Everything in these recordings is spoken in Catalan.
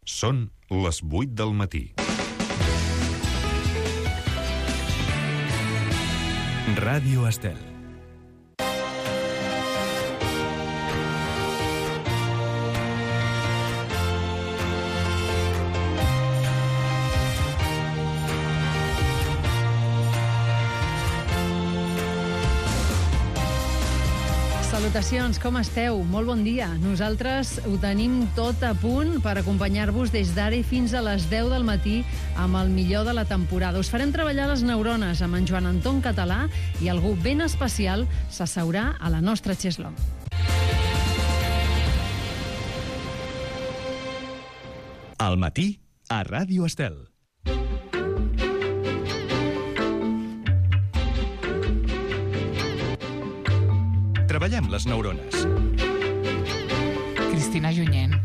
Són les 8 del matí. Ràdio Estel. Salutacions, com esteu? Molt bon dia. Nosaltres ho tenim tot a punt per acompanyar-vos des d'ara i fins a les 10 del matí amb el millor de la temporada. Us farem treballar les neurones amb en Joan Anton Català i algú ben especial s'asseurà a la nostra xeslong. Al matí, a Ràdio Estel. Treballem les neurones. Cristina Junyent.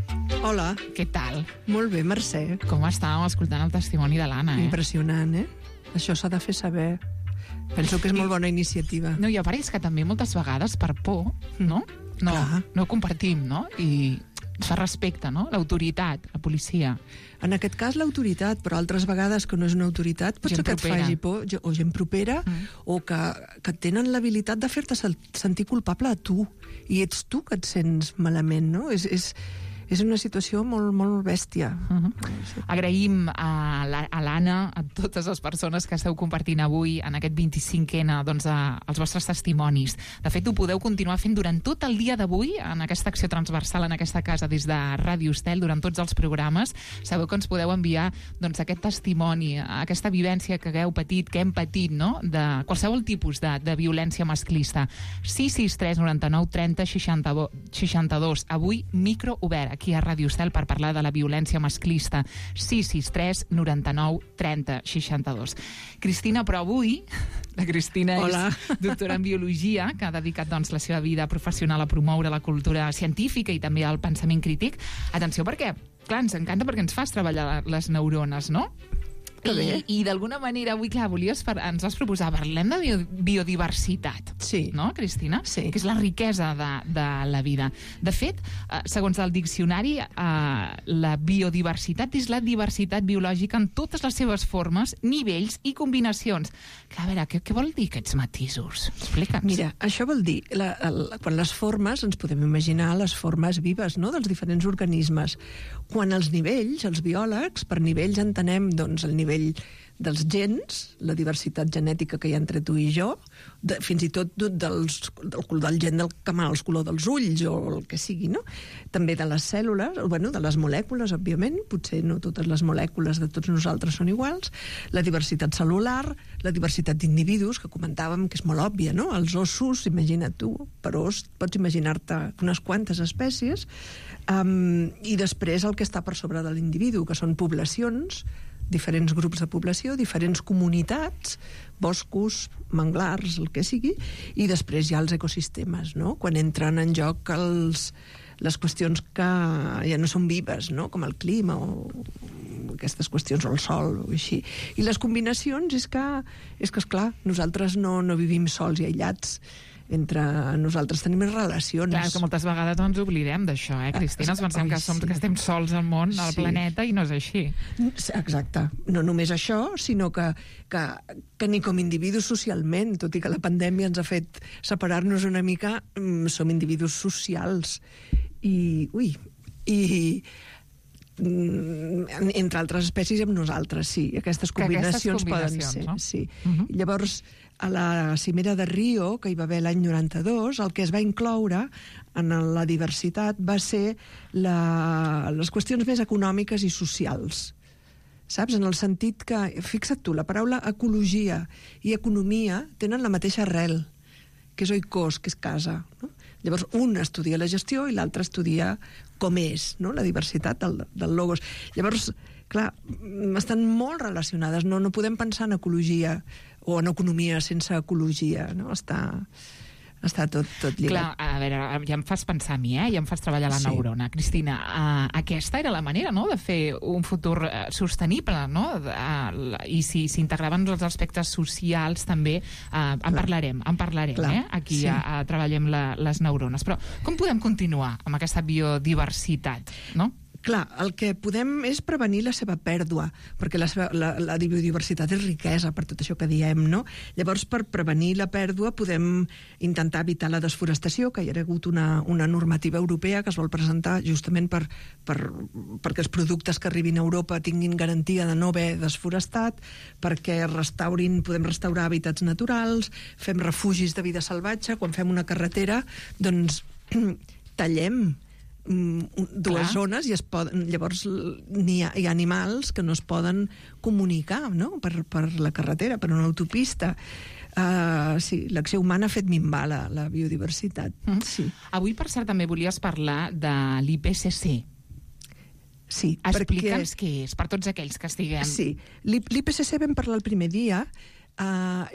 Hola. Què tal? Molt bé, Mercè. Com estàvem escoltant el testimoni de l'Anna, Impressionant, Això s'ha de fer saber. Penso que és molt bona iniciativa. No, i a part és que també moltes vegades per por, no? No ho compartim, no? I es fa respecte, no? L'autoritat, la policia. En aquest cas l'autoritat, però altres vegades que no és una autoritat pot ser que et faci por, o gent propera, o que tenen l'habilitat de fer-te sentir culpable a tu, i ets tu que et sents malament, no? És una situació molt, molt bèstia. Agraïm a l'Anna, a totes les persones que esteu compartint avui en aquest 25N, doncs, els vostres testimonis. De fet, ho podeu continuar fent durant tot el dia d'avui, en aquesta acció transversal en aquesta casa des de Ràdio Estel, durant tots els programes. Sabeu que ens podeu enviar doncs, aquest testimoni, aquesta vivència que hagueu patit, que hem patit, no? De qualsevol tipus de violència masclista. 663 99 30 62. Avui, micro obert aquí a Ràdio Estel per parlar de la violència masclista. 663 99 30 62. Cristina, però avui la Cristina és doctora en biologia, que ha dedicat doncs, la seva vida professional a promoure la cultura científica i també el pensament crític. Atenció, perquè, clar, ens encanta perquè ens fas treballar les neurones, no? I d'alguna manera avui, clar, ens vas proposar, parlem de biodiversitat, no, Cristina? Sí. Que és la riquesa de la vida. De fet, segons el diccionari, la biodiversitat és la diversitat biològica en totes les seves formes, nivells i combinacions. Clar, a veure, què vol dir aquests matisos? Explica'ns. Mira, això vol dir, quan les formes, ens podem imaginar les formes vives, no?, dels diferents organismes. Quan els nivells, els biòlegs, per nivells entenem, doncs, el nivell dels gens, la diversitat genètica que hi ha entre tu i jo, fins i tot del color del gen del camal, el color dels ulls o el que sigui, no? També de les cèl·lules, bueno, de les molècules, òbviament, potser no totes les molècules de tots nosaltres són iguals, la diversitat cel·lular, la diversitat d'individus, que comentàvem que és molt òbvia, no? Els ossos, imagina't tu, per os pots imaginar-te unes quantes espècies, i després el que està per sobre de l'individu, que són poblacions, diferents grups de població, diferents comunitats, boscos, manglars, el que sigui, i després hi ha els ecosistemes, no? Quan entren en joc les qüestions que ja no són vives, no? Com el clima o aquestes qüestions, o el sol, o així. I les combinacions és que esclar, nosaltres no vivim sols i aïllats. Entre nosaltres tenim relacions. Clar, que moltes vegades ens oblidem d'això, Cristina? Ens pensem que estem sols al món, al planeta, i no és així. Exacte. No només això, sinó que ni com individus socialment, tot i que la pandèmia ens ha fet separar-nos una mica, som individus socials. I entre altres espècies amb nosaltres, sí. Aquestes combinacions poden ser, no? Sí. Llavors, a la cimera de Rio, que hi va haver l'any 92, el que es va incloure en la diversitat va ser les qüestions més econòmiques i socials. Saps? En el sentit que, fixa't tu, la paraula ecologia i economia tenen la mateixa arrel, que és oikos, que és casa, no? Llavors, un estudia la gestió i l'altre estudia com és, no?, la diversitat del logos. Llavors, clar, estan molt relacionades. No podem pensar en ecologia o en economia sense ecologia, no? Està tot lligat. Clar, a veure, ja em fas pensar a mi, ja em fas treballar la neurona. Cristina, aquesta era la manera, no?, de fer un futur sostenible, no? I si s'integraven els aspectes socials també, en parlarem, aquí treballem les neurones. Però com podem continuar amb aquesta biodiversitat, no? Clar, el que podem és prevenir la seva pèrdua, perquè la biodiversitat és riquesa per tot això que diem, no? Llavors, per prevenir la pèrdua podem intentar evitar la desforestació, que hi ha hagut una normativa europea que es vol presentar justament perquè els productes que arribin a Europa tinguin garantia de no haver desforestat, perquè podem restaurar hàbitats naturals, fem refugis de vida salvatge, quan fem una carretera, doncs tallem dues zones i llavors hi ha animals que no es poden comunicar, no? per la carretera, per una autopista. Sí, l'acció humana ha fet minvar la biodiversitat. Sí. Avui, per cert, també volies parlar de l'IPCC. Sí, explica'ns què és, per tots aquells que estiguem... Sí, l'IPCC vam parlar el primer dia,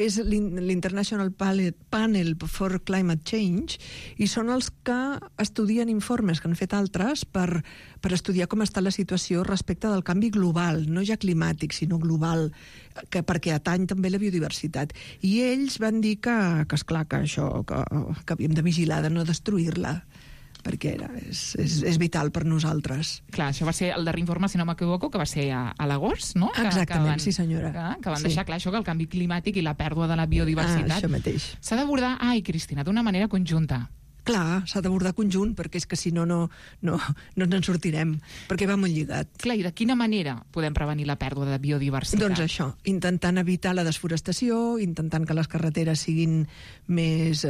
és l'International Panel for Climate Change, i són els que estudien informes que han fet altres per estudiar com està la situació respecte del canvi global, no ja climàtic, sinó global, perquè atany també la biodiversitat. I ells van dir que esclar, que això, que havíem de vigilar, de no destruir-la, perquè és vital per nosaltres. Clar, això va ser el darrer informe, si no m'equivoco, que va ser a l'agost, no? Exactament, sí senyora. Que van deixar clar això, que el canvi climàtic i la pèrdua de la biodiversitat això mateix. S'ha d'abordar, Cristina, d'una manera conjunta. Clar, s'ha d'abordar conjunt, perquè és que si no ens en sortirem, perquè va molt lligat. Clar, i de quina manera podem prevenir la pèrdua de biodiversitat? Doncs això, intentant evitar la desforestació, intentant que les carreteres siguin més...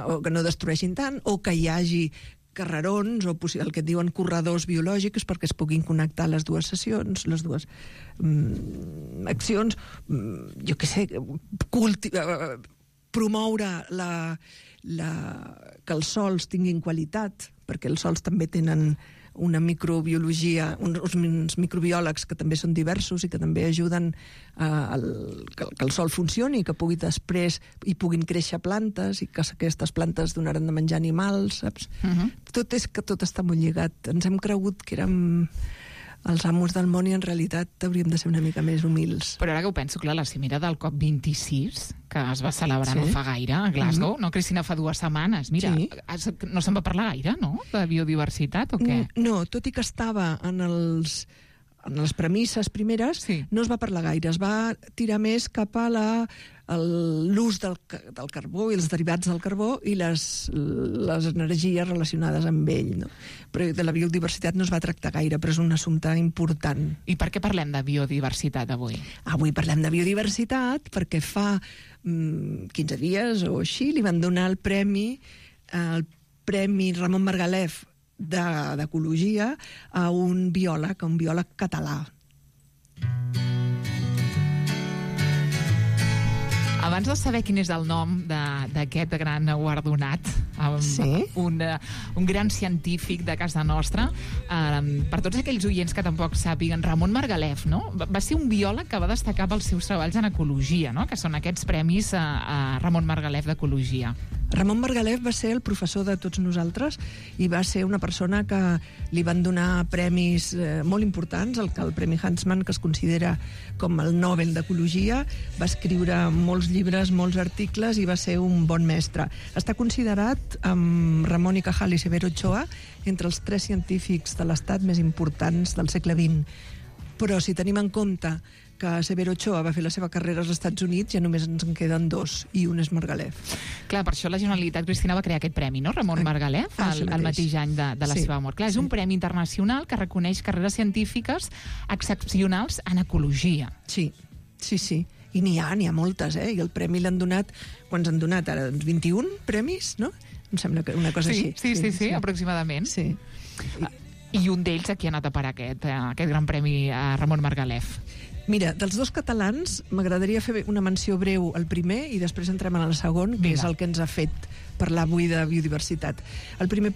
o que no destrueixin tant, o que hi hagi carrerons o el que et diuen corredors biològics perquè es puguin connectar les dues sessions, les dues accions, jo què sé, promoure que els sòls tinguin qualitat, perquè els sòls també tenen una microbiologia, uns microbiòlegs que també són diversos i que també ajuden que el sòl funcioni, que pugui després hi puguin créixer plantes i que aquestes plantes donaran de menjar animals, saps? Tot està molt lligat. Ens hem cregut que érem els amos del món i en realitat hauríem de ser una mica més humils. Però ara que ho penso, clar, la cimera del COP26, que es va celebrar no fa gaire a Glasgow, no, Cristina, fa 2 setmanes. Mira, no se'n va parlar gaire, no?, de biodiversitat, o què? No, tot i que estava en les premisses primeres, no es va parlar gaire. Es va tirar més cap a l'ús del carbó i els derivats del carbó i les energies relacionades amb ell, no? Però de la biodiversitat no es va tractar gaire, però és un assumpte important. I per què parlem de biodiversitat avui? Avui parlem de biodiversitat perquè fa 15 dies o així li van donar el premi Ramon Margalef d'Ecologia a un biòleg català. Abans de saber quin és el nom d'aquest gran guardonat, un gran científic de casa nostra, per tots aquells oients que tampoc sàpiguen, Ramon Margalef, no? Va ser un biòleg que va destacar pels seus treballs en ecologia, no? Que són aquests premis a Ramon Margalef d'Ecologia. Ramon Margalef va ser el professor de tots nosaltres i va ser una persona que li van donar premis molt importants, el Premi Huntsman, que es considera com el Nobel d'Ecologia. Va escriure molts llibres, molts articles i va ser un bon mestre. Està considerat, amb Ramon y Cajal i Severo Ochoa, entre els 3 científics de l'Estat més importants del segle XX. Però si tenim en compte que Severo Ochoa va fer la seva carrera als Estats Units, ja només ens en queden 2, i un és Margalef. Clar, per això la Generalitat, Cristina, va crear aquest premi, no? Ramon Margalef, el mateix any de la seva mort. Clar, és un premi internacional que reconeix carreres científiques excepcionals en ecologia. Sí. I n'hi ha moltes, I el premi l'han donat, quants han donat ara? 21 premis, no? Em sembla que una cosa així. Sí, aproximadament. Sí. I un d'ells aquí ha anat a parar aquest gran premi a Ramon Margalef. Mira, dels 2 catalans m'agradaria fer una menció breu al primer i després entrem en el segon, que és el que ens ha fet parlar avui de biodiversitat. El primer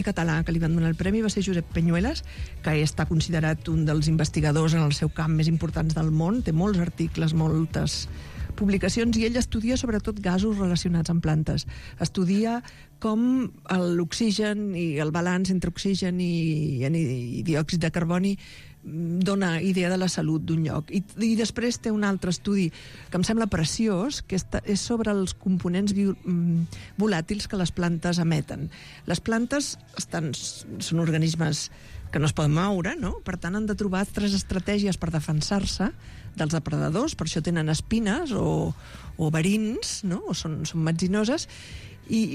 català que li van donar el premi va ser Josep Peñuelas, que està considerat un dels investigadors en el seu camp més importants del món, té molts articles, moltes publicacions, i ell estudia sobretot gasos relacionats amb plantes. Estudia com l'oxigen i el balanç entre oxigen i diòxid de carboni dona idea de la salut d'un lloc. I després té un altre estudi que em sembla preciós, que és sobre els components volàtils que les plantes emeten. Les plantes són organismes que no es poden moure, no? Per tant, han de trobar altres estratègies per defensar-se dels depredadors, per això tenen espines o verins, no? O són metzinoses,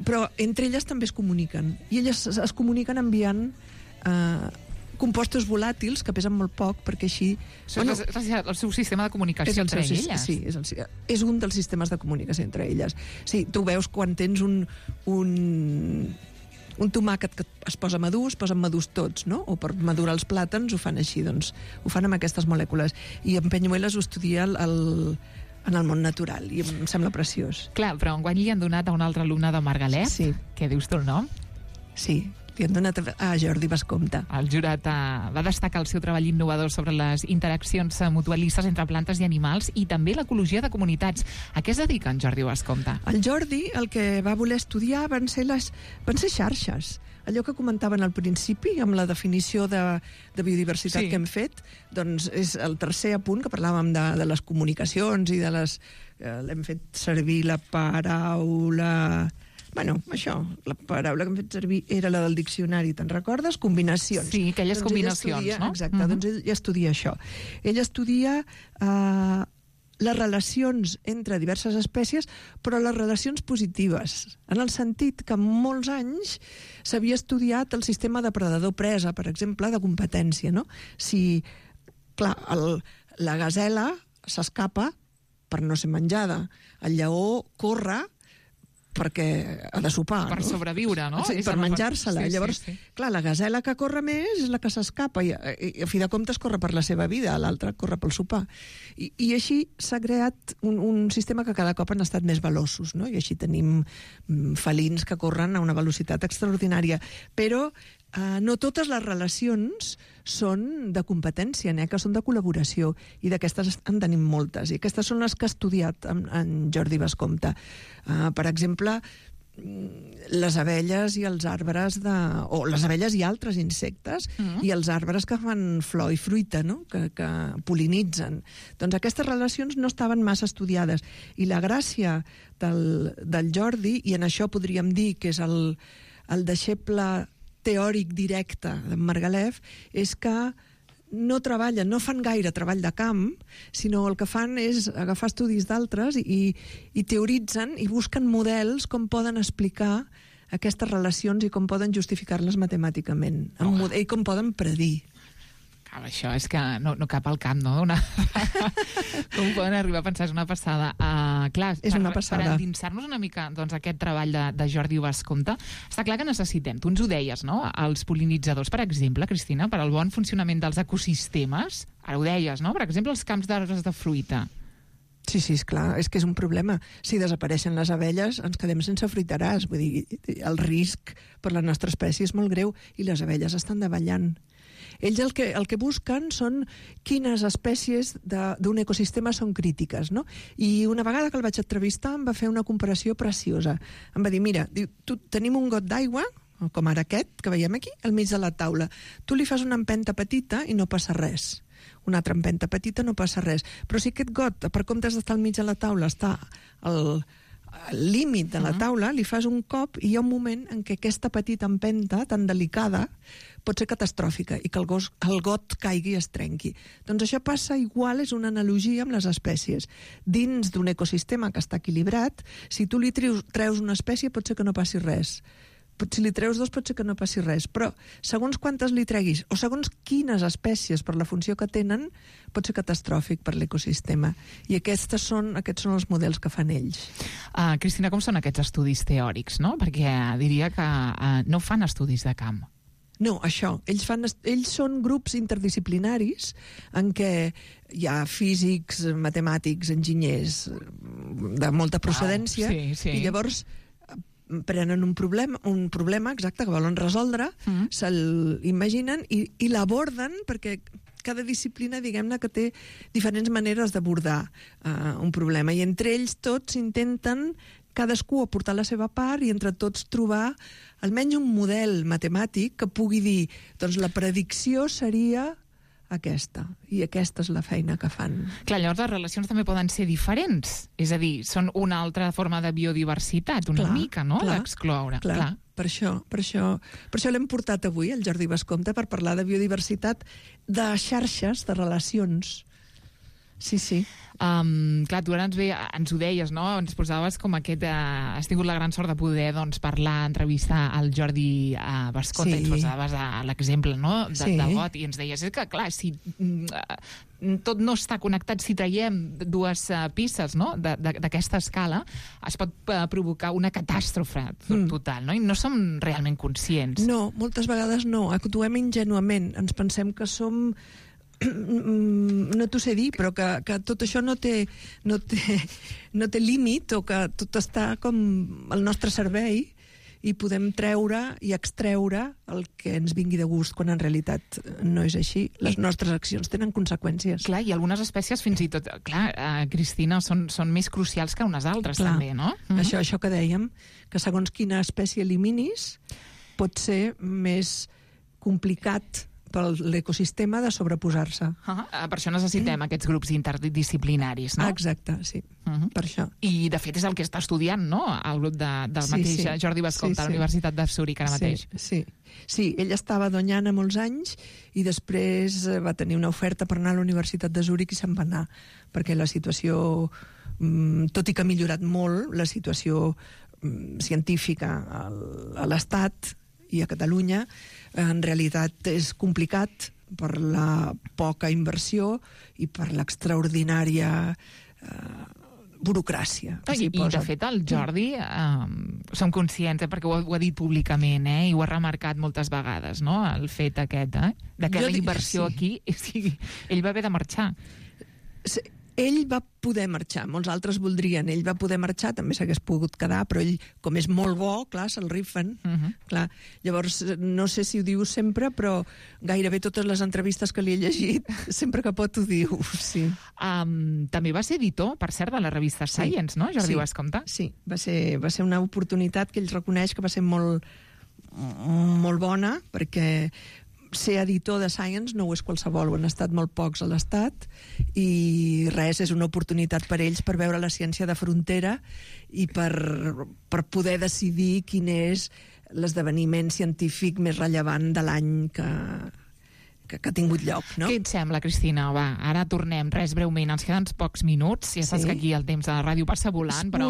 però entre elles també es comuniquen. I elles es comuniquen enviant compostos volàtils que pesen molt poc, perquè així... És el seu sistema de comunicació entre elles? Sí, és un dels sistemes de comunicació entre elles. Sí, tu veus quan tens un tomàquet que es posa madur, es posen madurs tots, no? O per madurar els plàtans ho fan així, doncs ho fan amb aquestes molècules. I en Peñuelas ho estudia en el món natural, i em sembla preciós. Clar, però enguany li han donat a un altre alumne de Margalef, sí. Què dius tu el nom? Sí, li han donat a Jordi Bascompte. El jurat va destacar el seu treball innovador sobre les interaccions mutualistes entre plantes i animals i també l'ecologia de comunitats. A què es dedica en Jordi Bascompte? El Jordi el que va voler estudiar van ser xarxes. Allò que comentaven al principi, amb la definició de biodiversitat que hem fet, doncs és el tercer apunt, que parlàvem de les comunicacions i de les... L'hem fet servir la paraula... Bueno, això, la paraula que hem fet servir era la del diccionari, te'n recordes? Combinacions. Sí, aquelles combinacions, no? Exacte, doncs ell estudia això. Ell estudia les relacions entre diverses espècies, però les relacions positives, en el sentit que en molts anys s'havia estudiat el sistema depredador-presa, per exemple, de competència, no? Si, clar, la gasela s'escapa per no ser menjada, el lleó corre perquè ha de sopar, per sobreviure, no? Sí, per menjar-se-la. Llavors, clar, la gasela que corre més és la que s'escapa i a fi de comptes corre per la seva vida, l'altra corre pel sopar. I així s'ha creat un sistema que cada cop han estat més veloços, no? I així tenim felins que corren a una velocitat extraordinària. Però no totes les relacions són de competència, que són de col·laboració, i d'aquestes en tenim moltes, i aquestes són les que ha estudiat en Jordi Bascompte. Per exemple, les abelles i els arbres o les abelles i altres insectes i els arbres que fan flor i fruita, no? que pol·linitzen. Doncs aquestes relacions no estaven massa estudiades, i la gràcia del Jordi, i en això podríem dir que és el deixeble teòric directe de Margalef, és que no fan gaire treball de camp, sinó el que fan és agafar estudis d'altres i teoritzen i busquen models com poden explicar aquestes relacions i com poden justificar-les matemàticament, i com poden predir. Això és que no cap al camp, no? Com poden arribar a pensar, és una passada. Clar, és una passada. Per endinsar-nos una mica aquest treball de Jordi Bascompte, està clar que necessitem, tu ens ho deies, no? Els pol·linitzadors, per exemple, Cristina, per al bon funcionament dels ecosistemes, ara ho deies, no? Per exemple, els camps d'arbres de fruita. Sí, és clar, és que és un problema. Si desapareixen les abelles, ens quedem sense fruiteràs. Vull dir, el risc per la nostra espècie és molt greu i les abelles estan davallant. Ells el que busquen són quines espècies d'un ecosistema són crítiques, no? I una vegada que el vaig entrevistar em va fer una comparació preciosa. Em va dir, mira, tenim un got d'aigua, com ara aquest, que veiem aquí, al mig de la taula. Tu li fas una empenta petita i no passa res. Una altra empenta petita no passa res. Però si aquest got, per comptes d'estar al mig de la taula, està al límit de la taula, li fas un cop i hi ha un moment en què aquesta petita empenta, tan delicada, pot ser catastròfica i que el got caigui i es trenqui. Doncs això passa igual, és una analogia amb les espècies. Dins d'un ecosistema que està equilibrat, si tu li treus una espècie pot ser que no passi res. Si li treus dos pot ser que no passi res, però segons quantes li treguis o segons quines espècies per la funció que tenen pot ser catastròfic per l'ecosistema, i aquests són els models que fan ells. Cristina, com són aquests estudis teòrics, no? Perquè diria que no fan estudis de camp. No, això. Ells són grups interdisciplinaris en què hi ha físics, matemàtics, enginyers de molta procedència, i llavors prenen un problema exacte que volen resoldre, se'l imaginen i l'aborden, perquè cada disciplina, diguem-ne, que té diferents maneres d'abordar un problema, i entre ells tots intenten cadascú aportar la seva part i entre tots trobar almenys un model matemàtic que pugui dir, doncs la predicció seria aquesta, i aquesta és la feina que fan. Clar, llavors les relacions també poden ser diferents, és a dir, són una altra forma de biodiversitat, una mica, no?, d'excloure. Clar. per això l'hem portat avui, el Jordi Bascompte, per parlar de biodiversitat, de xarxes, de relacions. Sí. Clar, tu ara ens ho deies, no? Ens posaves com aquest... has tingut la gran sort de poder parlar, entrevistar el Jordi Bascompte, i ens posaves l'exemple, no? De got, i ens deies, és que clar, si tot no està connectat, si traiem dues pistes, no?, d'aquesta escala, es pot provocar una catàstrofe total, no? I no som realment conscients. No, moltes vegades no, actuem ingenuament, ens pensem que som... no t'ho sé dir, però que tot això no té límit, o que tot està com al nostre servei i podem treure i extreure el que ens vingui de gust, quan en realitat no és així. Les nostres accions tenen conseqüències. Clar, i algunes espècies fins i tot, clar, Cristina, són més crucials que unes altres, també, no? Això que dèiem, que segons quina espècie eliminis pot ser més complicat per l'ecosistema de sobreposar-se. Per això necessitem aquests grups interdisciplinaris, no? Exacte, sí, per això. I, de fet, és el que està estudiant, no?, el grup del mateix Jordi Bascompte, a la Universitat de Zúrich, ara mateix. Sí, ell estava a Doñana molts anys i després va tenir una oferta per anar a la Universitat de Zúrich i se'n va anar, perquè la situació, tot i que ha millorat molt, la situació científica a l'Estat i a Catalunya, en realitat és complicat per la poca inversió i per l'extraordinària burocràcia. I de fet el Jordi, som conscients, perquè ho ha dit públicament, i ho ha remarcat moltes vegades, no?, el fet aquest, de que la inversió aquí, ell va haver de marxar. Ell va poder marxar, molts altres voldrien, ell va poder marxar, també s'hagués pogut quedar, però ell, com és molt bo, clar, se'l rifen. Clar. Llavors, no sé si ho diu sempre, però gairebé totes les entrevistes que li he llegit, sempre que pot ho diu, sí. També va ser editor, per cert, de la revista Science, no, Jordi Bascompte? Sí, va ser una oportunitat que ell reconeix que va ser molt bona, perquè ser editor de Science no ho és qualsevol, ho han estat molt pocs a l'Estat, i res, és una oportunitat per ells per veure la ciència de frontera i per poder decidir quin és l'esdeveniment científic més rellevant de l'any que ha tingut lloc, no? Què et sembla, Cristina? Va, ara tornem, breument, ens queden pocs minuts, ja saps que aquí el temps de la ràdio passa volant, però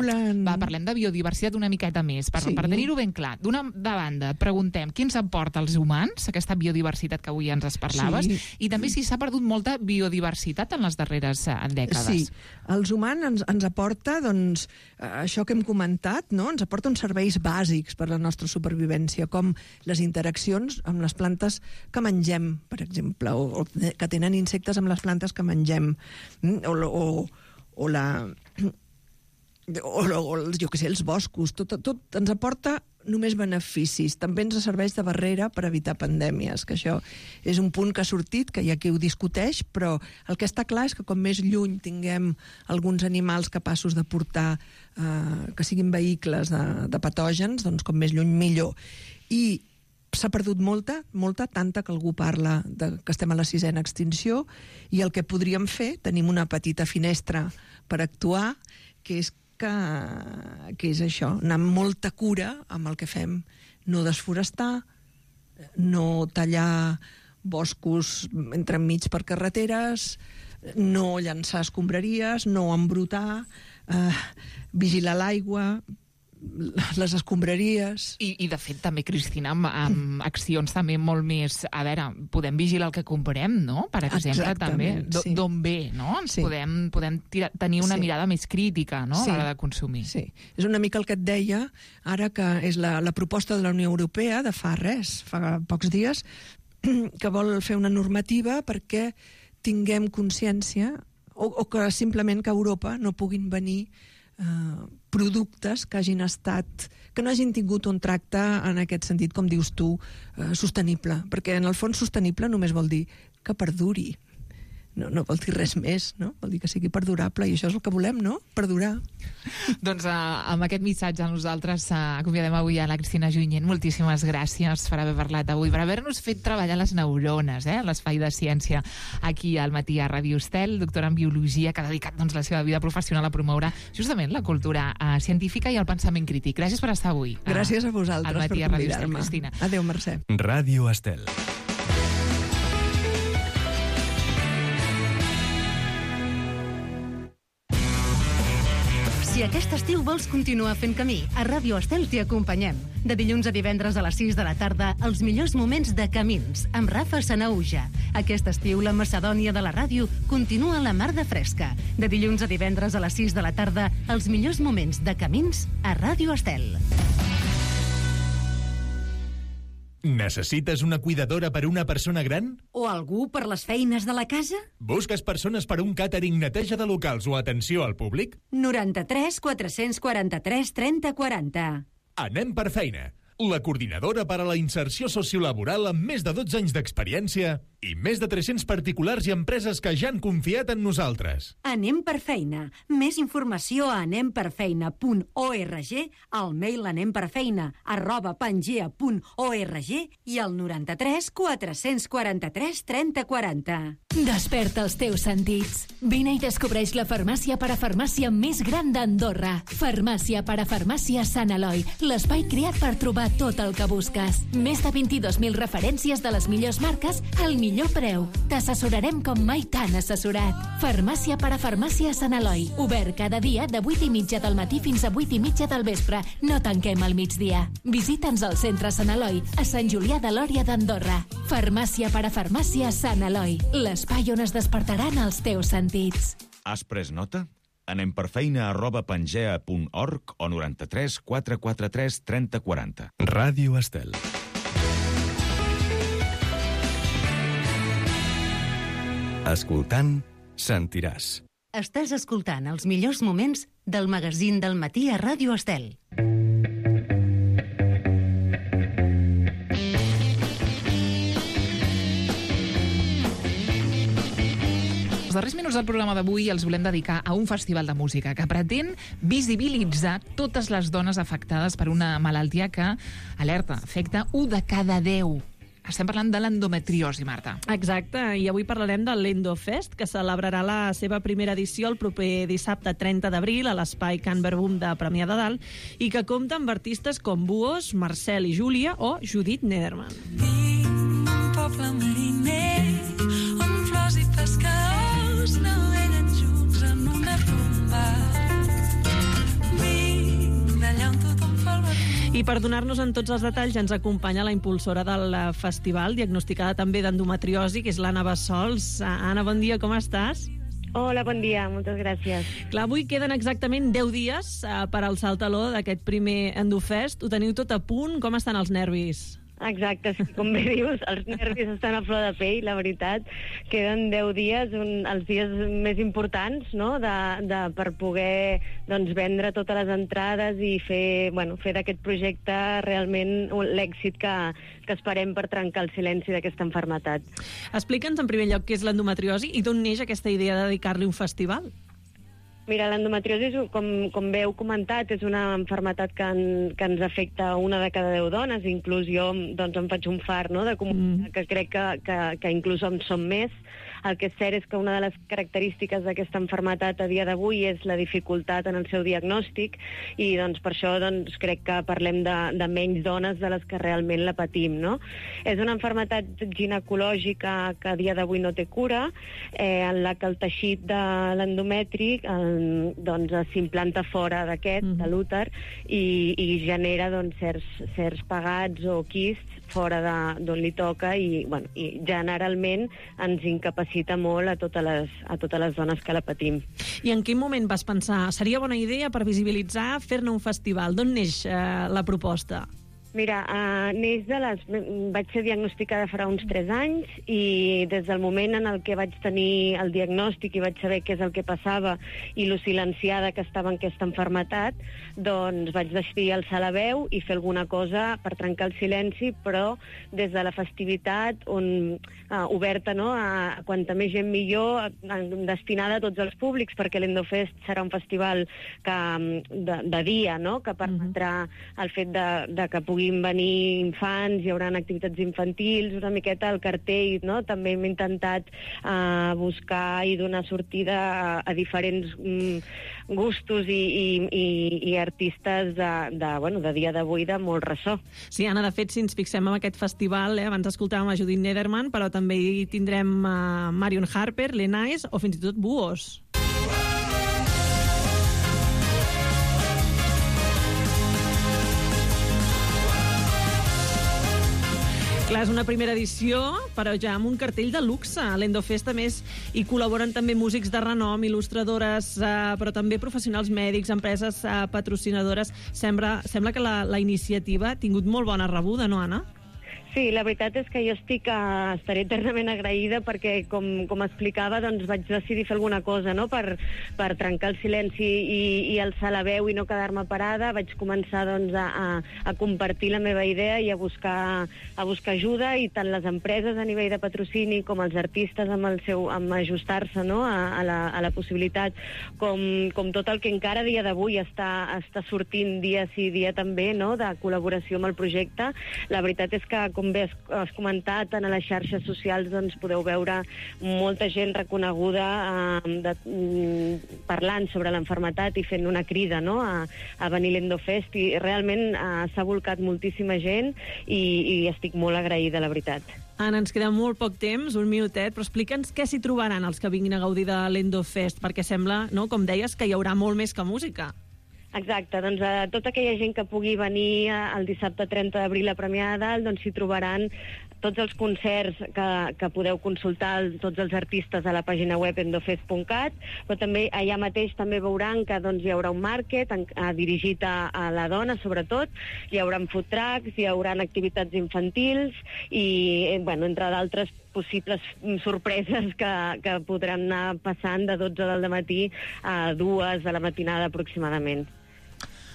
parlem de biodiversitat una miqueta més, per tenir-ho ben clar. D'una banda, et preguntem què ens aporta als humans, aquesta biodiversitat que avui ens parlaves, i també si s'ha perdut molta biodiversitat en les darreres dècades. Sí, els humans ens aporta, doncs, això que hem comentat, no? Ens aporta uns serveis bàsics per a la nostra supervivència, com les interaccions amb les plantes que mengem, per exemple, o que tenen insectes amb les plantes que mengem, jo què sé, els boscos, tot ens aporta només beneficis. També ens serveix de barrera per evitar pandèmies, que això és un punt que ha sortit, que hi ha qui ho discuteix, però el que està clar és que com més lluny tinguem alguns animals capaços de portar, que siguin vehicles de patògens, doncs com més lluny millor. I s'ha perdut molta, tanta que algú parla que estem a la 6ª extinció, i el que podríem fer, tenim una petita finestra per actuar, que és això, anar amb molta cura amb el que fem, no desforestar, no tallar boscos entremig per carreteres, no llançar escombraries, no embrutar, vigilar l'aigua, les escombraries. I de fet també, Cristina, amb accions també molt més... A veure, podem vigilar el que comprem, no? Per exemple, també d'on ve, no? Podem tenir una mirada més crítica, no? A l'hora de consumir. Sí, és una mica el que et deia ara, que és la proposta de la Unió Europea de fa pocs dies, que vol fer una normativa perquè tinguem consciència, o que simplement que a Europa no puguin venir productes que no hagin tingut un tracte en aquest sentit, com dius tu, sostenible, perquè en el fons sostenible només vol dir que perduri. no vol dir res més, no? Vol dir que sigui perdurable, i això és el que volem, no? Perdurar. Doncs amb aquest missatge nosaltres acomiadem avui a la Cristina Junyent. Moltíssimes gràcies per haver parlat avui, per haver-nos fet treballar les neurones, l'Espai de Ciència aquí al matí a Ràdio Estel, doctora en Biologia, que ha dedicat la seva vida professional a promoure justament la cultura científica i el pensament crític. Gràcies per estar avui. Gràcies a vosaltres per convidar-me. Adéu, Mercè. Ràdio Estel. Si aquest estiu vols continuar fent camí, a Ràdio Estel t'hi acompanyem. De dilluns a divendres a les 6 de la tarda, els millors moments de camins, amb Rafa Sanahuja. Aquest estiu, la Macedònia de la ràdio continua a la mar de fresca. De dilluns a divendres a les 6 de la tarda, els millors moments de camins a Ràdio Estel. Necessites una cuidadora per una persona gran? O algú per les feines de la casa? Busques persones per un càtering, neteja de locals o atenció al públic? 93 443 30 40. Anem per feina. La coordinadora per a la inserció sociolaboral amb més de 12 anys d'experiència i més de 300 particulars i empreses que ja han confiat en nosaltres. Anem per feina. Més informació a anemperfeina.org, al mail anemperfeina@pangea.org i al 93 443 30 40. Desperta els teus sentits. Vine i descobreix la farmàcia parafarmàcia més gran d'Andorra. Farmàcia parafarmàcia Sant Eloi, l'espai creat per trobar tot el que busques. Més de 22.000 referències de les millors marques al millor preu. T'assessorarem com mai t'han assessorat. Farmàcia parafarmàcia Sant Eloi. Obert cada dia de 8:30 del matí fins a 8:30 del vespre. No tanquem al migdia. Visita'ns al centre Sant Eloi, a Sant Julià de Lòria d'Andorra. Farmàcia parafarmàcia Sant Eloi, l'espai on es despertaran els teus sentits. Has pres nota? Anem per feina@pangea.org o 93 443 30 40. Ràdio Estel. Escoltant, sentiràs. Estàs escoltant els millors moments del magazín del matí a Ràdio Estel. Els darrers minuts del programa d'avui els volem dedicar a un festival de música que pretén visibilitzar totes les dones afectades per una malaltia que, alerta, afecta 1 de cada 10. Estem parlant de l'endometriosi, Marta. Exacte, i avui parlarem de l'Endofest, que celebrarà la seva primera edició el proper dissabte 30 d'abril a l'espai Can Verbum de Premià de Dalt i que compta amb artistes com Buos, Marcel i Júlia o Judit Nederman. Vinc d'un poble mariner on flors i pescadors naveguen junts en una rumba. Vinc d'allà on tothom fa el barri. I per donar-nos en tots els detalls ens acompanya la impulsora del festival, diagnosticada també d'endometriosi, que és l'Anna Bassols. Anna, bon dia, com estàs? Hola, bon dia, moltes gràcies. Clar, avui queden exactament 10 dies per alçar el taló d'aquest primer Endofest. Ho teniu tot a punt? Com estan els nervis? Exacte, sí, com bé dius, els nervis estan a flor de pell, la veritat. Queden 10 dies, els dies més importants, no?, per poder vendre totes les entrades i fer d'aquest projecte realment l'èxit que esperem per trencar el silenci d'aquesta malaltia. Explica'ns en primer lloc què és l'endometriosi i d'on neix aquesta idea de dedicar-li un festival. Mira, l'endometriosi, com bé heu comentat, és una malaltia que ens afecta 1 de cada 10 dones, inclús jo em faig un far, no?, de comunicar que crec que inclús en som més. El que és cert és que una de les característiques d'aquesta malaltia a dia d'avui és la dificultat en el seu diagnòstic i per això crec que parlem de menys dones de les que realment la patim, no? És una malaltia ginecològica que a dia d'avui no té cura, en la que el teixit de l'endometri s'implanta fora d'aquest, de l'úter, i genera certs pegats o quists fora d'on li toca i generalment ens incapacita molt a totes les dones que la patim. I en quin moment vas pensar, seria bona idea per visibilitzar, fer-ne un festival? D'on neix la proposta? Mira, vaig ser diagnosticada fa uns 3 anys i des del moment en el que vaig tenir el diagnòstic i vaig saber què és el que passava i lo silenciada que estava en aquesta malaltia, doncs vaig decidir alçar la veu i fer alguna cosa per trencar el silenci, però des de la festivitat oberta, no? A quanta més gent millor, destinada a tots els públics, perquè l'Endofest serà un festival de dia, no? Que permetrà el fet de que puguin venir infants, hi haurà activitats infantils, una miqueta el cartell, no? També hem intentat buscar i donar sortida a diferents gustos i artistes de dia d'avui de molt ressò. Sí, Anna, de fet, si ens fixem en aquest festival, abans escoltàvem a Judith Nederman, però també hi tindrem Marion Harper, Lenais o fins i tot Buos. Clar, és una primera edició, però ja amb un cartell de luxe. A l'Endofest, a més, hi col·laboren també músics de renom, il·lustradores, però també professionals mèdics, empreses patrocinadores. Sembla que la iniciativa ha tingut molt bona rebuda, no, Anna? Sí, la veritat és que jo estaré eternament agraïda perquè, com explicava, doncs vaig decidir fer alguna cosa, no?, per trencar el silenci i alçar la veu i no quedar-me parada. Vaig començar doncs, a compartir la meva idea i a buscar ajuda, i tant les empreses a nivell de patrocini com els artistes amb ajustar-se, no?, a la possibilitat, com tot el que encara a dia d'avui està sortint dia sí, dia també, no?, de col·laboració amb el projecte. La veritat és que, com bé has comentat, a les xarxes socials doncs, podeu veure molta gent reconeguda parlant sobre l'enfermetat i fent una crida, no?, a venir a l'Endofest, i realment s'ha volcat moltíssima gent i estic molt agraïda, la veritat. Anna, ens queda molt poc temps, un minutet, però explica'ns què s'hi trobaran els que vinguin a gaudir de l'Endofest, perquè sembla, no?, com deies, que hi haurà molt més que música. Exacte, doncs tota aquella gent que pugui venir el dissabte 30 d'abril a Premià de Dalt, doncs s'hi trobaran tots els concerts que podeu consultar tots els artistes a la pàgina web endofest.cat, però també allà mateix també veuran que doncs, hi haurà un market dirigit a la dona, sobretot, hi haurà food trucks, hi haurà activitats infantils i, entre d'altres possibles sorpreses que podran anar passant de 12 del matí a 2 de la matinada aproximadament.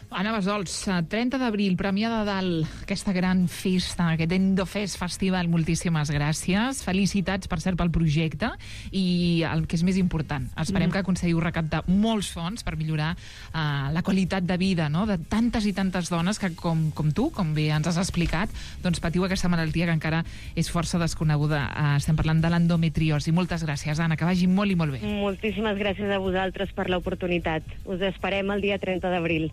Anna Bassols, 30 d'abril, Premià de Dalt, aquesta gran festa, aquest Endofest Festival, moltíssimes gràcies. Felicitats, per cert, pel projecte i el que és més important, esperem que aconseguiu recaptar molts fons per millorar la qualitat de vida, no?, de tantes i tantes dones que, com tu, com bé ens has explicat, doncs patiu aquesta malaltia que encara és força desconeguda. Estem parlant de l'endometriosi. Moltes gràcies, Anna, que vagi molt i molt bé. Moltíssimes gràcies a vosaltres per l'oportunitat. Us esperem el dia 30 d'abril.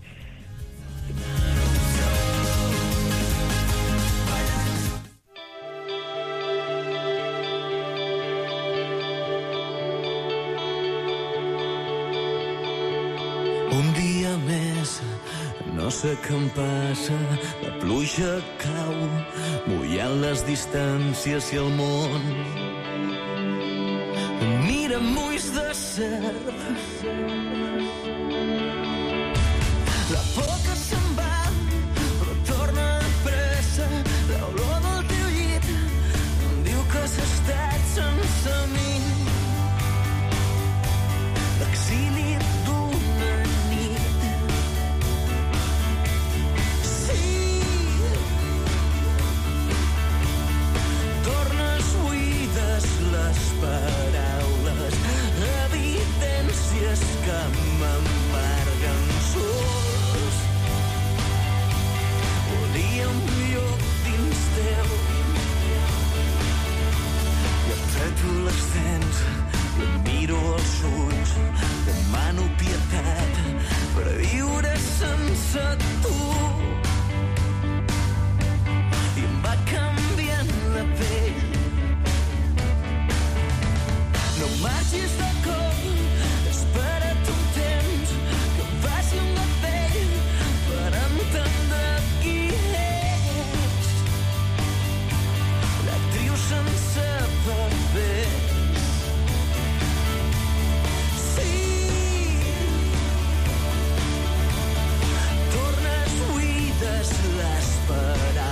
Un dia més, no sé què em passa, la pluja cau, mullant les distàncies i el món. Mira amb ulls de serp, la por que se'n va, però torna de pressa, l'olor del teu llit em diu que has estat sense mi. L'exili d'una nit. Sí, tornes buides les paraules, evidències que m'embarguen sols. Volia un lloc dins teu i apreto les dents i em miro als ulls, demano pietat per viure sense tu. I em va canviant la pell. No marxis de cop, espera't un temps que em passi amb la pell per entendre qui ets. L'actriu sense papers. Sí, tornes buides les paraules,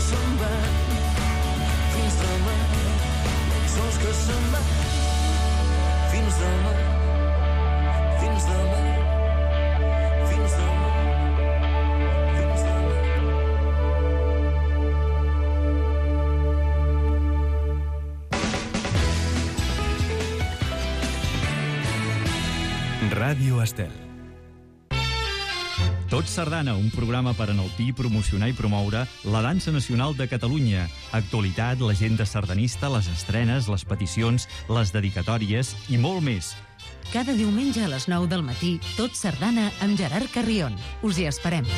se'n van. Fins demà, sols que se'n van. Fins demà, fins demà, fins demà, fins demà. Ràdio Estel. Tot Sardana, un programa per enaltir, promocionar i promoure la dansa nacional de Catalunya. Actualitat, l'agenda sardanista, les estrenes, les peticions, les dedicatòries i molt més. Cada diumenge a les 9 del matí, Tot Sardana amb Gerard Carrion. Us hi esperem.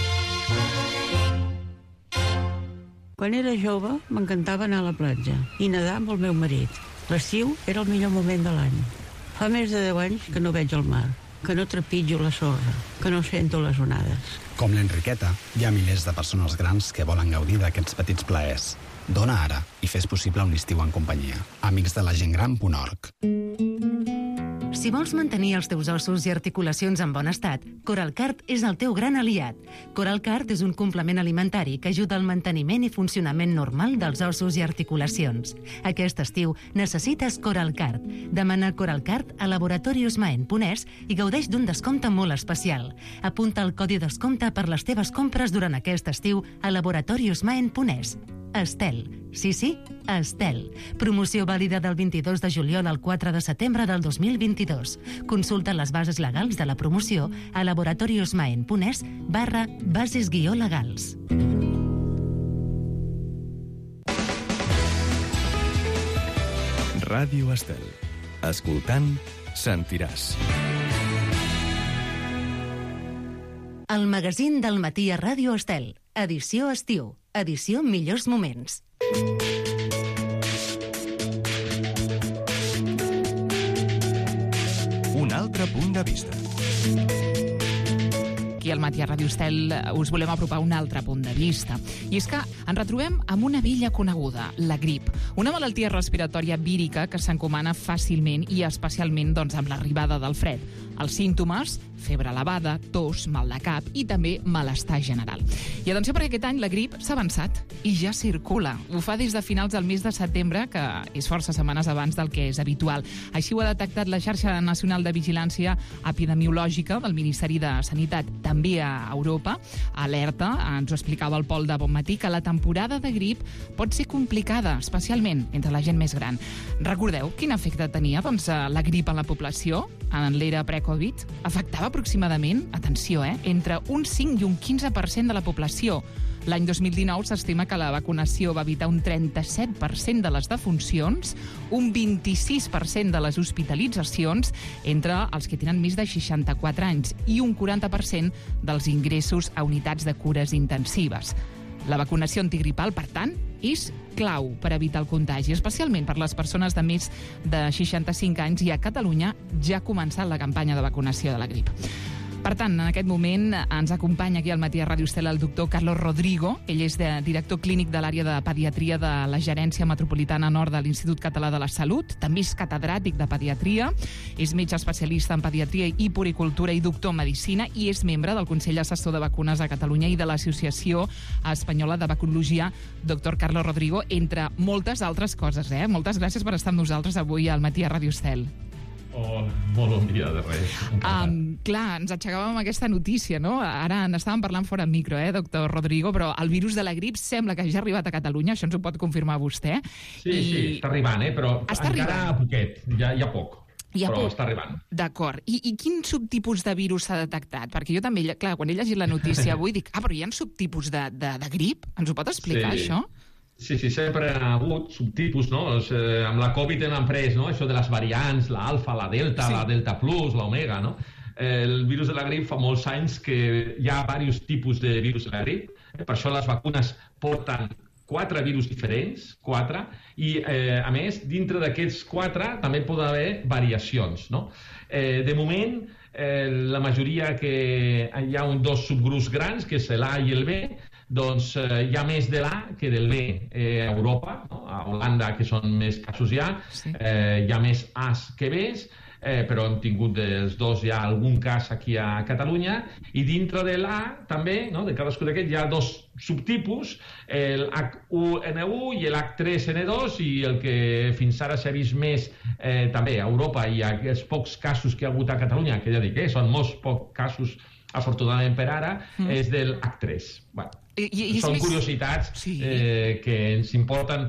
Quan era jove, m'encantava anar a la platja i nedar amb el meu marit. L'estiu era el millor moment de l'any. Fa més de 10 anys que no veig el mar, que no trepitjo la sorra, que no sento les onades. Com l'Enriqueta, hi ha milers de persones grans que volen gaudir d'aquests petits plaers. Dona ara i fes possible un estiu en companyia. Amics de la gentgran.org. Si vols mantenir els teus ossos i articulacions en bon estat, Coralcart és el teu gran aliat. Coralcart és un complement alimentari que ajuda al manteniment i funcionament normal dels ossos i articulacions. Aquest estiu necessites Coralcart. Demana Coralcart a laboratoriosmaen.es i gaudeix d'un descompte molt especial. Apunta el codi descompte per les teves compres durant aquest estiu a laboratoriosmaen.es. Estel. Sí, Estel. Promoció vàlida del 22 de juliol al 4 de setembre del 2022. Consulta les bases legals de la promoció a laboratoriosmaen.es/bases-legals. Ràdio Estel. Escoltant, sentiràs. El magazín del matí a Ràdio Estel. Edició estiu. Edició millors moments. Un altre punt de vista. Aquí al matí a Ràdio Estel us volem apropar un altre punt de vista. I és que ens retrobem amb una vella coneguda, la grip. Una malaltia respiratòria vírica que s'encomana fàcilment i especialment amb l'arribada del fred. Els símptomes, febre elevada, tos, mal de cap i també malestar general. I atenció perquè aquest any la grip s'ha avançat i ja circula. Ho fa des de finals del mes de setembre, que és força setmanes abans del que és habitual. Així ho ha detectat la xarxa nacional de vigilància epidemiològica del Ministeri de Sanitat. També a Europa alerta, ens ho explicava el Pol de Bonmatí, que la temporada de grip pot ser complicada, especialment entre la gent més gran. Recordeu quin efecte tenia la grip en la població en l'era pre-Covid? Afectava aproximadament, atenció, entre un 5 i un 15% de la població. L'any 2019 s'estima que la vacunació va evitar un 37% de les defuncions, un 26% de les hospitalitzacions entre els que tenen més de 64 anys i un 40% dels ingressos a unitats de cures intensives. La vacunació antigripal, per tant, és clau per evitar el contagi, especialment per les persones de més de 65 anys, i a Catalunya ja ha començat la campanya de vacunació de la grip. Per tant, en aquest moment ens acompanya aquí al matí a Ràdio Estel el doctor Carlos Rodrigo. Ell és director clínic de l'àrea de pediatria de la Gerència Metropolitana Nord de l'Institut Català de la Salut. També és catedràtic de pediatria, és metge especialista en pediatria i puericultura i doctor en medicina, i és membre del Consell Assessor de Vacunes de Catalunya i de l'Associació Espanyola de Vacunologia. Doctor Carlos Rodrigo, entre moltes altres coses. Moltes gràcies per estar amb nosaltres avui al matí a Ràdio Estel. Oh, molt bon dia, de res. Clar, ens aixecàvem amb aquesta notícia, no? Ara n'estàvem parlant fora en micro, doctor Rodrigo, però el virus de la grip sembla que ja ha arribat a Catalunya, això ens ho pot confirmar vostè. Sí, està arribant, però encara poquet, ja poc. Però està arribant. D'acord. I quin subtipus de virus s'ha detectat? Perquè jo també, clar, quan he llegit la notícia avui, dic, però hi ha subtipus de grip? Ens ho pot explicar, això? Sí, sempre ha hagut subtipus, no? Amb la Covid hem après, no? Això de les variants, l'alfa, la delta, la delta plus, l'omega, no? El virus de la grip fa molts anys que hi ha diversos tipus de virus de la grip. Per això les vacunes porten 4 virus diferents, 4, i a més, dintre d'aquests 4 també pot haver variacions, no? De moment, la majoria que hi ha dos subgrups grans, que és l'A i el B, doncs hi ha més de l'A que del B a Europa, no? A Holanda, que són més casos ja, hi ha més A's que B's. però hem tingut dels dos ja algun cas aquí a Catalunya, i dintre de l'A també, no, de cadascú d'aquests, hi ha dos subtipus, el H1N1 i l'H3N2, i el que fins ara s'ha vist més també a Europa i els pocs casos que hi ha hagut a Catalunya, que ja dic, són molts pocs casos afortunadament per ara, és del H3. Bueno, són curiositats que ens importen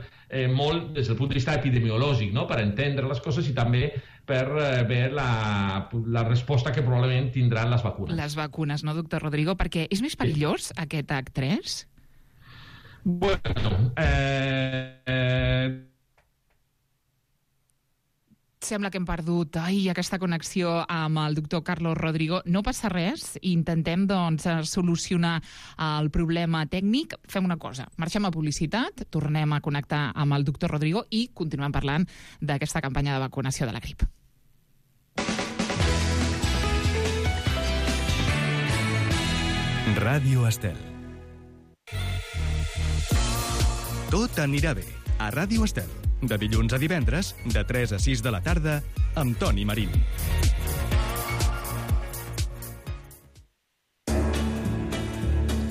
molt des del punt de vista epidemiològic, no? Per entendre les coses i també per veure la resposta que probablement tindran les vacunes. Les vacunes, no, doctor Rodrigo? Perquè és més perillós aquest H3? Bueno, sembla que hem perdut aquesta connexió amb el doctor Carlos Rodrigo. No passa res, intentem doncs solucionar el problema tècnic. Fem una cosa, marxem a publicitat, tornem a connectar amb el doctor Rodrigo i continuem parlant d'aquesta campanya de vacunació de la grip. Ràdio Estel. Tot anirà bé a Ràdio Estel. De dilluns a divendres, de 3 a 6 de la tarda, amb Toni Marín.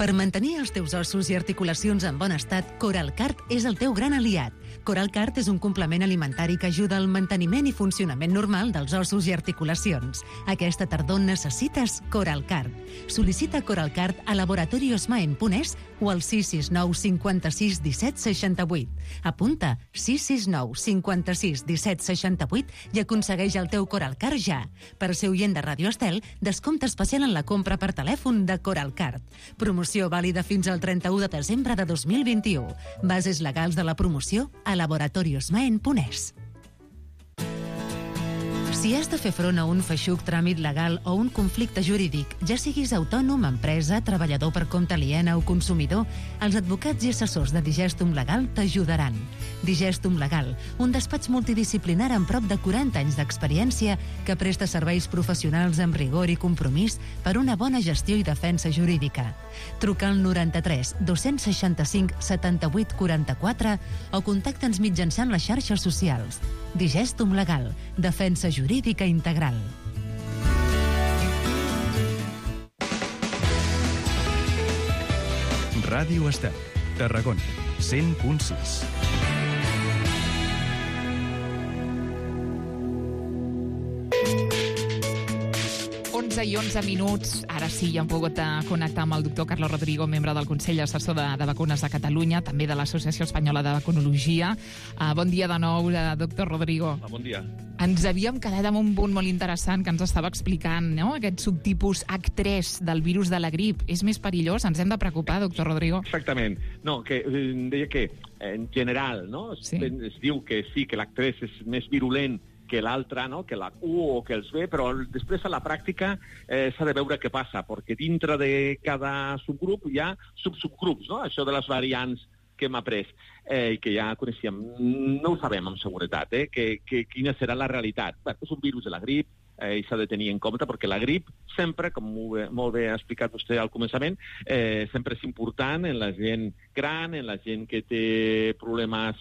Per mantenir els teus ossos i articulacions en bon estat, Coralcart és el teu gran aliat. Coralcart és un complement alimentari que ajuda al manteniment i funcionament normal dels ossos i articulacions. Aquesta tardor necessites Coralcart. Sol·licita Coralcart a laboratoriosmaen.es o al 669 56 17 68. Apunta 669 56 17 68 i aconsegueix el teu Coralcart ja. Per ser oient de Ràdio Estel, descompte especial en la compra per telèfon de Coralcart. Promoció vàlida fins al 31 de desembre de 2021. Bases legals de la promoció a laboratoriosmaen.es. Si has de fer front a un feixuc tràmit legal o un conflicte jurídic, ja siguis autònom, empresa, treballador per compte aliena o consumidor, els advocats i assessors de Digestum Legal t'ajudaran. Digestum Legal, un despatx multidisciplinar amb prop de 40 anys d'experiència que presta serveis professionals amb rigor i compromís per una bona gestió i defensa jurídica. Truca al 93 265 78 44 o contacta'ns mitjançant les xarxes socials. Digestum Legal, defensa jurídica integral. Ràdio Estel, Tarragona, 100.6. 11 i 11 minuts. Ara sí, ja hem pogut connectar amb el doctor Carlos Rodrigo, membre del Consell Assessor de Vacunes de Catalunya, també de l'Associació Espanyola de Vacunologia. Bon dia de nou, doctor Rodrigo. Bon dia. Ens havíem quedat amb un punt molt interessant que ens estava explicant, no? Aquest subtipus H3 del virus de la grip. És més perillós? Ens hem de preocupar, doctor Rodrigo? Exactament. No, que deia que en general, no? Sí. Es diu que sí, que l'H3 és més virulent que l'altre, no? Que l'H1 o que els B, però després a la pràctica s'ha de veure què passa, perquè dintre de cada subgrup hi ha subgrups, no? Això de les variants que hem après i que ja coneixíem. No ho sabem amb seguretat, quina serà la realitat. Bé, és un virus de la grip, i s'ha de tenir en compte, perquè la grip sempre, com molt bé ha explicat vostè al començament, sempre és important en la gent gran, en la gent que té problemes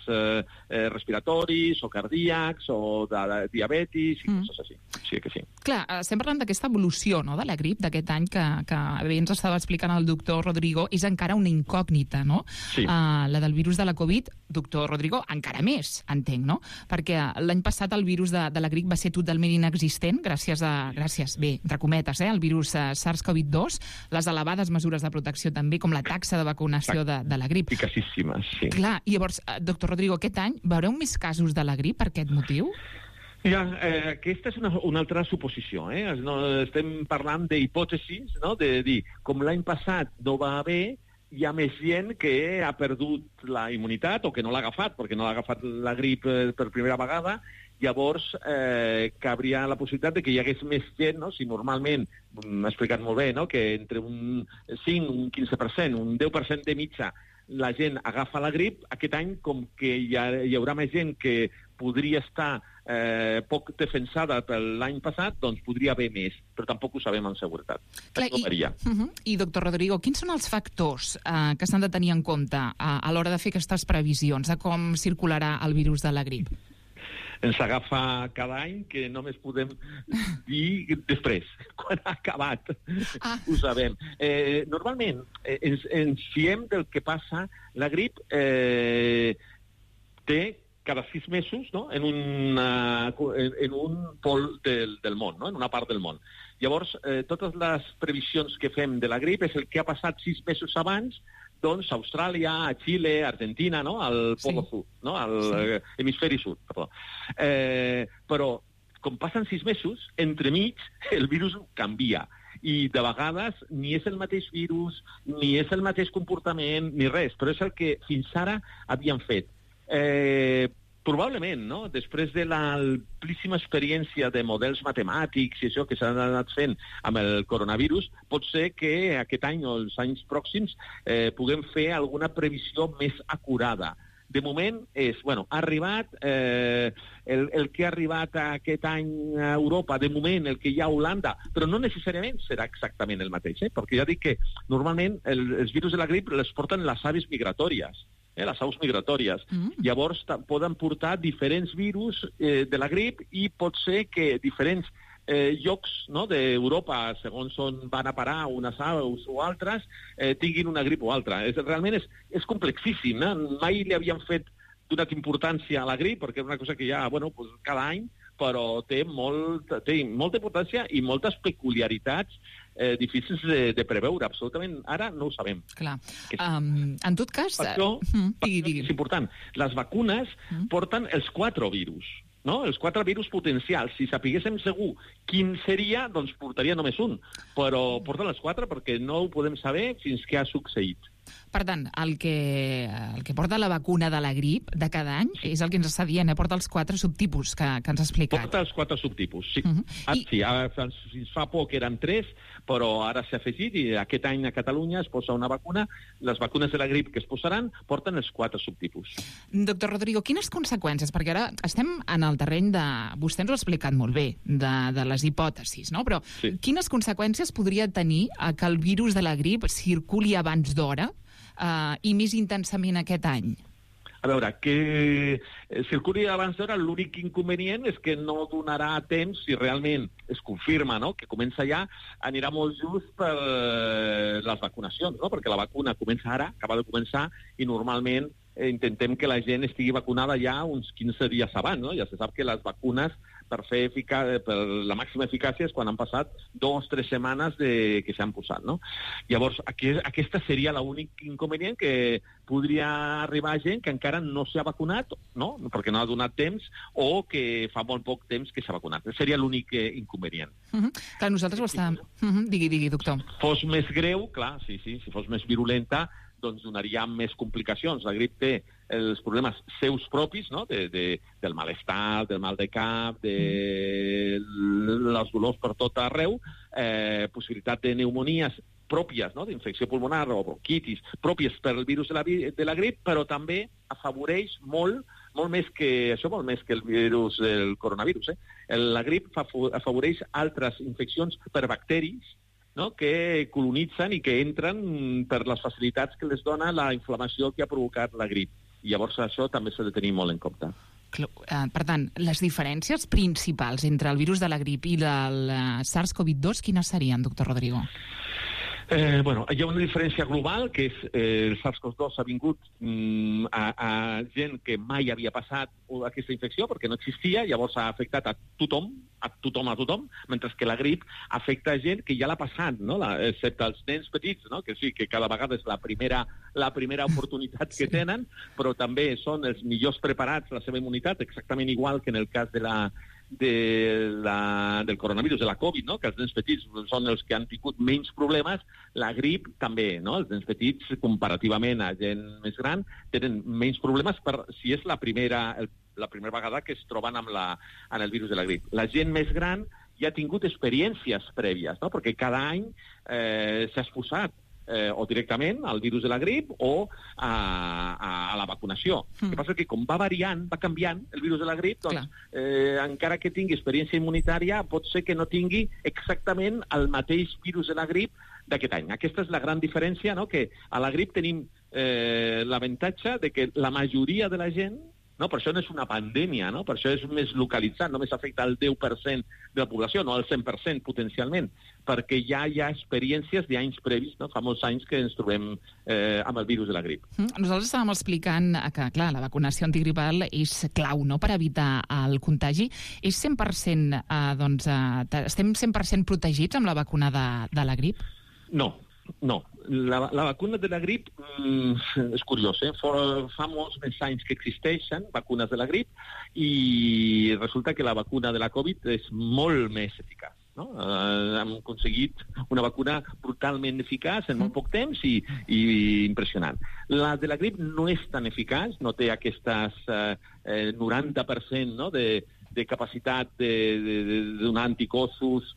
respiratoris o cardíacs o de diabetis i coses així. Sí que sí. Clar, estem parlant d'aquesta evolució, no?, de la grip d'aquest any que bé ens estava explicant el doctor Rodrigo, és encara una incògnita, no? Sí. La del virus de la Covid, doctor Rodrigo, encara més, entenc, no? Perquè l'any passat el virus de la grip va ser totalment inexistent, gràcies, bé, entre cometes, el virus SARS-CoV-2, les elevades mesures de protecció també, com la taxa de vacunació de la grip. Eficaçíssimes, sí. Clar, i llavors, doctor Rodrigo, aquest any veureu més casos de la grip per aquest motiu? Ja, aquesta és una altra suposició. Estem parlant d'hipòtesis, no? De dir, com l'any passat no va haver, hi ha més gent que ha perdut la immunitat o que no l'ha agafat, perquè no l'ha agafat la grip per primera vegada. Llavors, cabria la possibilitat de que hi hagués més gent, no? Si normalment, m'ha explicat molt bé, no? Que entre un 5, un 15%, un 10% de mitja la gent agafa la grip, aquest any, com que hi haurà més gent que podria estar poc defensada per l'any passat, doncs podria haver més, però tampoc ho sabem amb seguretat. Clar, I, doctor Rodrigo, quins són els factors que s'han de tenir en compte a l'hora de fer aquestes previsions de com circularà el virus de la grip? ens agafa cada any, que només podem dir després, quan ha acabat. Ho sabem. Normalment, ens fiem del que passa. La grip té cada 6 mesos, no?, en un pol del món, no?, en una part del món. Llavors, totes les previsions que fem de la grip és el que ha passat 6 mesos abans, doncs, a Austràlia, a Xile, a Argentina, no?, al Polo Sud, no?, al hemisferi sud, perdó. Però, com passen 6 mesos, entremig el virus canvia. I de vegades ni és el mateix virus, ni és el mateix comportament, ni res, però és el que fins ara havien fet. Probablement, no?, després de l'amplíssima experiència de models matemàtics i això que s'han anat fent amb el coronavirus, pot ser que aquest any o els anys pròxims puguem fer alguna previsió més acurada. De moment ha arribat el que ha arribat aquest any a Europa, de moment el que hi ha a Holanda, però no necessàriament serà exactament el mateix, perquè ja dic que normalment els virus de la grip les porten les aves migratòries, les aus migratòries. Llavors poden portar diferents virus de la grip i pot ser que diferents llocs, no?, d'Europa, segons on van a parar unes aus o altres, tinguin una grip o altra. Realment és complexíssim, mai li havien fet donat importància a la grip, perquè és una cosa que hi ha cada any, però té molta importància i moltes peculiaritats difícils de preveure. Absolutament, ara no ho sabem. Clar. En tot cas... Per això, és important. Les vacunes porten els 4 virus, no?, els 4 virus potencials. Si sapiguéssim segur quin seria, doncs portaria només un. Però porten els 4 perquè no ho podem saber fins que ha succeït. Per tant, el que porta la vacuna de la grip de cada any és el que ens està dient, porta els 4 subtipus que ens ha explicat. Porta els 4 subtipus, sí. Fins fa poc eren 3, però ara s'ha afegit i aquest any a Catalunya es posa una vacuna. Les vacunes de la grip que es posaran porten els 4 subtipus. Doctor Rodrigo, quines conseqüències? Perquè ara estem en el terreny de... Vostè ens ho ha explicat molt bé, de les hipòtesis, no? Però quines conseqüències podria tenir que el virus de la grip circuli abans d'hora i més intensament aquest any? A veure, que circuli abans d'hora, l'únic inconvenient és que no donarà temps, si realment es confirma, no?, que comença ja, anirà molt just per les vacunacions, no?, perquè la vacuna comença ara, acaba de començar, i normalment intentem que la gent estigui vacunada ja uns 15 dies abans, no? Ja se sap que les vacunes per la màxima eficàcia és quan han passat 2 o 3 setmanes que s'han posat, no? Llavors, aquesta seria l'únic inconvenient, que podria arribar gent que encara no s'ha vacunat, no?, perquè no ha donat temps, o que fa molt poc temps que s'ha vacunat. Seria l'únic inconvenient. Clar, nosaltres ho estàvem... Digui, doctor. Fos més greu, clar, sí, si fos més virulenta, doncs donaria més complicacions. La grip té els problemes seus propis, no?, del malestar, del mal de cap, de les dolors per tot arreu, possibilitat de pneumonies pròpies, no?, d'infecció pulmonar o bronquitis, pròpies per el virus de la grip, però també afavoreix molt més que el virus del coronavirus. La grip afavoreix altres infeccions per bacteris, no?, que colonitzen i que entren per les facilitats que les dona la inflamació que ha provocat la grip. I llavors això també s'ha de tenir molt en compte. Per tant, les diferències principals entre el virus de la grip i el SARS-CoV-2 quines serien, doctor Rodrigo? Hi ha una diferència global, que és el SARS-CoV-2 ha vingut a gent que mai havia passat aquesta infecció, perquè no existia, llavors ha afectat a tothom, mentre que la grip afecta gent que ja l'ha passat, no?, excepte els nens petits, no?, que sí, que cada vegada és la primera oportunitat que tenen, però també són els millors preparats, la seva immunitat, exactament igual que en el cas del coronavirus, de la Covid, no?, que els nens petits són els que han tingut menys problemes. La grip també, no?, els nens petits, comparativament a gent més gran, tenen menys problemes si és la primera vegada que es troben amb el virus de la grip. La gent més gran ja ha tingut experiències prèvies, no?, perquè cada any s'ha exposat o directament al virus de la grip o a la vacunació. El que passa és que com va variant, va canviant el virus de la grip, doncs encara que tingui experiència immunitària pot ser que no tingui exactament el mateix virus de la grip d'aquest any. Aquesta és la gran diferència, no?, que a la grip tenim l'avantatge de que la majoria de la gent no? Per això no és una pandèmia, no? Per això és més localitzat, només afecta el 10% de la població, no el 100% potencialment, perquè ja hi ha experiències d'anys previs, no? Fa molts anys que ens trobem amb el virus de la grip. Nosaltres estàvem explicant que, clar, la vacunació antigripal és clau, no?, per evitar el contagi. És 100%, estem 100% protegits amb la vacuna de la grip? No. La vacuna de la grip és curiós, fa molts més anys que existeixen vacunes de la grip i resulta que la vacuna de la Covid és molt més eficaç. No? Hem aconseguit una vacuna brutalment eficaç en molt poc temps i impressionant. La de la grip no és tan eficaç, no té aquestes 90%, no?, de capacitat de donar anticossos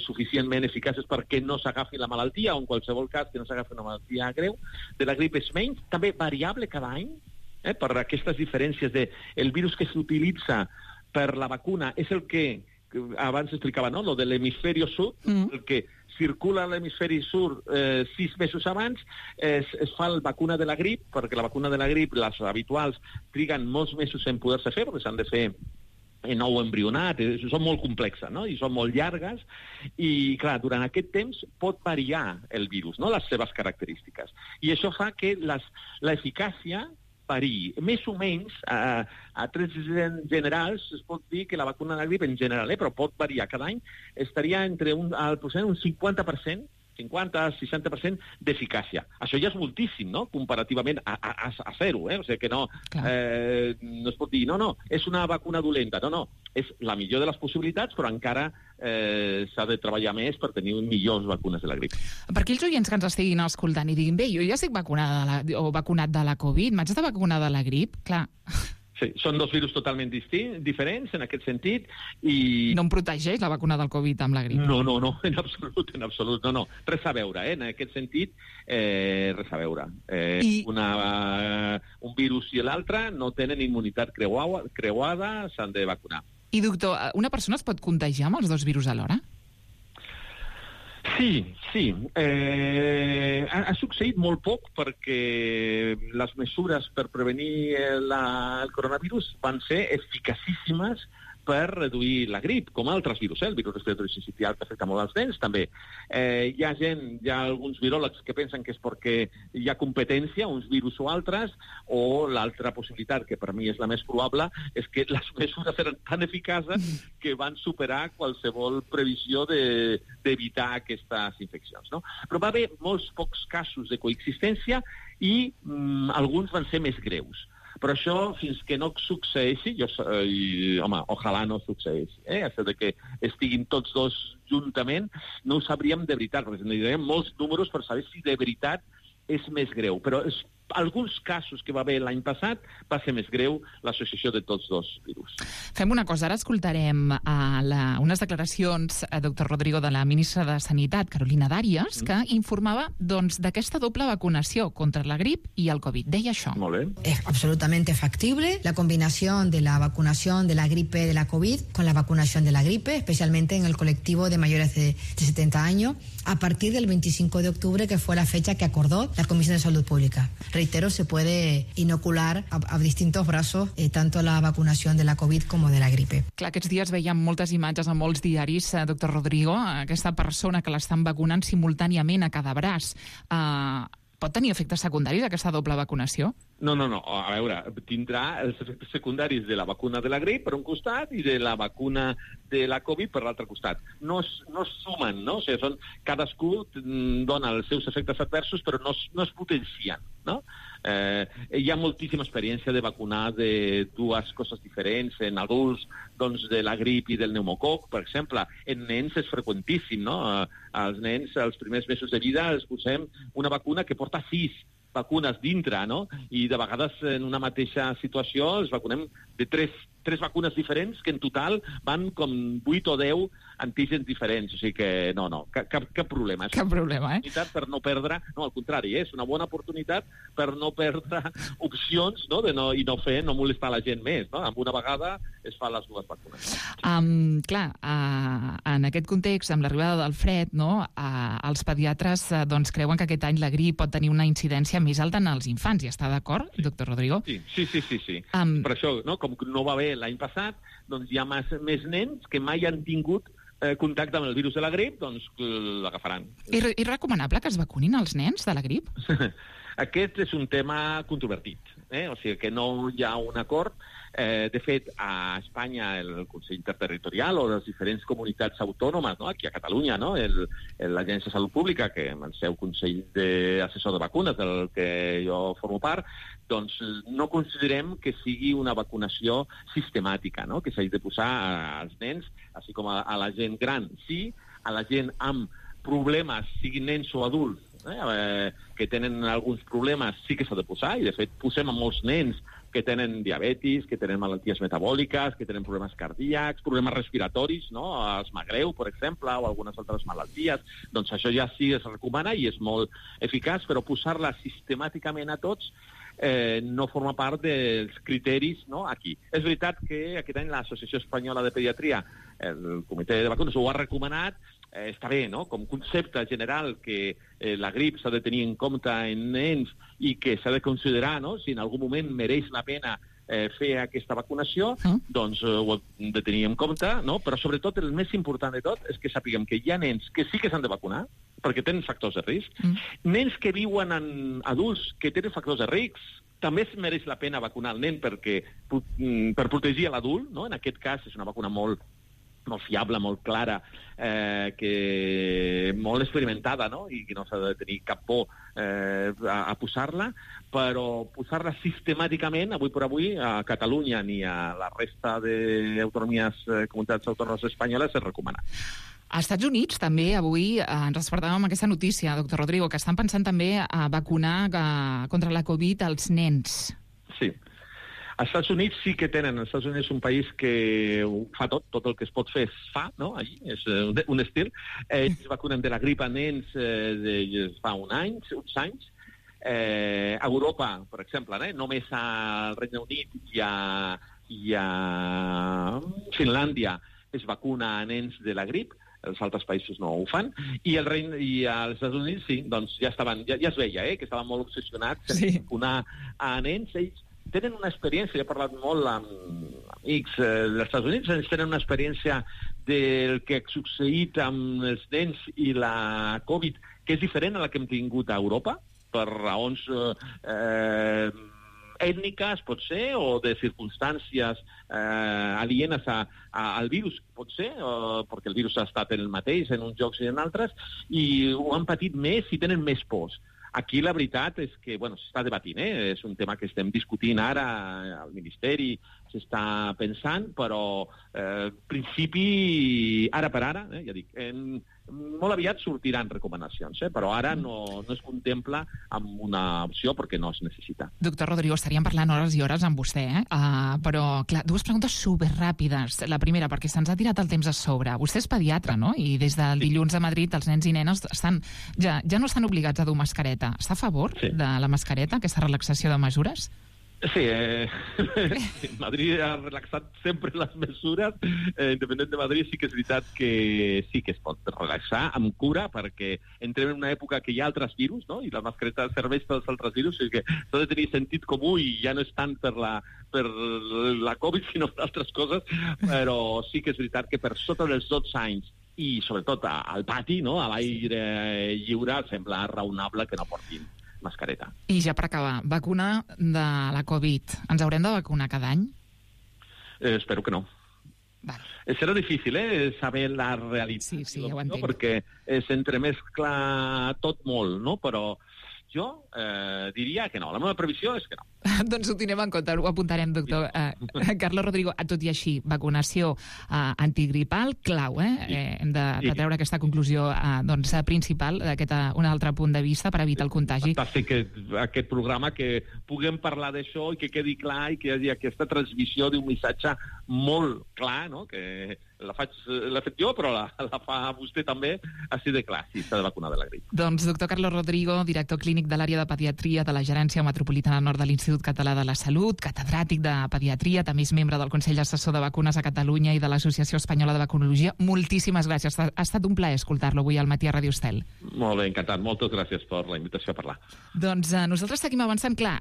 suficientment eficaces perquè no s'agafi la malaltia, o en qualsevol cas que no s'agafi una malaltia greu. De la grip és menys, també variable cada any, per aquestes diferències el virus que s'utilitza per la vacuna és el que abans explicava, no?, lo de l'hemisferi sud, el que circula a l'hemisferi sud 6 mesos abans, es fa la vacuna de la grip, perquè la vacuna de la grip, les habituals, triguen molts mesos en poder-se fer, perquè s'han de fer en ou embrionat, són molt complexes, no?, i són molt llargues, i clar, durant aquest temps pot variar el virus, no?, les seves característiques. I això fa que l'eficàcia variï. Més o menys, a trets generals, es pot dir que la vacuna de la grip en general, però pot variar. Cada any estaria entre un 50%, 50-60% d'eficàcia. Això ja és moltíssim, no?, comparativament a zero, O sigui que no es pot dir, no, és una vacuna dolenta. No, és la millor de les possibilitats, però encara s'ha de treballar més per tenir millors vacunes de la grip. Per aquells oients que ens estiguin escoltant i diguin, bé, jo ja estic vacunat de la Covid, m'haig de vacunar de la grip? Clar. Sí, són dos virus totalment diferents en aquest sentit i... No em protegeix la vacuna del Covid amb la grip? No, en absolut, no. Res a veure, en aquest sentit, res a veure. Un virus i l'altre no tenen immunitat creuada, s'han de vacunar. I, doctor, una persona es pot contagiar amb els dos virus alhora? Sí. Ha succeït molt poc perquè les mesures per prevenir el coronavirus van ser eficacíssimes per reduir la grip, com altres virus, el virus respiratori sincicial que afecta molt als nens, també. Hi ha alguns viròlegs que pensen que és perquè hi ha competència, uns virus o altres, o l'altra possibilitat, que per mi és la més probable, és que les mesures eren tan eficaces que van superar qualsevol previsió d'evitar aquestes infeccions, no? Però va haver molts pocs casos de coexistència i alguns van ser més greus. Però això, fins que no succeeixi, ojalà no succeeixi, això de que estiguin tots dos juntament, no ho sabríem de veritat, perquè necessitaríem molts números per saber si de veritat és més greu. Però alguns casos que va haver l'any passat va ser més greu l'associació de tots dos virus. Fem una cosa, ara escoltarem unes declaracions, doctor Rodrigo, de la ministra de Sanitat, Carolina Darias, que informava d'aquesta doble vacunació contra la grip i el Covid. Deia això. Molt bé. Es absolutamente factible la combinación de la vacunación de la gripe de la COVID con la vacunación de la gripe, especialmente en el colectivo de mayores de 70 años, a partir del 25 de octubre, que fue la fecha que acordó la Comisión de Salud Pública. Reitero, se puede inocular a distintos brazos tanto la vacunación de la COVID como de la gripe. Clar, aquests dies veiem moltes imatges a molts diaris, doctor Rodrigo, aquesta persona que l'estan vacunant simultàniament a cada braç. Pot tenir efectes secundaris aquesta doble vacunació? No. A veure, tindrà els efectes secundaris de la vacuna de la grip per un costat i de la vacuna de la Covid per l'altre costat. No es sumen, no? O sigui, cadascú dona els seus efectes adversos, però no es potencien, no? Hi ha moltíssima experiència de vacunar de dues coses diferents. En adults, de la grip i del pneumococ, per exemple. En nens és freqüentíssim, no? Als nens, als primers mesos de vida, els posem una vacuna que porta 6 vacunes dintre, no? I de vegades en una mateixa situació els vacunem de tres vacunes diferents que en total van com 8 o 10 antígens diferents, o sigui que cap problema. Cap problema, per no perdre, no, al contrari, és una bona oportunitat per no perdre opcions, no, i no molestar la gent més, no? Amb una vegada es fan les dues vacunes. Clar, en aquest context, amb l'arribada del fred, no, els pediatres doncs, creuen que aquest any la grip pot tenir una incidència més alta en els infants. Hi està d'acord, doctor Rodrigo? Sí. Per això, no, com no va bé l'any passat, doncs hi ha més nens que mai han tingut contacte amb el virus de la grip, doncs l'agafaran. I recomanable que es vacunin els nens de la grip? Aquest és un tema controvertit, o sigui que no hi ha un acord. De fet, a Espanya el Consell Interterritorial o les diferents comunitats autònomes, no? Aquí a Catalunya, no? l'Agència de Salut Pública, que amb el seu Consell Assessor de Vacunes, del que jo formo part, doncs no considerem que sigui una vacunació sistemàtica, no? Que s'hagi de posar als nens, així com a la gent gran. Sí, a la gent amb problemes, siguin nens o adults, que tenen alguns problemes, sí que s'ha de posar, i de fet posem a molts nens que tenen diabetis, que tenen malalties metabòliques, que tenen problemes cardíacs, problemes respiratoris, no? Asma greu, per exemple, o algunes altres malalties. Doncs això ja sí es recomana i és molt eficaç, però posar-la sistemàticament a tots no forma part dels criteris, no? Aquí. És veritat que aquest any l'Associació Espanyola de Pediatria, el Comitè de Vacunes, ho ha recomanat. Està bé, no? Com concepte general que la grip s'ha de tenir en compte en nens i que s'ha de considerar, no? Si en algun moment mereix la pena fer aquesta vacunació, doncs ho hem de tenir en compte, no? Però sobretot el més important de tot és que sapiguem que hi ha nens que sí que s'han de vacunar, perquè tenen factors de risc. Nens que viuen en adults que tenen factors de risc, també es mereix la pena vacunar el nen per protegir l'adult, no? En aquest cas és una vacuna molt fiable, molt clara, molt experimentada, no? I que no s'ha de tenir cap por a posar-la, però posar-la sistemàticament, avui per avui, a Catalunya ni a la resta d'autonomies, comunitats autònomes espanyoles, es recomana. Als Estats Units també avui ens despertàvem amb aquesta notícia, doctor Rodrigo, que estan pensant també a vacunar contra la Covid als nens. Sí. Els Estats Units sí que tenen. Els Estats Units és un país que ho fa tot el que es pot fer es fa, no? Allí és un estil. Ells vacunen de la grip a nens fa uns anys. A Europa, per exemple, només al Regne Unit i a Finlàndia es vacuna a nens de la grip. Els altres països no ho fan, i als Estats Units sí, doncs ja es veia que estaven molt obsessionats en vacunar a nens. Ells tenen una experiència, he parlat molt amb amics dels Estats Units, ells tenen una experiència del que ha succeït amb els nens i la Covid, que és diferent a la que hem tingut a Europa, per raons ètniques, pot ser, o de circumstàncies alienes al virus, pot ser, perquè el virus ha estat el mateix en uns llocs i en altres, i ho han patit més i tenen més pors. Aquí la veritat és que, s'està debatint, és un tema que estem discutint ara al Ministeri, s'està pensant, però en principi, ara per ara, ja dic, molt aviat sortiran recomanacions, però ara no es contempla amb una opció perquè no es necessita. Doctor Rodrigo, estaríem parlant hores i hores amb vostè, però, clar, dues preguntes superràpides. La primera, perquè se'ns ha tirat el temps a sobre. Vostè és pediatre, no? I des del dilluns a Madrid els nens i nenes ja no estan obligats a dur mascareta. Està a favor de la mascareta, aquesta relaxació de mesures? Sí, Madrid ha relaxat sempre les mesures. Independent de Madrid, sí que és veritat que sí que es pot relaxar amb cura, perquè entrem en una època que hi ha altres virus, no? I la mascareta serveix pels altres virus, o sigui que s'ha de tenir sentit comú i ja no és tant per la Covid, sinó per altres coses, però sí que és veritat que per sota dels 12 anys i sobretot al pati, no? A l'aire lliure, sembla raonable que no portin mascareta. I ja per acabar, vacuna de la Covid. Ens haurem de vacunar cada any? Espero que no. Serà difícil, saber la realitat. Sí, ja ho entenc. Perquè s'entremescla tot molt, no? Però jo diria que no. La meva previsió és que no. Doncs ho tindrem en compte, ho apuntarem, doctor. Carlos Rodrigo, tot i així, vacunació antigripal, clau, hem de treure aquesta conclusió principal d'aquest un altre punt de vista per evitar el contagi. Fantàstic aquest programa, que puguem parlar d'això i que quedi clar i que hi hagi aquesta transmissió d'un missatge molt clar, no? Que l'he fet jo, però la fa vostè també, així de clar, si s'ha de vacunar de la grip. Doncs doctor Carlos Rodrigo, director clínic de l'àrea de pediatria de la Gerència Metropolitana Nord de l'Institut Català de la Salut, catedràtic de pediatria, també és membre del Consell Assessor de Vacunes a Catalunya i de l'Associació Espanyola de Vacunologia. Moltíssimes gràcies. Ha estat un plaer escoltar-lo avui al matí a Ràdio Estel. Molt bé, encantat. Moltes gràcies per la invitació a parlar. Doncs nosaltres seguim avançant. Clar,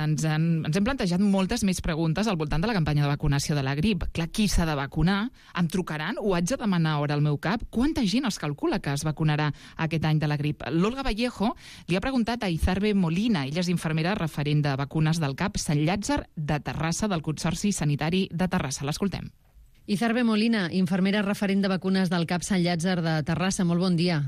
ens hem plantejat moltes més preguntes al voltant de la campanya de vacunació de la grip. Clar, qui s'ha de vacunar? Em trucaran? Ho haig de demanar hora al meu cap? Quanta gent es calcula que es vacunarà aquest any de la grip? L'Olga Vallejo li ha preguntat a Izarbe Molina, ella és infermera referent de vacunes del CAP Sant Llàtzer de Terrassa, del Consorci Sanitari de Terrassa. L'escoltem. Izarbe Molina, infermera referent de vacunes del CAP Sant Llàtzer de Terrassa. Molt bon dia.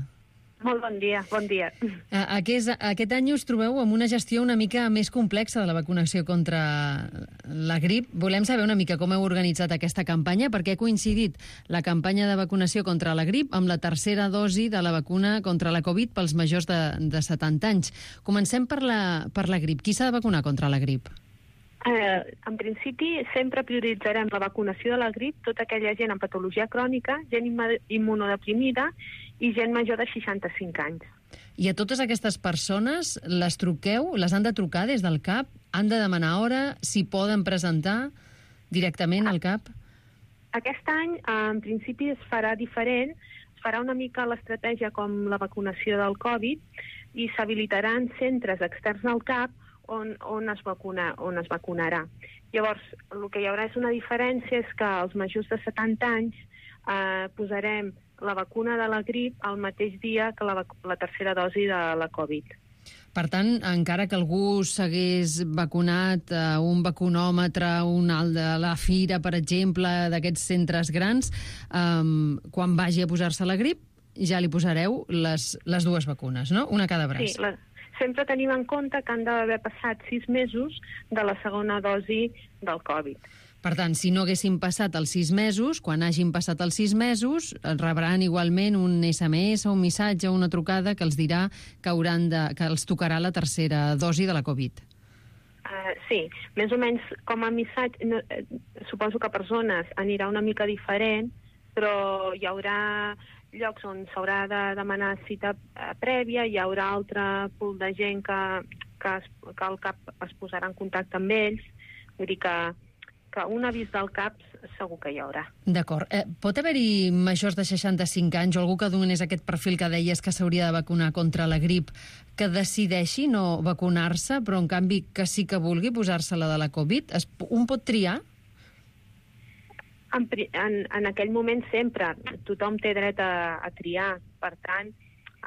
Molt bon dia, bon dia. Aquest any us trobeu amb una gestió una mica més complexa de la vacunació contra la grip. Volem saber una mica com heu organitzat aquesta campanya, perquè ha coincidit la campanya de vacunació contra la grip amb la tercera dosi de la vacuna contra la Covid pels majors de 70 anys. Comencem per la grip. Qui s'ha de vacunar contra la grip? En principi, sempre prioritzarem la vacunació de la grip, tota aquella gent amb patologia crònica, gent immunodeprimida i gent major de 65 anys. I a totes aquestes persones les truqueu, les han de trucar des del CAP? Han de demanar hora? S'hi poden presentar directament al CAP? Aquest any, en principi, es farà diferent. Es farà una mica l'estratègia com la vacunació del Covid i s'habilitaran centres externs al CAP on es vacunarà. Llavors, el que hi haurà és una diferència, és que als majors de 70 anys posarem la vacuna de la grip al mateix dia que la tercera dosi de la Covid. Per tant, encara que algú s'hagués vacunat a un vacunòmetre, un alt de la Fira, per exemple, d'aquests centres grans, quan vagi a posar-se la grip, ja li posareu les dues vacunes, no? Una a cada braç. Sí, sempre tenim en compte que han d'haver passat 6 mesos de la segona dosi del Covid. Per tant, si no haguessin passat els 6 mesos, quan hagin passat els 6 mesos, rebran igualment un SMS o un missatge o una trucada que els dirà que els tocarà la tercera dosi de la Covid. Sí, més o menys com a missatge, suposo que a persones anirà una mica diferent, però hi haurà llocs on s'haurà de demanar cita prèvia, hi haurà altre pool de gent que el CAP es posarà en contacte amb ells, vull dir que un avís del CAP segur que hi haurà. D'acord. Pot haver-hi majors de 65 anys o algú que donés aquest perfil que deies que s'hauria de vacunar contra la grip que decideixi no vacunar-se, però en canvi que sí que vulgui posar-se la de la Covid? Un pot triar? En aquell moment sempre. Tothom té dret a triar. Per tant,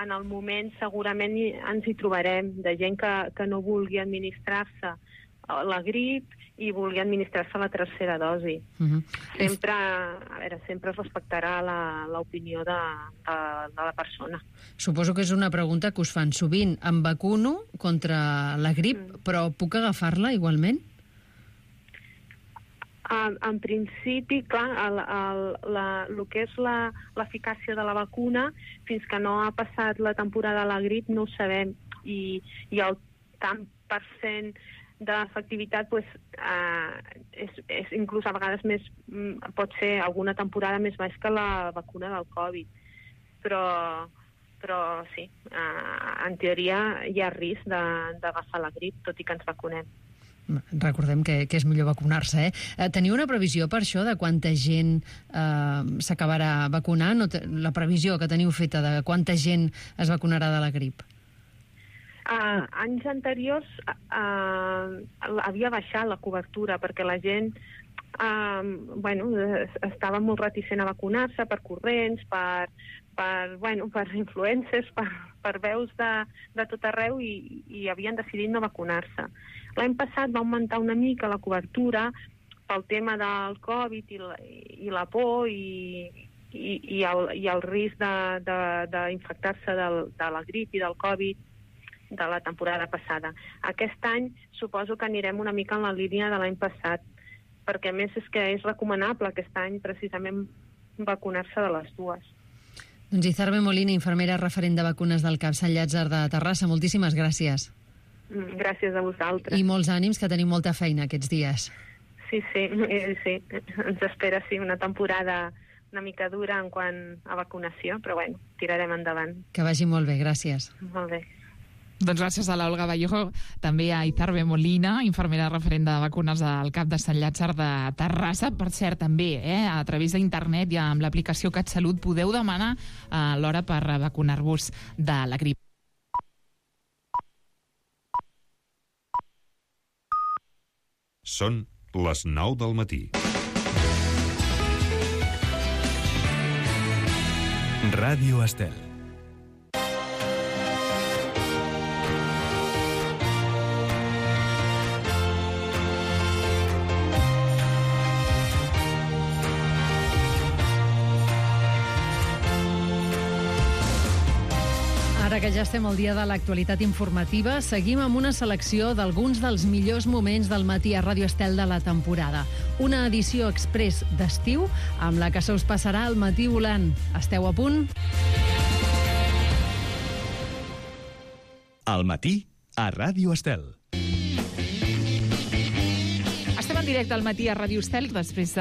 en el moment segurament ens hi trobarem de gent que no vulgui administrar-se la grip i vulgui administrar-se la tercera dosi. Sempre es respectarà l'opinió de la persona. Suposo que és una pregunta que us fan sovint. Em vacuno contra la grip, però puc agafar-la igualment? En principi, clar, el que és l'eficàcia de la vacuna, fins que no ha passat la temporada de la grip, no ho sabem. I el tant per cent d'efectivitat és inclús a vegades pot ser alguna temporada més baix que la vacuna del Covid. Però sí, en teoria hi ha risc d'agafar la grip, tot i que ens vacunem. Recordem que és millor vacunar-se, Teniu una previsió per això de quanta gent s'acabarà vacunant? La previsió que teniu feta de quanta gent es vacunarà de la grip? Anys anteriors havia baixat la cobertura perquè la gent estava molt reticent a vacunar-se per corrents, per influencers, per veus de tot arreu i havien decidit no vacunar-se. L'any passat va augmentar una mica la cobertura pel tema del Covid i la por i el risc d'infectar-se de la grip i del Covid, de la temporada passada. Aquest any suposo que anirem una mica en la línia de l'any passat, perquè a més és que és recomanable aquest any precisament vacunar-se de les dues. Doncs Izarbe Molina, infermera referent de vacunes del CAP Sant Llàtzer de Terrassa, moltíssimes gràcies. Gràcies a vosaltres. I molts ànims, que tenim molta feina aquests dies. Sí, ens espera una temporada una mica dura en quant a vacunació, però bueno, tirarem endavant. Que vagi molt bé, gràcies. Molt bé. Doncs gràcies a l'Olga Vallejo, també a Izarbe Molina, infermera referent de vacunes del CAP de Sant Llàtzer de Terrassa. Per cert, també, a través d'internet i amb l'aplicació CatSalut podeu demanar l'hora per vacunar-vos de la grip. Són les 9 del matí. Ràdio Estel. Ara que ja estem al dia de l'actualitat informativa, seguim amb una selecció d'alguns dels millors moments del matí a Ràdio Estel de la temporada. Una edició express d'estiu amb la que se us passarà el matí volant. Esteu a punt? Al matí a Ràdio Estel. Estem en directe al matí a Ràdio Estel després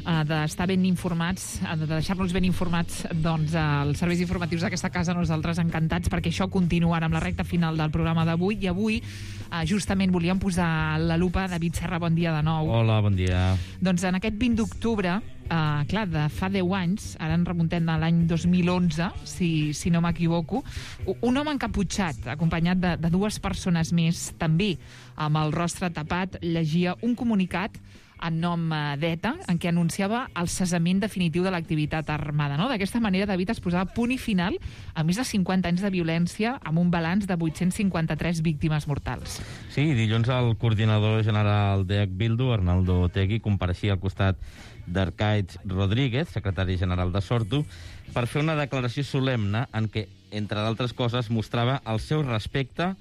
d'estar ben informats, de deixar-nos ben informats, doncs, els serveis informatius d'aquesta casa. Nosaltres encantats, perquè això continua amb la recta final del programa d'avui. I avui, justament, volíem posar la lupa. David Serra, bon dia de nou. Hola, bon dia. Doncs en aquest 20 d'octubre, clar, de fa 10 anys, ara en remuntem a l'any 2011, si no m'equivoco, un home encaputxat, acompanyat de dues persones més, també amb el rostre tapat, llegia un comunicat en nom d'ETA, en què anunciava el cessament definitiu de l'activitat armada. No? D'aquesta manera, David, es posava punt i final a més de 50 anys de violència, amb un balanç de 853 víctimes mortals. Sí, dilluns el coordinador general d'EH Bildu, Arnaldo Otegi, compareixia al costat d'Arcaiz Rodríguez, secretari general de Sortu, per fer una declaració solemne en què, entre d'altres coses, mostrava el seu respecte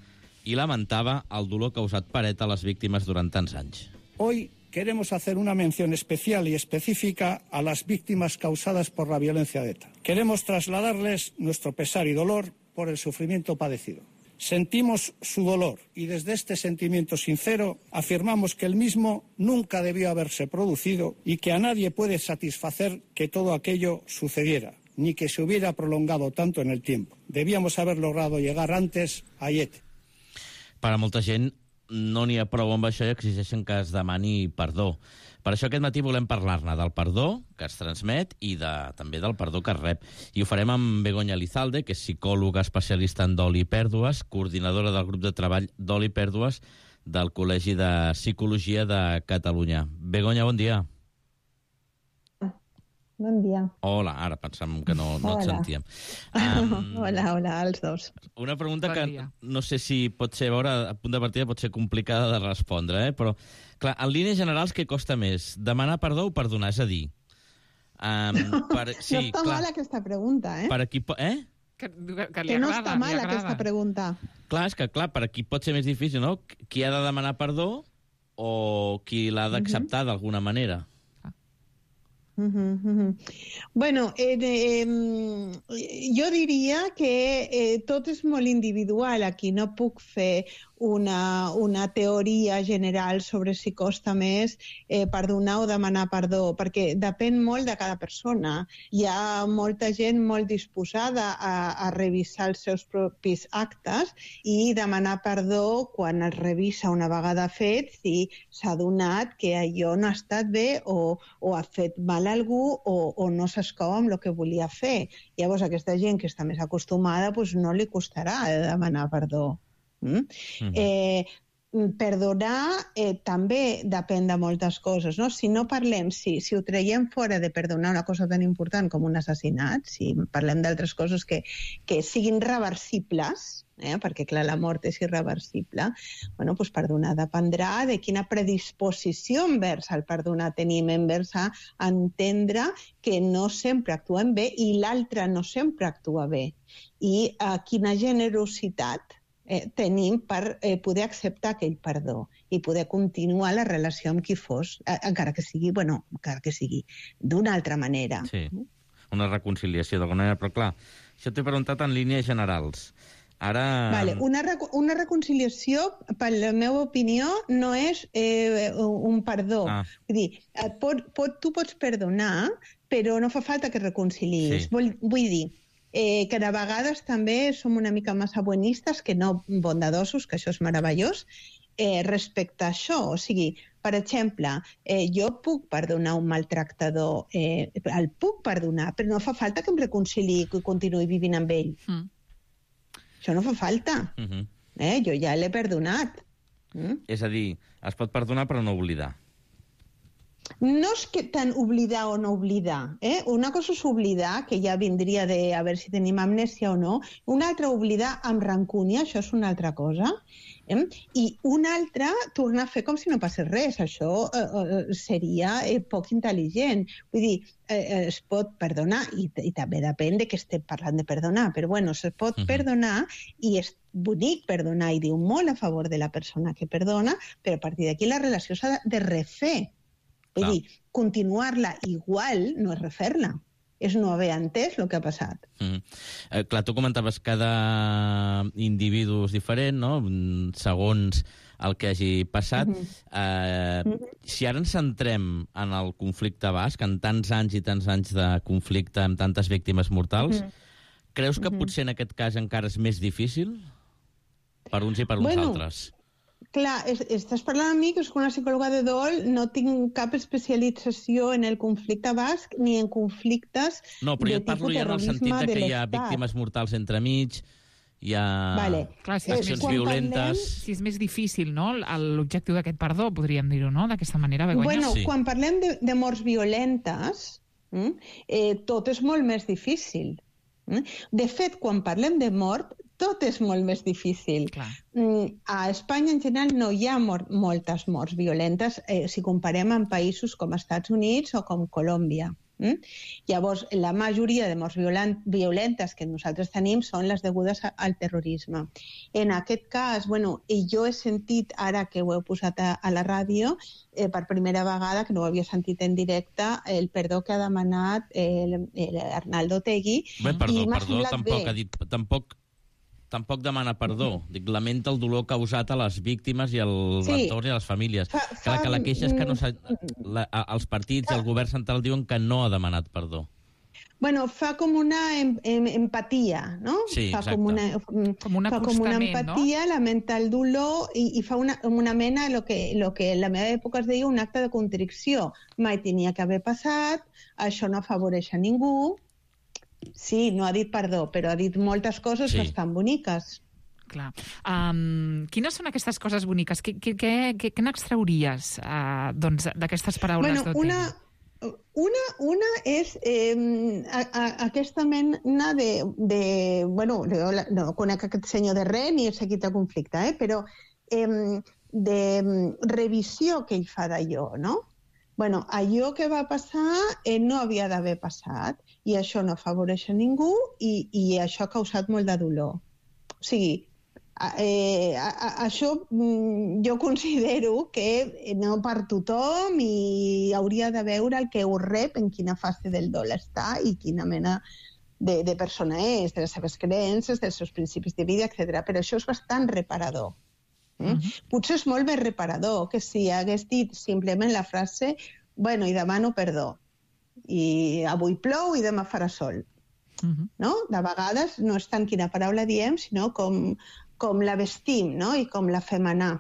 i lamentava el dolor causat per ETA a les víctimes durant tants anys. Hoy queremos hacer una mención especial y específica a las víctimas causadas por la violencia de ETA. Queremos trasladarles nuestro pesar y dolor por el sufrimiento padecido. Sentimos su dolor y desde este sentimiento sincero afirmamos que el mismo nunca debió haberse producido y que a nadie puede satisfacer que todo aquello sucediera, ni que se hubiera prolongado tanto en el tiempo. Debíamos haber logrado llegar antes a Aiete. Per a molta gent no n'hi ha prou amb això i exigeixen que es demani perdó. Per això aquest matí volem parlar-ne del perdó que es transmet i també del perdó que es rep. I ho farem amb Begoña Lizalde, que és psicòloga especialista en dol i pèrdues, coordinadora del grup de treball Dol i Pèrdues del Col·legi de Psicologia de Catalunya. Begoña, bon dia. Bon dia. Hola, ara pensàvem que no et sentíem. Hola, als dos. Una pregunta que no sé si pot ser, a punt de partida, pot ser complicada de respondre, però, clar, en línies generals, què costa més? Demanar perdó o perdonar? És a dir... no està mal aquesta pregunta, Per a qui... Que no està mal aquesta pregunta. Clar, és que, per a qui pot ser més difícil, no? Qui ha de demanar perdó o qui l'ha d'acceptar d'alguna manera? Bueno, jo diria que tot és molt individual. Aquí no puc fer una teoria general sobre si costa més perdonar o demanar perdó, perquè depèn molt de cada persona. Hi ha molta gent molt disposada a revisar els seus propis actes i demanar perdó quan es revisa una vegada fet si s'ha adonat que allò no ha estat bé o ha fet mal a algú o no s'escau amb el que volia fer. Llavors, aquesta gent que està més acostumada no li costarà demanar perdó. Perdonar també depèn de moltes coses, no? Si no parlem, si ho traiem fora de perdonar una cosa tan important com un assassinat, si parlem d'altres coses que siguin reversibles, perquè clar, la mort és irreversible, doncs perdonar dependrà de quina predisposició envers el perdonar tenim, envers a entendre que no sempre actuem bé i l'altre no sempre actua bé, i quina generositat tenim per poder acceptar aquell perdó i poder continuar la relació amb qui fos, encara que sigui d'una altra manera. Sí, una reconciliació d'alguna manera, però clar, això t'he preguntat en línies generals. Ara... Vale, una reconciliació, per la meva opinió, no és un perdó. Vull dir, tu pots perdonar, però no fa falta que reconciliïs. Vull dir que de vegades també som una mica massa buenistes, que no bondadosos, que això és meravellós, respecte a això. O sigui, per exemple, jo puc perdonar un maltractador, el puc perdonar, però no fa falta que em reconciliï i continuï vivint amb ell. Això no fa falta. Jo ja l'he perdonat. És a dir, es pot perdonar però no oblidar. No és que tant oblidar o no oblidar. Una cosa és oblidar, que ja vindria de a veure si tenim amnèsia o no. Una altra, oblidar amb rancúnia, això és una altra cosa. I una altra, tornar a fer com si no passés res. Això seria poc intel·ligent. Vull dir, es pot perdonar, i també depèn de què estem parlant de perdonar, però bueno, se pot perdonar, i és bonic perdonar, i diu molt a favor de la persona que perdona, però a partir d'aquí la relació s'ha de refer. Vull dir, continuar-la igual no és refer-la, és no haver entès el que ha passat. Clar, tu comentaves que cada individu és diferent, no?, segons el que hagi passat. Si ara ens centrem en el conflicte basc, en tants anys i tants anys de conflicte amb tantes víctimes mortals, creus que potser en aquest cas encara és més difícil per uns i per uns altres? Clar, estàs parlant amb mi, que soc una psicòloga de dol, no tinc cap especialització en el conflicte basc ni en conflictes de tipus terrorisme de l'Estat. No, però jo et parlo ja en el sentit que hi ha víctimes mortals entremig, hi ha accions violentes... Si és més difícil, no?, l'objectiu d'aquest perdó, podríem dir-ho, no?, d'aquesta manera, Begoña. Bueno, quan parlem de morts violentes, tot és molt més difícil. De fet, quan parlem de mort, tot és molt més difícil. A Espanya, en general, no hi ha moltes morts violentes si comparem amb països com Estats Units o com Colòmbia. Llavors, la majoria de morts violentes que nosaltres tenim són les degudes al terrorisme. En aquest cas, jo he sentit, ara que ho heu posat a la ràdio, per primera vegada, que no ho havia sentit en directe, el perdó que ha demanat l'Arnaldo Otegi. Perdó, tampoc ha dit... Tampoc demana perdó. Dic, lamenta el dolor causat a les víctimes i a l'entorn i a les famílies. Clar, que la queixa és que els partits i el govern central diuen que no ha demanat perdó. Fa com una empatia, no? Sí, exacte. Com una empatia, lamenta el dolor i fa una mena, el que en la meva època es deia un acte de contrició. Mai tenia que haver passat, això no afavoreix a ningú. Sí, no ha dit perdó, però ha dit moltes coses bastant boniques. Clar. Quines són aquestes coses boniques? Què n'extrauries d'aquestes paraules d'Otegi? Una és aquesta mena de... no conec aquest senyor de res ni he seguit el conflicte, però de revisió que ell fa d'allò, no? Allò que va passar no havia d'haver passat i això no afavoreix a ningú i això ha causat molt de dolor. O sigui, això jo considero que no per tothom i hauria de veure el que ho rep, en quina fase del dol està i quina mena de persona és, de les seves creences, dels seus principis de vida, etc. Però això és bastant reparador. Potser és molt més reparador que si hagués dit simplement la frase i demano perdó i avui plou i demà farà sol. De vegades no és tant quina paraula diem, sinó com la vestim i com la fem anar.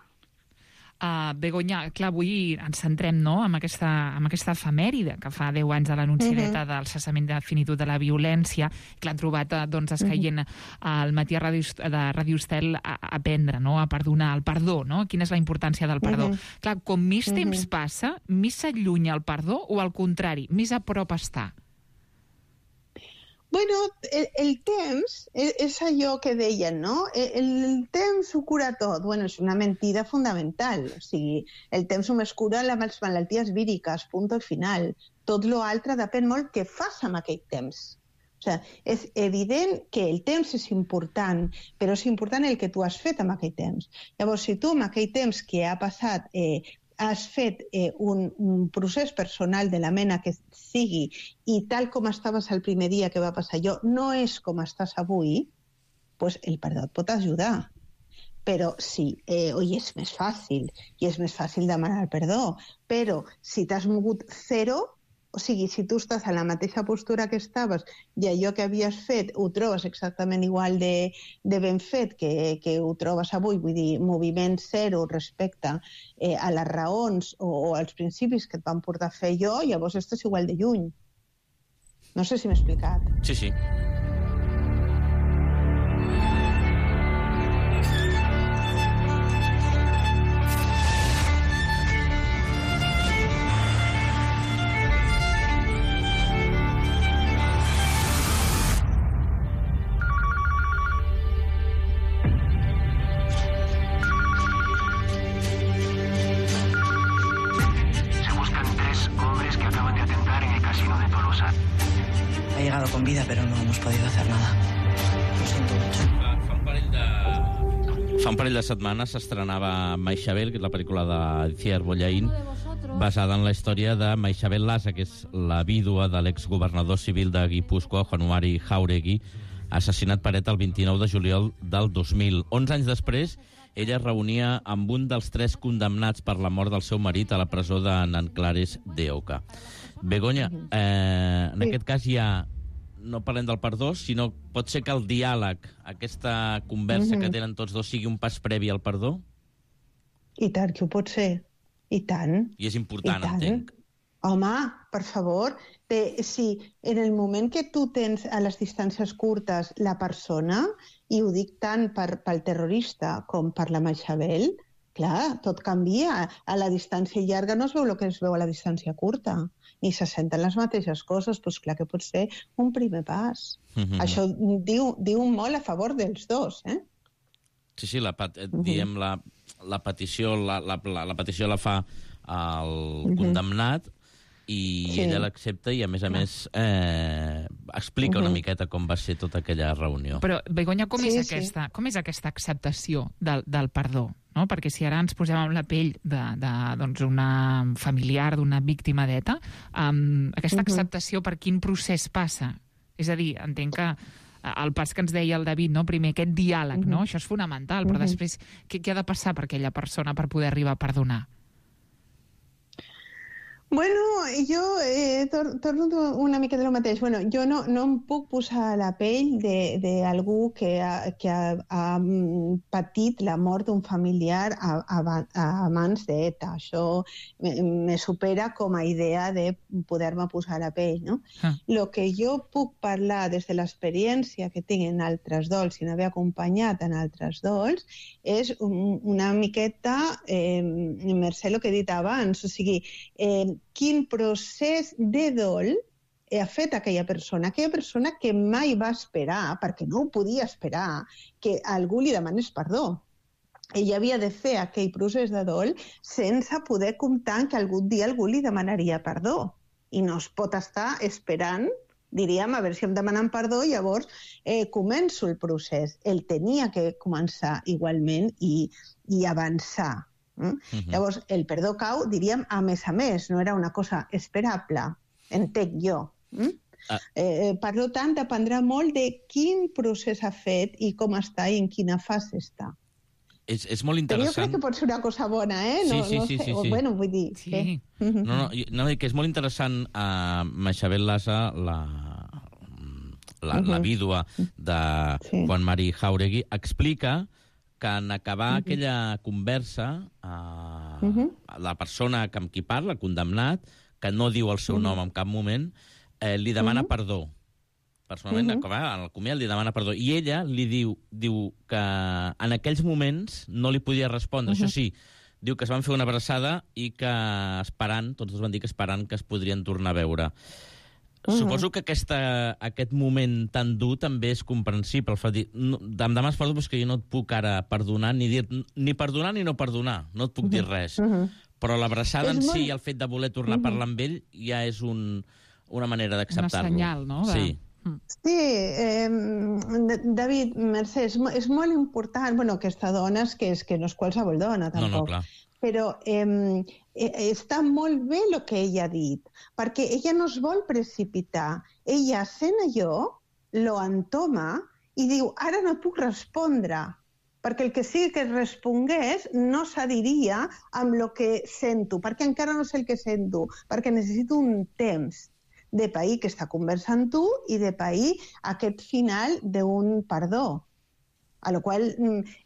Begoña, clar, avui ens centrem amb aquesta efemèride que fa 10 anys de l'anunciareta del cessament definitiu de la violència, que l'han trobat escaient al matí de Ràdio Estel a aprendre, a perdonar, el perdó, quina és la importància del perdó. Clar, com més temps passa, més s'allunya el perdó o al contrari, més a prop està? El temps és allò que deien, no? El temps ho cura tot. És una mentida fundamental. O sigui, el temps només cura les malalties víriques, punt al final. Tot l'altre depèn molt què fas amb aquell temps. O O sigui, és evident que el temps és important, però és important el que tu has fet amb aquell temps. Llavors, si tu amb aquell temps que ha passat has fet un procés personal de la mena que sigui i tal com estaves el primer dia que va passar allò no és com estàs avui, doncs el perdó et pot ajudar. Però sí, és més fàcil, i és més fàcil demanar perdó, però si t'has mogut zero, o sigui, si tu estàs en la mateixa postura que estaves i allò que havies fet ho trobes exactament igual de ben fet que ho trobes avui, vull dir, moviment zero respecte a les raons o als principis que et van portar a fer jo, llavors estàs igual de lluny. No sé si m'he explicat. Sí, sí. Con vida, pero no hemos podido hacer nada. Lo siento mucho. Fa un parell de setmanes s'estrenava Maixabel, que és la pel·lícula d'Itziar Bollaín, basada en la història de Maixabel Lasa, que és la vídua de l'exgovernador civil de Guipúscoa, Juan Mari Jáuregui, assassinat per ETA el 29 de juliol del 2000. 11 anys després, ella es reunia amb un dels 3 condemnats per la mort del seu marit a la presó de Nanclares de Oca. Begoña, en aquest cas no parlem del perdó, sinó pot ser que el diàleg, aquesta conversa que tenen tots dos, sigui un pas previ al perdó? I tant que ho pot ser. I tant. I és important, entenc. Home, per favor, si en el moment que tu tens a les distàncies curtes la persona, i ho dic tant pel terrorista com per la Maixabel, clar, tot canvia. A la distància llarga no es veu el que es veu a la distància curta, ni se senten les mateixes coses, doncs clar que pot ser un primer pas. Això diu molt a favor dels dos, eh? Sí, diem la petició la petició la fa el condemnat i ella l'accepta i, a més, explica una miqueta com va ser tota aquella reunió. Però, Begoña, com és aquesta acceptació del perdó? No? Perquè si ara ens posem en la pell d'una familiar, d'una víctima d'ETA, aquesta acceptació per quin procés passa? És a dir, entenc que el pas que ens deia el David, no? Primer aquest diàleg, no? Això és fonamental, però després què ha de passar per aquella persona per poder arribar a perdonar? Bueno, jo torno una mica de lo mateix. Bueno, jo no em puc posar a la pell d'algú que ha patit la mort d'un familiar a mans d'ETA. Això me supera com a idea de poder-me posar a la pell, no? Lo que jo puc parlar des de l'experiència que tinc en altres dols i n'haver acompanyat en altres dols és una miqueta, Mercè, el que he dit abans, o sigui, quin procés de dol ha fet aquella persona que mai va esperar, perquè no ho podia esperar, que algú li demanés perdó. Ella havia de fer aquell procés de dol sense poder comptar que algun dia algú li demanaria perdó. I no es pot estar esperant, diríem, a veure si em demanen perdó, llavors començo el procés. Ell tenia que començar igualment i avançar. Llavors, el perdó cau, diríem, a més, no era una cosa esperable, entenc jo. Per tant, dependrà molt de quin procés ha fet i com està i en quina fase està. És molt interessant. Però jo crec que pot ser una cosa bona, eh? Sí. Bueno, vull dir... Sí. No, que és molt interessant Maixabel Lasa, la vídua de Juan Mari Jáuregui, explica que en acabar aquella conversa, la persona amb qui parla, condemnat, que no diu el seu nom en cap moment, li demana perdó. Personalment, en el comiat li demana perdó. I ella li diu que en aquells moments no li podia respondre. Això sí, diu que es van fer una abraçada i que tots dos van dir que esperant que es podrien tornar a veure. Suposo que aquest moment tan dur també és comprensible. Em demanes perdó, però que jo no et puc ara perdonar, ni perdonar ni no perdonar. No et puc dir res. Però l'abraçada en si i el fet de voler tornar a parlar amb ell ja és una manera d'acceptar-lo. Una senyal, no? Sí. Sí, David, Mercè, és molt important, bueno, aquesta dona és que no és qualsevol dona, tampoc. No, clar. Però està molt bé el que ella ha dit, perquè ella no es vol precipitar. Ella sent allò, lo entoma i diu, ara no puc respondre, perquè el que sigui que respongués no s'adiria amb el que sento, perquè encara no sé el que sento, perquè necessito un temps de pair que està conversant tu i de pair aquest final d'un perdó. A la qual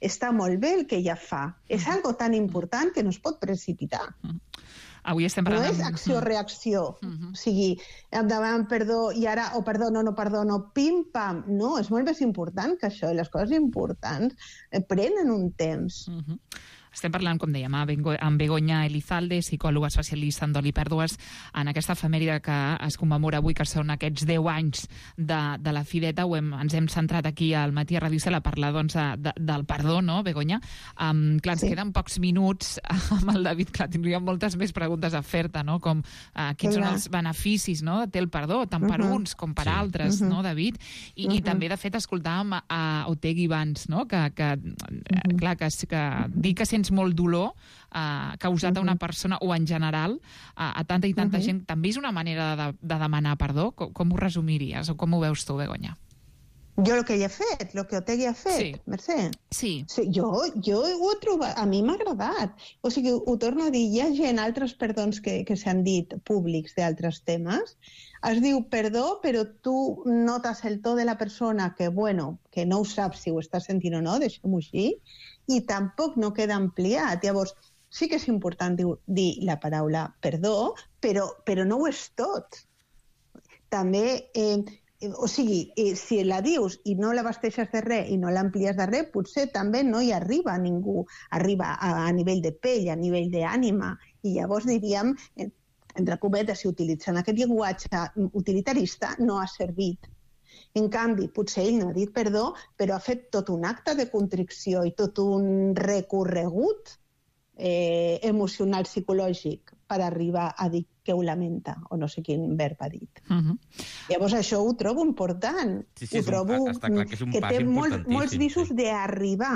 està molt bé el que ella fa. És algo tan important que no es pot precipitar. Avui estem parlant... No és acció-reacció. O sigui, endavant, perdó, i ara, perdono, pim-pam. No, és molt més important que això. I les coses importants prenen un temps. Estem parlant, com dèiem, amb Begoña Elizalde, psicòloga especialista en dol i pèrdues, en aquesta efemèride que es commemora avui, que són aquests 10 anys de la Fideta. Ens hem centrat aquí al Matí a Ràdio Estel a parlar del perdó, no, Begoña? Clar, ens queden pocs minuts amb el David, clar, tindríem moltes més preguntes a fer-te, no? Com quins són els beneficis, no?, de té el perdó, tant per uns com per altres, no, David? I també, de fet, escoltàvem a Otegi abans, no?, que dir que sents molt dolor causat a una persona o en general a tanta i tanta gent, també és una manera de demanar perdó? Com ho resumiries o com ho veus tu, Begoña? Jo el que ella ha fet, el que Otegi ha fet, Mercè. Sí. Jo ho he trobat, a mi m'ha agradat. O sigui, ho torno a dir, hi ha gent, altres perdons que s'han dit públics d'altres temes, es diu perdó, però tu notes el to de la persona que, bueno, que no ho saps si ho està sentint o no, deixem-ho així, i tampoc no queda ampliat. Llavors, sí que és important dir la paraula perdó, però no ho és tot. També... O sigui, si la dius i no l'abasteixes de res i no l'amplies de res, potser també no hi arriba ningú. Arriba a nivell de pell, a nivell d'ànima. I llavors diríem, entre cometes, si utilitzen aquest llenguatge utilitarista, no ha servit. En canvi, potser ell no ha dit perdó, però ha fet tot un acte de contrició i tot un recorregut emocional, psicològic, per arribar a dir que ho lamenta, o no sé quin verb ha dit. Llavors això ho trobo important. Ho trobo que té molts visos d'arribar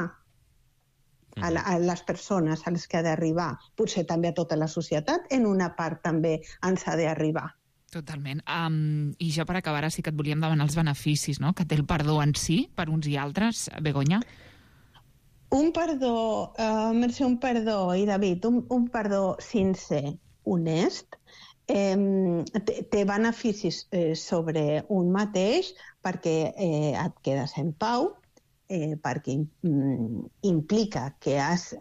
a les persones a les que ha d'arribar. Potser també a tota la societat, en una part també ens ha d'arribar. Totalment. I jo, per acabar, sí que et volíem demanar els beneficis, no?, que té el perdó en si, per uns i altres. Begoña? Un perdó, Mercè, i David, un perdó sincer, honest, té beneficis sobre un mateix perquè et quedes en pau, perquè implica que has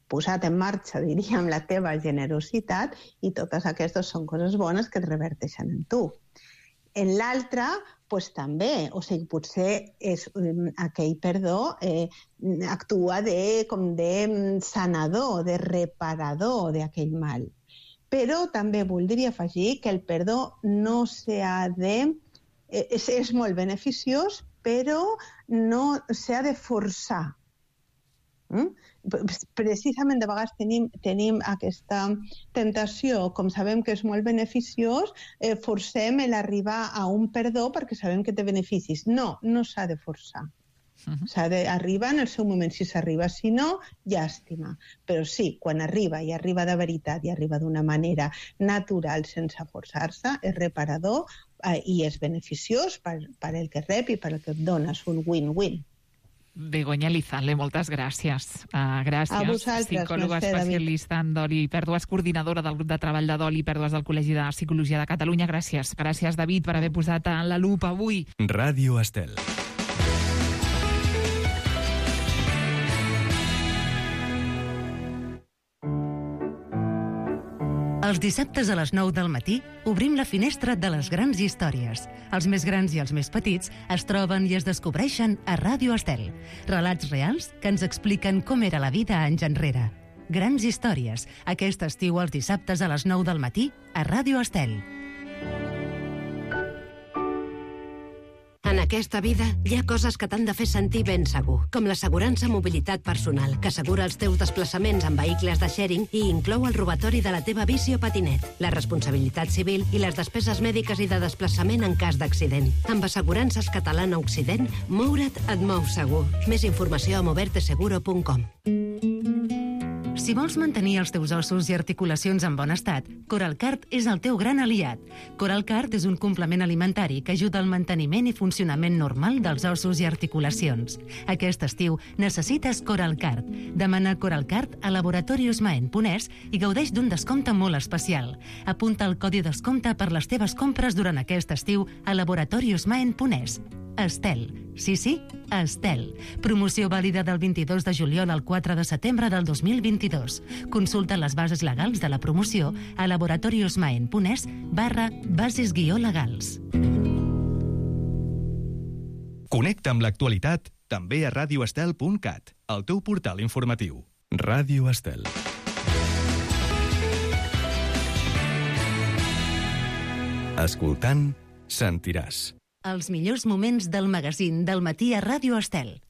posat en marxa, diríem, la teva generositat, i totes aquestes són coses bones que et reverteixen en tu. En l'altre, doncs també, o sigui, potser és aquell perdó actua com de sanador, de reparador d'aquell mal. Però també voldria afegir que el perdó no s'ha de... És molt beneficiós, però no s'ha de forçar. Precisament de vegades tenim aquesta tentació, com sabem que és molt beneficiós, forcem l'arribar a un perdó perquè sabem que té beneficis. No s'ha de forçar. S'ha d'arribar en el seu moment, si s'arriba. Si no, llàstima. Però sí, quan arriba, i arriba de veritat, i arriba d'una manera natural, sense forçar-se, és reparador i és beneficiós per el que rep i per el que et dones, un win-win. Begoña Elizalde, moltes gràcies. Gràcies. A vosaltres, psicòloga especialista en dol i pèrdues, coordinadora del grup de treball de dol i pèrdues del Col·legi de Psicologia de Catalunya. Gràcies. Gràcies, David, per haver posat en la lupa avui. Ràdio Estel. Els dissabtes a les 9 del matí obrim la finestra de les grans històries. Els més grans i els més petits es troben i es descobreixen a Ràdio Estel. Relats reals que ens expliquen com era la vida anys enrere. Grans històries, aquest estiu els dissabtes a les 9 del matí a Ràdio Estel. En aquesta vida hi ha coses que t'han de fer sentir ben segur, com l'assegurança mobilitat personal, que assegura els teus desplaçaments en vehicles de sharing i inclou el robatori de la teva bici o patinet, la responsabilitat civil i les despeses mèdiques i de desplaçament en cas d'accident. Amb Assegurances Catalana Occident, moure't et mou segur. Més informació a moverteseguro.com. Si vols mantenir els teus ossos i articulacions en bon estat, Coralcart és el teu gran aliat. Coralcart és un complement alimentari que ajuda al manteniment i funcionament normal dels ossos i articulacions. Aquest estiu necessites Coralcart. Demana Coralcart a Laboratorios Maen.es i gaudeix d'un descompte molt especial. Apunta el codi descompte per les teves compres durant aquest estiu a Laboratorios Maen.es. Estel. Sí, Estel. Promoció vàlida del 22 de juliol al 4 de setembre del 2022. Consulta les bases legals de la promoció a laboratoriosmaen.es/bases-legals. Connecta amb l'actualitat també a radioestel.cat, el teu portal informatiu. Ràdio Estel. Escoltant, sentiràs. Els millors moments del magazín del matí a Ràdio Estel.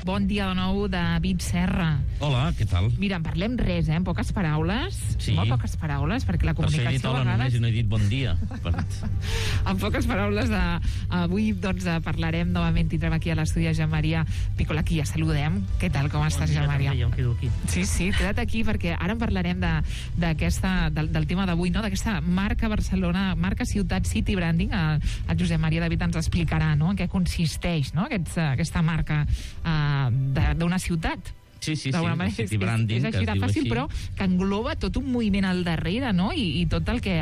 Bon dia de nou, David Serra. Hola, què tal? Mira, en parlem res, en poques paraules. Sí. Molt poques paraules, perquè la comunicació he dit hola a vegades... només i no he dit bon dia. En poques paraules, avui doncs, parlarem novament, tindrem aquí a l'estudi a Jean Maria Piccola, aquí ja saludem. Què tal, com estàs, Jean Maria? Jo em quedo aquí. Sí, queda't aquí, perquè ara en parlarem del tema d'avui, no? D'aquesta marca Barcelona, marca ciutat City Branding. El Josep Maria David ens explicarà, no?, en què consisteix, no?, aquesta marca d'una ciutat. Sí, City Branding, és així de fàcil, però que engloba tot un moviment al darrere, no?, i tot el que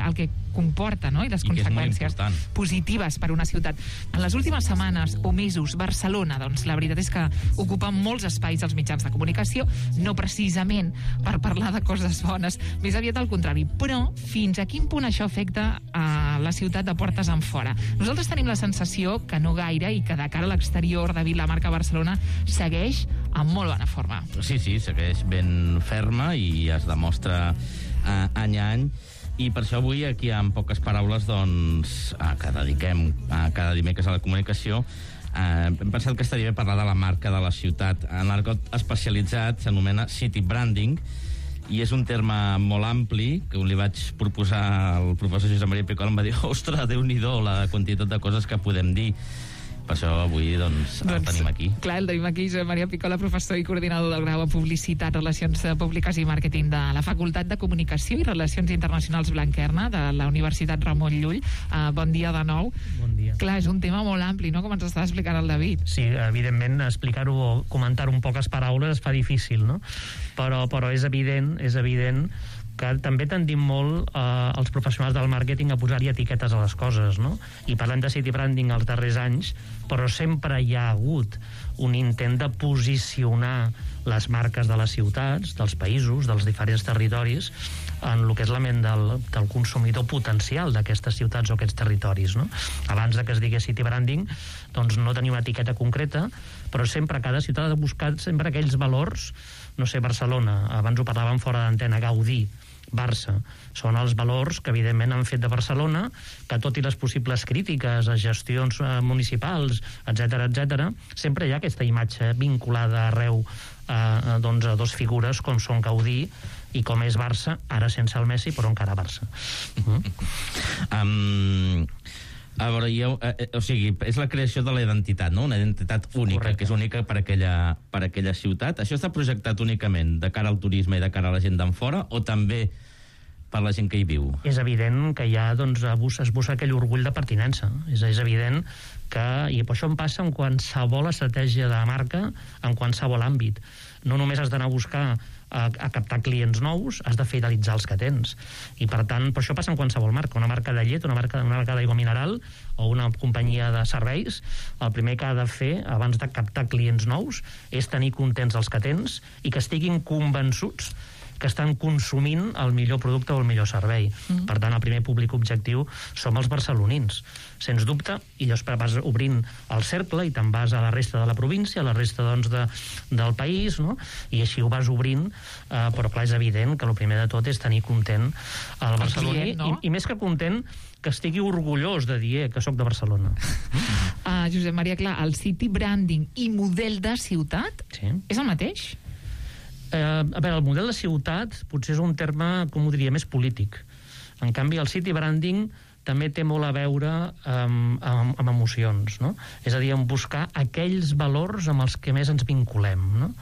comporta, no?, i les conseqüències positives per una ciutat. En les últimes setmanes o mesos, Barcelona, doncs, la veritat és que ocupa molts espais als mitjans de comunicació, no precisament per parlar de coses bones, més aviat al contrari. Però fins a quin punt això afecta a la ciutat de portes en fora? Nosaltres tenim la sensació que no gaire i que de cara a l'exterior, David, la marca Barcelona segueix en molt bona forma. Sí, segueix ben ferma i es demostra any a any. I per això avui, aquí, en poques paraules, doncs, que dediquem cada dimecres a la comunicació, hem pensat que estaria bé parlar de la marca de la ciutat. En l'argot especialitzat s'anomena City Branding, i és un terme molt ampli, que li vaig proposar al professor Josep Maria Piccola, em va dir, ostres, Déu-n'hi-do la quantitat de coses que podem dir. Per això avui, doncs, el tenim aquí. Clar, el tenim aquí, Josep Maria Piccola, professor i coordinador del grau en Publicitat, Relacions Públiques i Màrqueting de la Facultat de Comunicació i Relacions Internacionals Blanquerna de la Universitat Ramon Llull. Bon dia de nou. Bon dia. Clar, és un tema molt ampli, no?, com ens està explicant el David. Sí, evidentment, explicar-ho o comentar-ho en poques paraules es fa difícil, no? Però és evident que també tendim molt els professionals del màrqueting a posar-hi etiquetes a les coses, no? I parlem de City Branding els darrers anys, però sempre hi ha hagut un intent de posicionar les marques de les ciutats, dels països, dels diferents territoris, en el que és la ment del consumidor potencial d'aquestes ciutats o aquests territoris, no? Abans que es digués City Branding, doncs no tenia una etiqueta concreta, però sempre cada ciutat ha de buscar sempre aquells valors. No sé, Barcelona, abans ho parlàvem fora d'antena, Gaudí, Barça, són els valors que evidentment han fet de Barcelona, que tot i les possibles crítiques a gestions municipals, etc, sempre hi ha aquesta imatge vinculada arreu a dos figures com són Gaudí i com és Barça, ara sense el Messi, però encara Barça. A veure, o sigui, és la creació de la identitat, no? Una identitat única, correcte, que és única per aquella ciutat. Això està projectat únicament de cara al turisme i de cara a la gent d'en fora, o també per la gent que hi viu? És evident que ja es busca aquell orgull de pertinença. És evident que, i això em passa en qualsevol estratègia de marca, en qualsevol àmbit. No només has d'anar a buscar a captar clients nous, has de fidelitzar els que tens. I per tant, per això passa en qualsevol marca. Una marca de llet, una marca d'aigua mineral o una companyia de serveis, el primer que ha de fer abans de captar clients nous és tenir contents els que tens i que estiguin convençuts que estan consumint el millor producte o el millor servei. Per tant, el primer públic objectiu som els barcelonins, sens dubte, i després vas obrint el cercle i te'n vas a la resta de la província, a la resta doncs, del país, no? I així ho vas obrint, però clar, és evident que el primer de tot és tenir content el barceloní, client, no? i més que content, que estigui orgullós de dir que sóc de Barcelona. Josep Maria, clar, el city branding i model de ciutat és el mateix? A veure, el model de ciutat potser és un terme, com ho diria, més polític. En canvi, el city branding també té molt a veure amb emocions, no? És a dir, en buscar aquells valors amb els que més ens vinculem, no?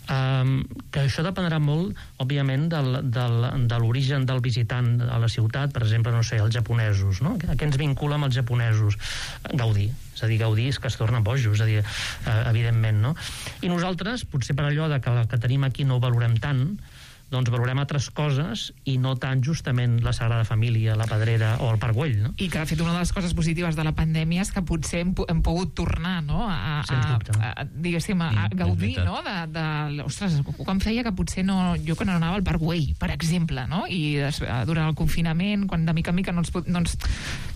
Que això dependrà molt, òbviament, de l'origen del visitant a la ciutat, per exemple, no sé, els japonesos, no? Què ens vincula amb els japonesos? Gaudí. És a dir, Gaudí és que es torna bojos, és a dir, evidentment, no? I nosaltres, potser per allò que el que tenim aquí no ho valorem tant, doncs valorem altres coses i no tant justament la Sagrada Família, la Pedrera o el Parc Güell, no? I que, de fet, una de les coses positives de la pandèmia és que potser hem pogut tornar, no?, diguéssim, a gaudir, no?, ostres, quan feia que potser jo que no anava al Parc Güell, per exemple, no?, i durant el confinament, quan de mica en mica no ens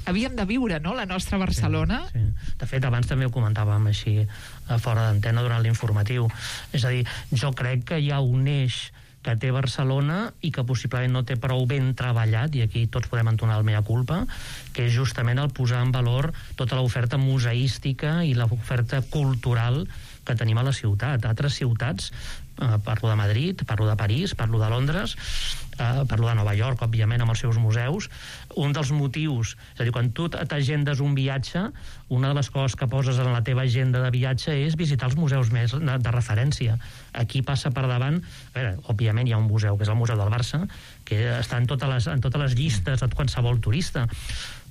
havíem de viure, no?, la nostra Barcelona. Sí. De fet, abans també ho comentàvem així fora d'antena durant l'informatiu. És a dir, jo crec que hi ha un eix que té Barcelona i que possiblement no té prou ben treballat, i aquí tots podem entonar el mea culpa, que és justament el posar en valor tota l'oferta museística i l'oferta cultural que tenim a la ciutat. Altres ciutats, parlo de Madrid, parlo de París, parlo de Londres, parlo de Nova York, òbviament, amb els seus museus. Un dels motius, és a dir, quan tu t'agendes un viatge, una de les coses que poses en la teva agenda de viatge és visitar els museus més de referència. Aquí passa per davant, a veure, òbviament hi ha un museu, que és el Museu del Barça, que està en totes les llistes de qualsevol turista,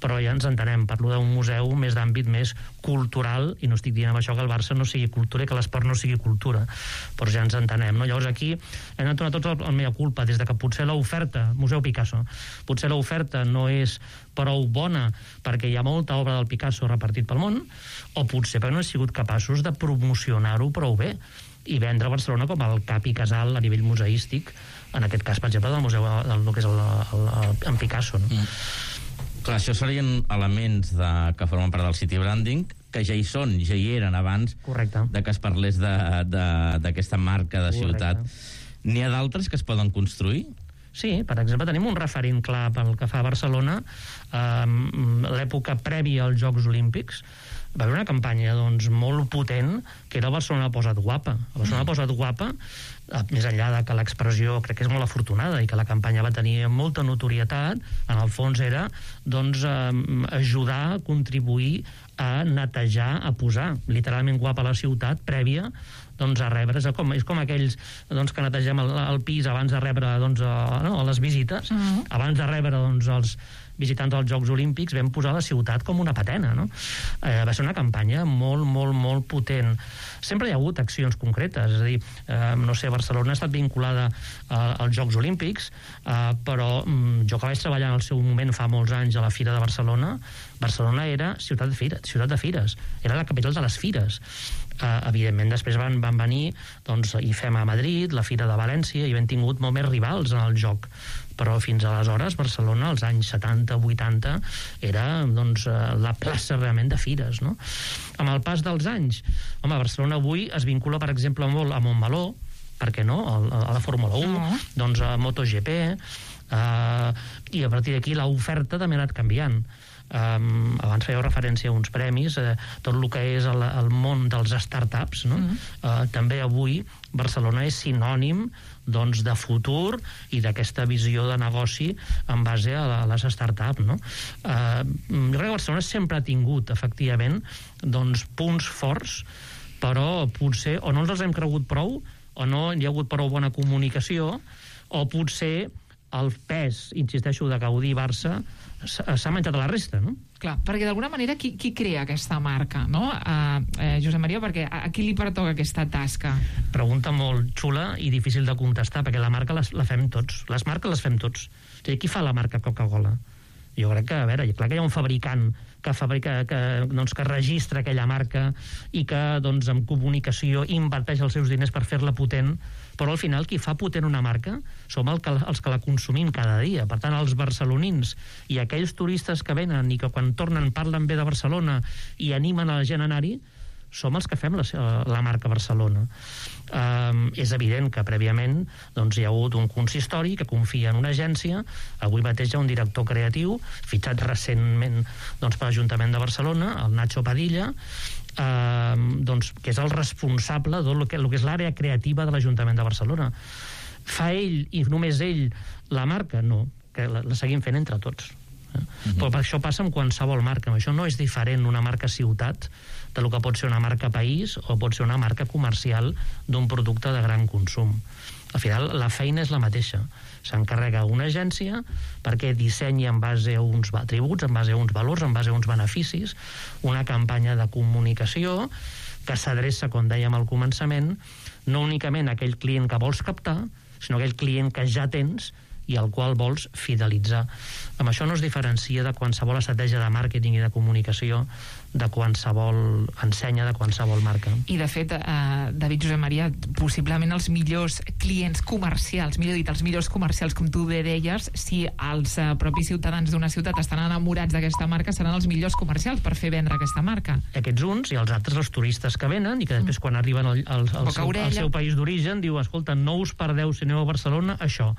però ja ens entenem, parlo d'un museu més d'àmbit més cultural, i no estic dient amb això que el Barça no sigui cultura i que l'esport no sigui cultura, però ja ens entenem, no? Llavors aquí hem de tornar tots el mea culpa, des de que potser l'oferta, Museu Picasso, potser l'oferta no és prou bona perquè hi ha molta obra del Picasso repartit pel món, o potser perquè no hem sigut capaços de promocionar-ho prou bé i vendre Barcelona com el cap i casal a nivell museístic, en aquest cas, per exemple, del museu del que és en Picasso, no? Clar, això serien elements que formen part del city branding, que ja hi són, ja hi eren abans. Correcte. De que es parlés d'aquesta marca de ciutat. N'hi ha d'altres que es poden construir? Sí, per exemple, tenim un referent clar pel que fa a Barcelona. L'època prèvia als Jocs Olímpics va haver una campanya molt potent, que era Barcelona posa't guapa. Barcelona posa't guapa, més enllà de que l'expressió crec que és molt afortunada i que la campanya va tenir molta notorietat, en el fons era ajudar a contribuir a netejar, a posar literalment guapa la ciutat prèvia a rebre, és com aquells que netegem el pis abans de rebre les visites, abans de rebre els visitants dels Jocs Olímpics, vam posar la ciutat com una patena, no? Va ser una campanya molt, molt, molt potent. Sempre hi ha hagut accions concretes, és a dir, no sé, Barcelona ha estat vinculada als Jocs Olímpics, però jo que vaig treballar en el seu moment fa molts anys a la Fira de Barcelona, Barcelona era ciutat de fires, era la capital de les fires. Evidentment, després van venir IFEM a Madrid, la Fira de València, i hem tingut molt més rivals en el joc. Però fins aleshores Barcelona, als anys 70-80, era la plaça realment de fires, no? Amb el pas dels anys, Barcelona avui es vincula, per exemple, molt a Montmeló, per què no? A la Fórmula 1, a MotoGP, i a partir d'aquí l'oferta també ha anat canviant. Abans fèieu referència a uns premis, tot el que és el món dels startups, no? També avui Barcelona és sinònim de futur i d'aquesta visió de negoci en base a les startups, no? Jo crec que Barcelona sempre ha tingut, efectivament, punts forts, però potser o no ens els hem cregut prou, o no hi ha hagut prou bona comunicació, o potser el pes, insisteixo, de Gaudí i Barça s'ha menjat a la resta, no? Clar, perquè d'alguna manera qui crea aquesta marca, no? Josep Maria, perquè a qui li pertoca aquesta tasca? Pregunta molt xula i difícil de contestar, perquè la marca la fem tots. Les marques les fem tots. O sigui, qui fa la marca Coca-Cola? Jo crec que, a veure, clar que hi ha un fabricant que fabrica, que registra aquella marca i que amb comunicació inverteix els seus diners per fer-la potent, però al final qui fa potent una marca som els que la consumim cada dia. Per tant, els barcelonins i aquells turistes que venen i que quan tornen parlen bé de Barcelona i animen a la gent a anar-hi, som els que fem la marca Barcelona. És evident que prèviament hi ha hagut un consistori que confia en una agència. Avui mateix hi ha un director creatiu fitxat recentment per l'Ajuntament de Barcelona, el Nacho Padilla, que és el responsable del que és l'àrea creativa de l'Ajuntament de Barcelona. Fa ell i només ell la marca? No, que la seguim fent entre tots. Però per això passa amb qualsevol marca. Això no és diferent una marca ciutat del que pot ser una marca país o pot ser una marca comercial d'un producte de gran consum. Al final la feina és la mateixa. S'encarrega una agència perquè dissenyi en base a uns atributs, en base a uns valors, en base a uns beneficis, una campanya de comunicació que s'adreça, com dèiem al començament, no únicament a aquell client que vols captar, sinó aquell client que ja tens i al qual vols fidelitzar. Amb això no es diferencia de qualsevol estratègia de màrqueting i de comunicació, de qualsevol ensenya, de qualsevol marca. I de fet, David Josep Maria, possiblement els millors clients comercials, millor dit, els millors comercials, com tu bé deies, si els propis ciutadans d'una ciutat estan enamorats d'aquesta marca, seran els millors comercials per fer vendre aquesta marca. Aquests uns, i els altres els turistes que venen i que després quan arriben al seu país d'origen diuen, escolta, no us perdeu si aneu a Barcelona això,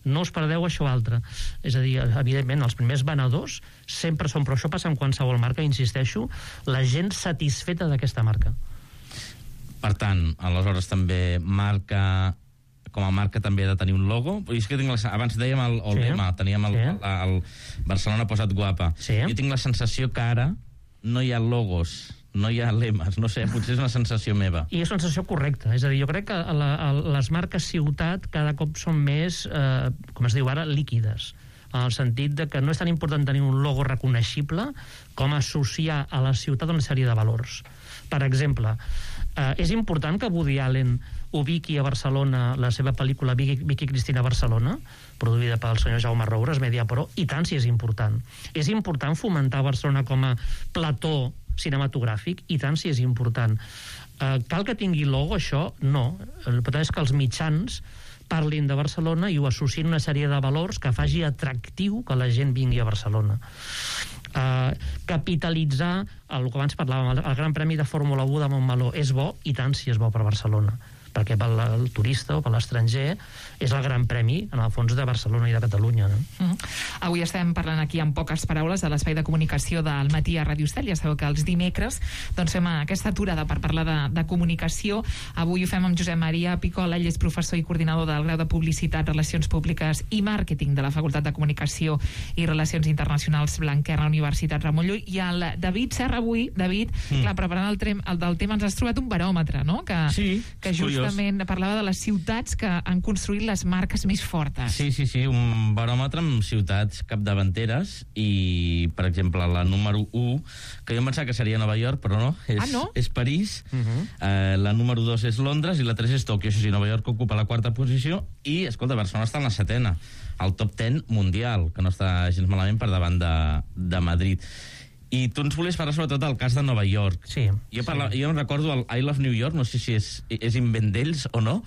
no us perdeu això altre. És a dir, evidentment, els primers venedors sempre són, però això passa amb qualsevol marca, insisteixo, la gent satisfeta d'aquesta marca. Per tant, aleshores també marca, com a marca també ha de tenir un logo. És que abans dèiem el lema, teníem el Barcelona posat guapa. Jo tinc la sensació que ara no hi ha logos, no hi ha lemes, no sé, potser és una sensació meva. I és una sensació correcta, és a dir, jo crec que les marques ciutat cada cop són més, com es diu ara, líquides, en el sentit de que no és tan important tenir un logo reconeixible com associar a la ciutat una sèrie de valors. Per exemple, és important que Woody Allen ubiqui a Barcelona la seva pel·lícula Vicky Cristina Barcelona, produïda pel senyor Jaume Roures, Mediapro, i tant si és important. És important fomentar Barcelona com a plató cinematogràfic, i tant si és important. Cal que tingui logo, això? No. El que és que els mitjans parlin de Barcelona i ho associïn una sèrie de valors que faci atractiu que la gent vingui a Barcelona. Capitalitzar el que abans parlàvem, el Gran Premi de Fórmula 1 de Montmeló és bo, i tant si és bo per Barcelona, perquè pel turista o per l'estranger és el Gran Premi, en el fons, de Barcelona i de Catalunya. No? Avui estem parlant aquí en poques paraules de l'espai de comunicació del matí a Ràdio Estel. Ja sabeu que els dimecres fem aquesta aturada per parlar de comunicació. Avui ho fem amb Josep Maria Picola, ell és professor i coordinador del grau de Publicitat, Relacions Públiques i Màrqueting de la Facultat de Comunicació i Relacions Internacionals Blanquerna, Universitat Ramon Llull, i el David Serra avui. David, clar, preparant el del tema ens has trobat un baròmetre, no? Que justament parlava de les ciutats que han construït les marques més fortes. Sí, un baròmetre amb ciutats capdavanteres i, per exemple, la número 1, que jo em pensava que seria Nova York, però no, és París, la número 2 és Londres i la 3 és Tòquio. Això sí, Nova York ocupa la 4a posició i, escolta, Barcelona està en la 7a, el top 10 mundial, que no està gens malament per davant de Madrid. I tu ens volies parlar sobretot del cas de Nova York. Jo em recordo el I Love New York, no sé si és invent d'ells o no,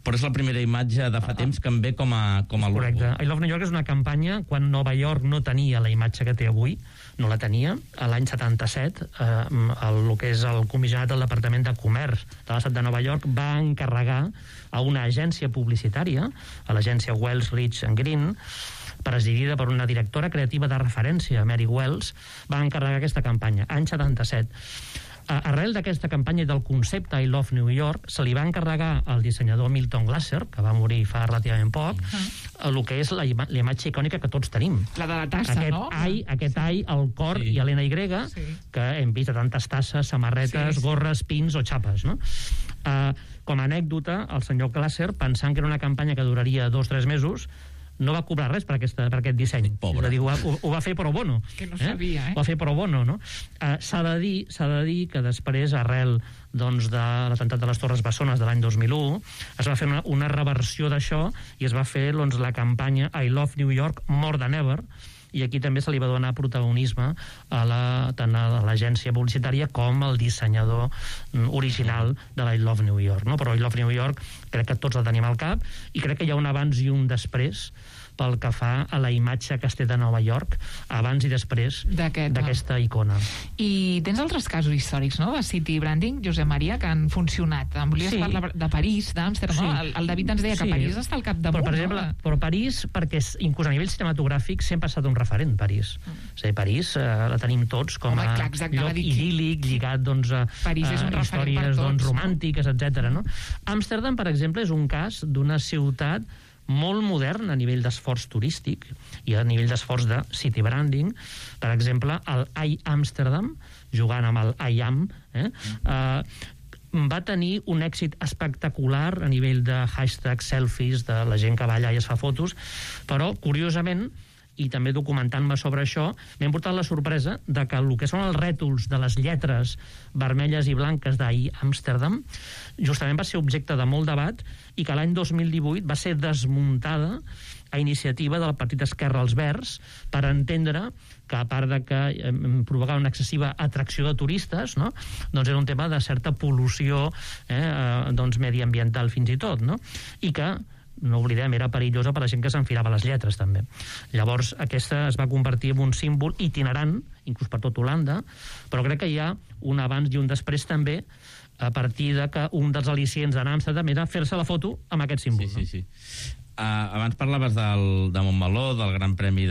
però és la primera imatge de fa temps que em ve com a logo. Correcte. I Love New York és una campanya quan Nova York no tenia la imatge que té avui, no la tenia. A l'any 77, el que és el comissionat del Departament de Comerç de l'estat de Nova York va encarregar a una agència publicitària, a l'agència Wells, Rich and Green, presidida per una directora creativa de referència, Mary Wells, va encarregar aquesta campanya, any 77. Arrel d'aquesta campanya i del concepte I Love New York, se li va encarregar al dissenyador Milton Glaser, que va morir fa relativament poc, el que és la imatge icònica que tots tenim. La de la tassa, no? Aquest ai, el cor i l'NY, que hem vist a tantes tasses, samarretes, gorres, pins o xapes, no? Com a anècdota, el senyor Glaser, pensant que era una campanya que duraria 2 o 3 mesos, no va cobrar res per aquest disseny. Pobre. Dir, ho va fer pro bono. Que no sabia, Ho va fer pro bono, no? S'ha de dir que després, arrel de l'atemptat de les Torres Bessones de l'any 2001, es va fer una reversió d'això i es va fer la campanya I Love New York More Than Ever, i aquí també se li va donar protagonisme tant a l'agència publicitària com al dissenyador original de I Love New York, no? Però I Love New York crec que tots la tenim al cap, i crec que hi ha un abans i un després pel que fa a la imatge que es té de Nova York abans i després d'aquesta icona. I tens altres casos històrics, no?, de City Branding, Josep Maria, que han funcionat. Em volies parlar de París, d'Amsterdam, no? El David ens deia que París està al capdamunt. Per exemple, però París, perquè inclús a nivell cinematogràfic sempre ha estat un referent, París. És a dir, París la tenim tots com a lloc idíl·lic, lligat a històries romàntiques, etc. Amsterdam, per exemple, és un cas d'una ciutat molt modern a nivell d'esforç turístic i a nivell d'esforç de city branding. Per exemple, el I Amsterdam, jugant amb el I Am, va tenir un èxit espectacular a nivell de hashtag selfies, de la gent que va allà i es fa fotos, però, curiosament, i també documentant-me sobre això, m'he portat la sorpresa de que el que són els rètols de les lletres vermelles i blanques d'I Amsterdam justament va ser objecte de molt debat, i que l'any 2018 va ser desmuntada a iniciativa del Partit Esquerra als Verds per entendre que, a part de que provocava una excessiva atracció de turistes, no? Doncs era un tema de certa pol·lució mediambiental fins i tot, no? I que, no oblidem, era perillosa per a la gent que s'enfilava les lletres, també. Llavors, aquesta es va convertir en un símbol itinerant, inclús per tot Holanda, però crec que hi ha un abans i un després també, a partir de que un dels al·licients d'anar a Amsterdam era fer-se la foto amb aquest símbol. Sí. Abans parlaves de Montmeló, del Gran Premi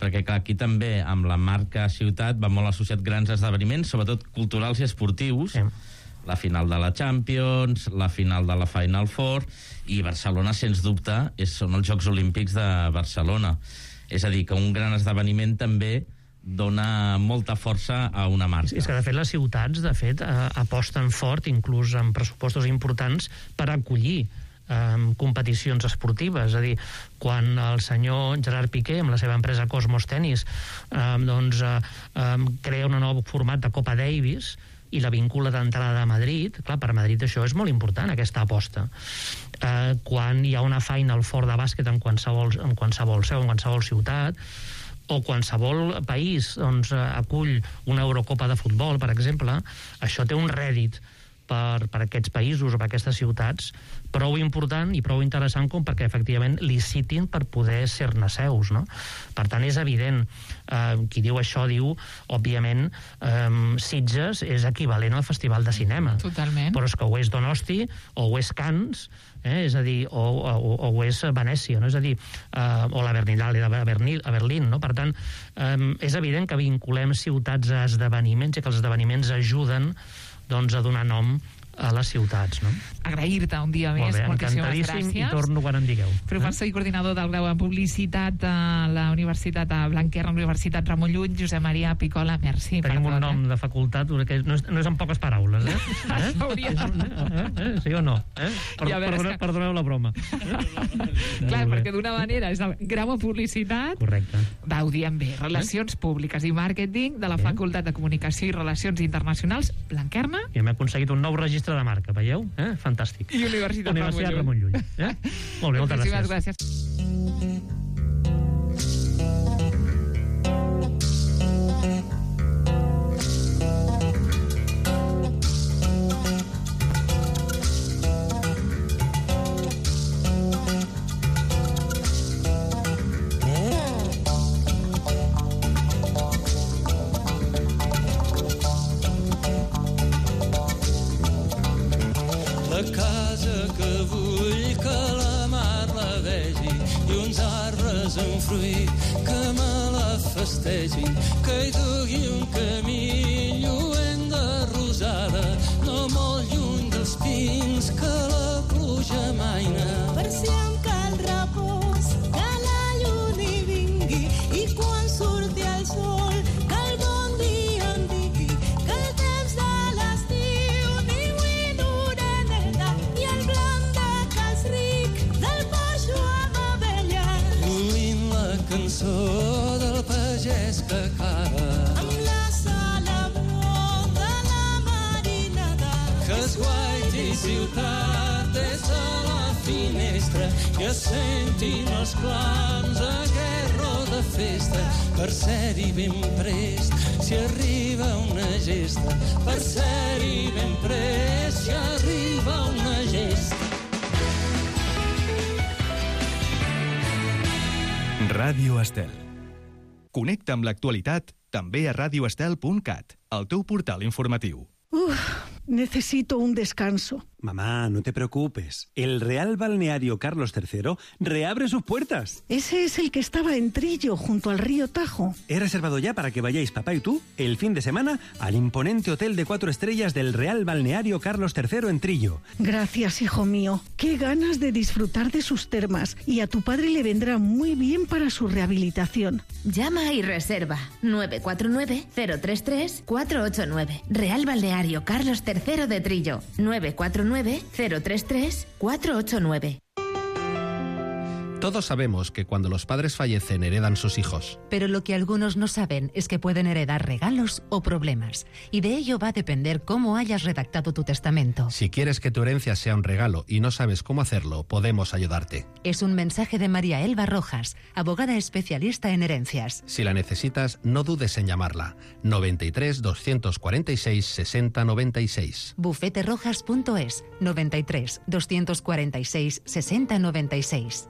perquè clar, aquí també amb la marca ciutat va molt associat grans esdeveniments, sobretot culturals i esportius. La final de la Champions, la final de la Final Four, i Barcelona, sens dubte, són els Jocs Olímpics de Barcelona. És a dir, que un gran esdeveniment també dona molta força a una marca. És que, de fet, les ciutats, aposten fort, inclús amb pressupostos importants, per acollir competicions esportives. És a dir, quan el senyor Gerard Piqué, amb la seva empresa Cosmos Tennis, crea un nou format de Copa Davis i la vincula d'entrada a Madrid, clar, per Madrid això és molt important, aquesta aposta. Quan hi ha una Final Four de bàsquet en qualsevol seu, en qualsevol ciutat, o qualsevol país acull una Eurocopa de futbol, per exemple, això té un rèdit per aquests països o per aquestes ciutats prou important i prou interessant com perquè efectivament licitin per poder ser-ne seus, no? Per tant, és evident, qui diu això diu, òbviament, Sitges és equivalent al Festival de Cinema. Totalment. Però és que ho és Donosti, o ho és Cannes, és a dir, o ho és Venècia, no? És a dir, o la Berlinale a Berlín, no? Per tant, és evident que vinculem ciutats a esdeveniments i que els esdeveniments ajuden a donar nom a les ciutats, no? Agrair-te un dia més, moltíssimes gràcies. I torno quan em digueu. Professor i coordinador del grau en publicitat a la Universitat de Blanquerna, Universitat Ramon Llull, Josep Maria Picola, merci. Tenim un nom de facultat que no és en poques paraules, Sí o no? Perdoneu la broma. Clar, perquè d'una manera és el grau en publicitat. Correcte. Va, ho diem bé. Relacions públiques i màrqueting de la Facultat de Comunicació i Relacions Internacionals, Blanquerna. I hem aconseguit un nou registre de marca, veieu? Fantàstic. I Universitat Ramon Llull. Molt bé, moltes gràcies. La casa que vull que la mar la vegi i uns arbres en fruit que me la festegin, que hi dugui un camí lluent de rosada, no molt lluny dels pins que la pluja maina. Per si em cal repòs, que la lluna hi vingui i quan surti el sol, que el bon dia em digui que el temps de l'estiu ni vull d'oreneta i el blanc de cas ric del porxo amb abella. Lluint la cançó del pagès que cava amb la salabror de la marinada que es guaiti ciutat des de la finestra i es sentin els clams aquest rot de festa per ser-hi ben prest si arriba una gesta, per ser-hi ben prest si arriba una gesta. Ràdio Estel. Connecta amb l'actualitat també a radioestel.cat, el teu portal informatiu. Necesito un descanso. Mamá, no te preocupes. El Real Balneario Carlos III reabre sus puertas. Ese es el que estaba en Trillo, junto al río Tajo. He reservado ya para que vayáis papá y tú el fin de semana al imponente hotel de 4 estrellas del Real Balneario Carlos III en Trillo. Gracias, hijo mío. Qué ganas de disfrutar de sus termas. Y a tu padre le vendrá muy bien para su rehabilitación. Llama y reserva 949-033-489. Real Balneario Carlos III de Trillo. 949-033-489. Todos sabemos que cuando los padres fallecen heredan sus hijos. Pero lo que algunos no saben es que pueden heredar regalos o problemas. Y de ello va a depender cómo hayas redactado tu testamento. Si quieres que tu herencia sea un regalo y no sabes cómo hacerlo, podemos ayudarte. Es un mensaje de María Elba Rojas, abogada especialista en herencias. Si la necesitas, no dudes en llamarla. 93 246 60 96. Bufeterojas.es 93 246 60 96.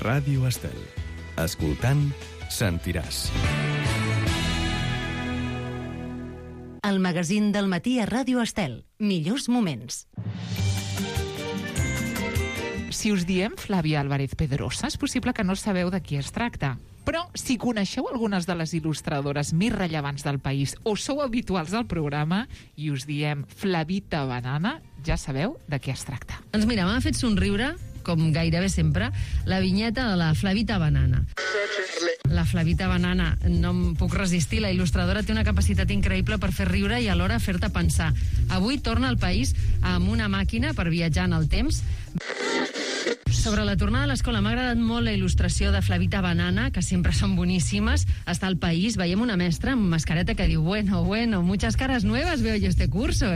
Ràdio Estel. Escoltant, sentiràs. El magazín del matí a Ràdio Estel. Millors moments. Si us diem Flàvia Álvarez Pedrosa, és possible que no sabeu de qui es tracta. Però si coneixeu algunes de les il·lustradores més rellevants del país o sou habituals al programa i us diem Flavita Banana, ja sabeu de què es tracta. Doncs mira, m'ha fet somriure, com gairebé sempre, la vinyeta de la Flavita Banana. La Flavita Banana, no em puc resistir, la il·lustradora té una capacitat increïble per fer riure i alhora fer-te pensar. Avui torna al país amb una màquina per viatjar en el temps. Sobre la tornada a l'escola, m'ha agradat molt la il·lustració de Flavita Banana, que sempre són boníssimes. Està al país, veiem una mestra amb mascareta que diu bueno, muchas caras nuevas veo yo este curso,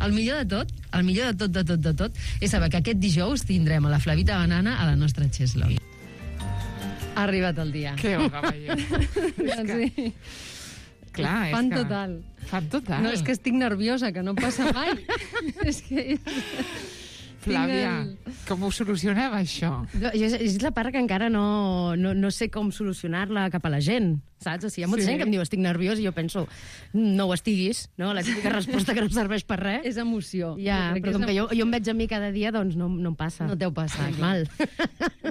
El millor de tot, és saber que aquest dijous tindrem a la Flavita Banana a la nostra Cheslo. Ha arribat el dia. Que Olga Balló. Sí. Clar, fan és que... total. Fan total. No, és que estic nerviosa, que no passa mai. És que... Flàvia, com ho solucionem, això? És la part que encara no sé com solucionar-la cap a la gent, saps? O sigui, hi ha molta gent que em diu estic nerviós i jo penso, no ho estiguis, no? La típica resposta que no serveix per res. És emoció. Ja, però com que jo em veig a mi cada dia, doncs no em passa. No t'heu passat. Mal.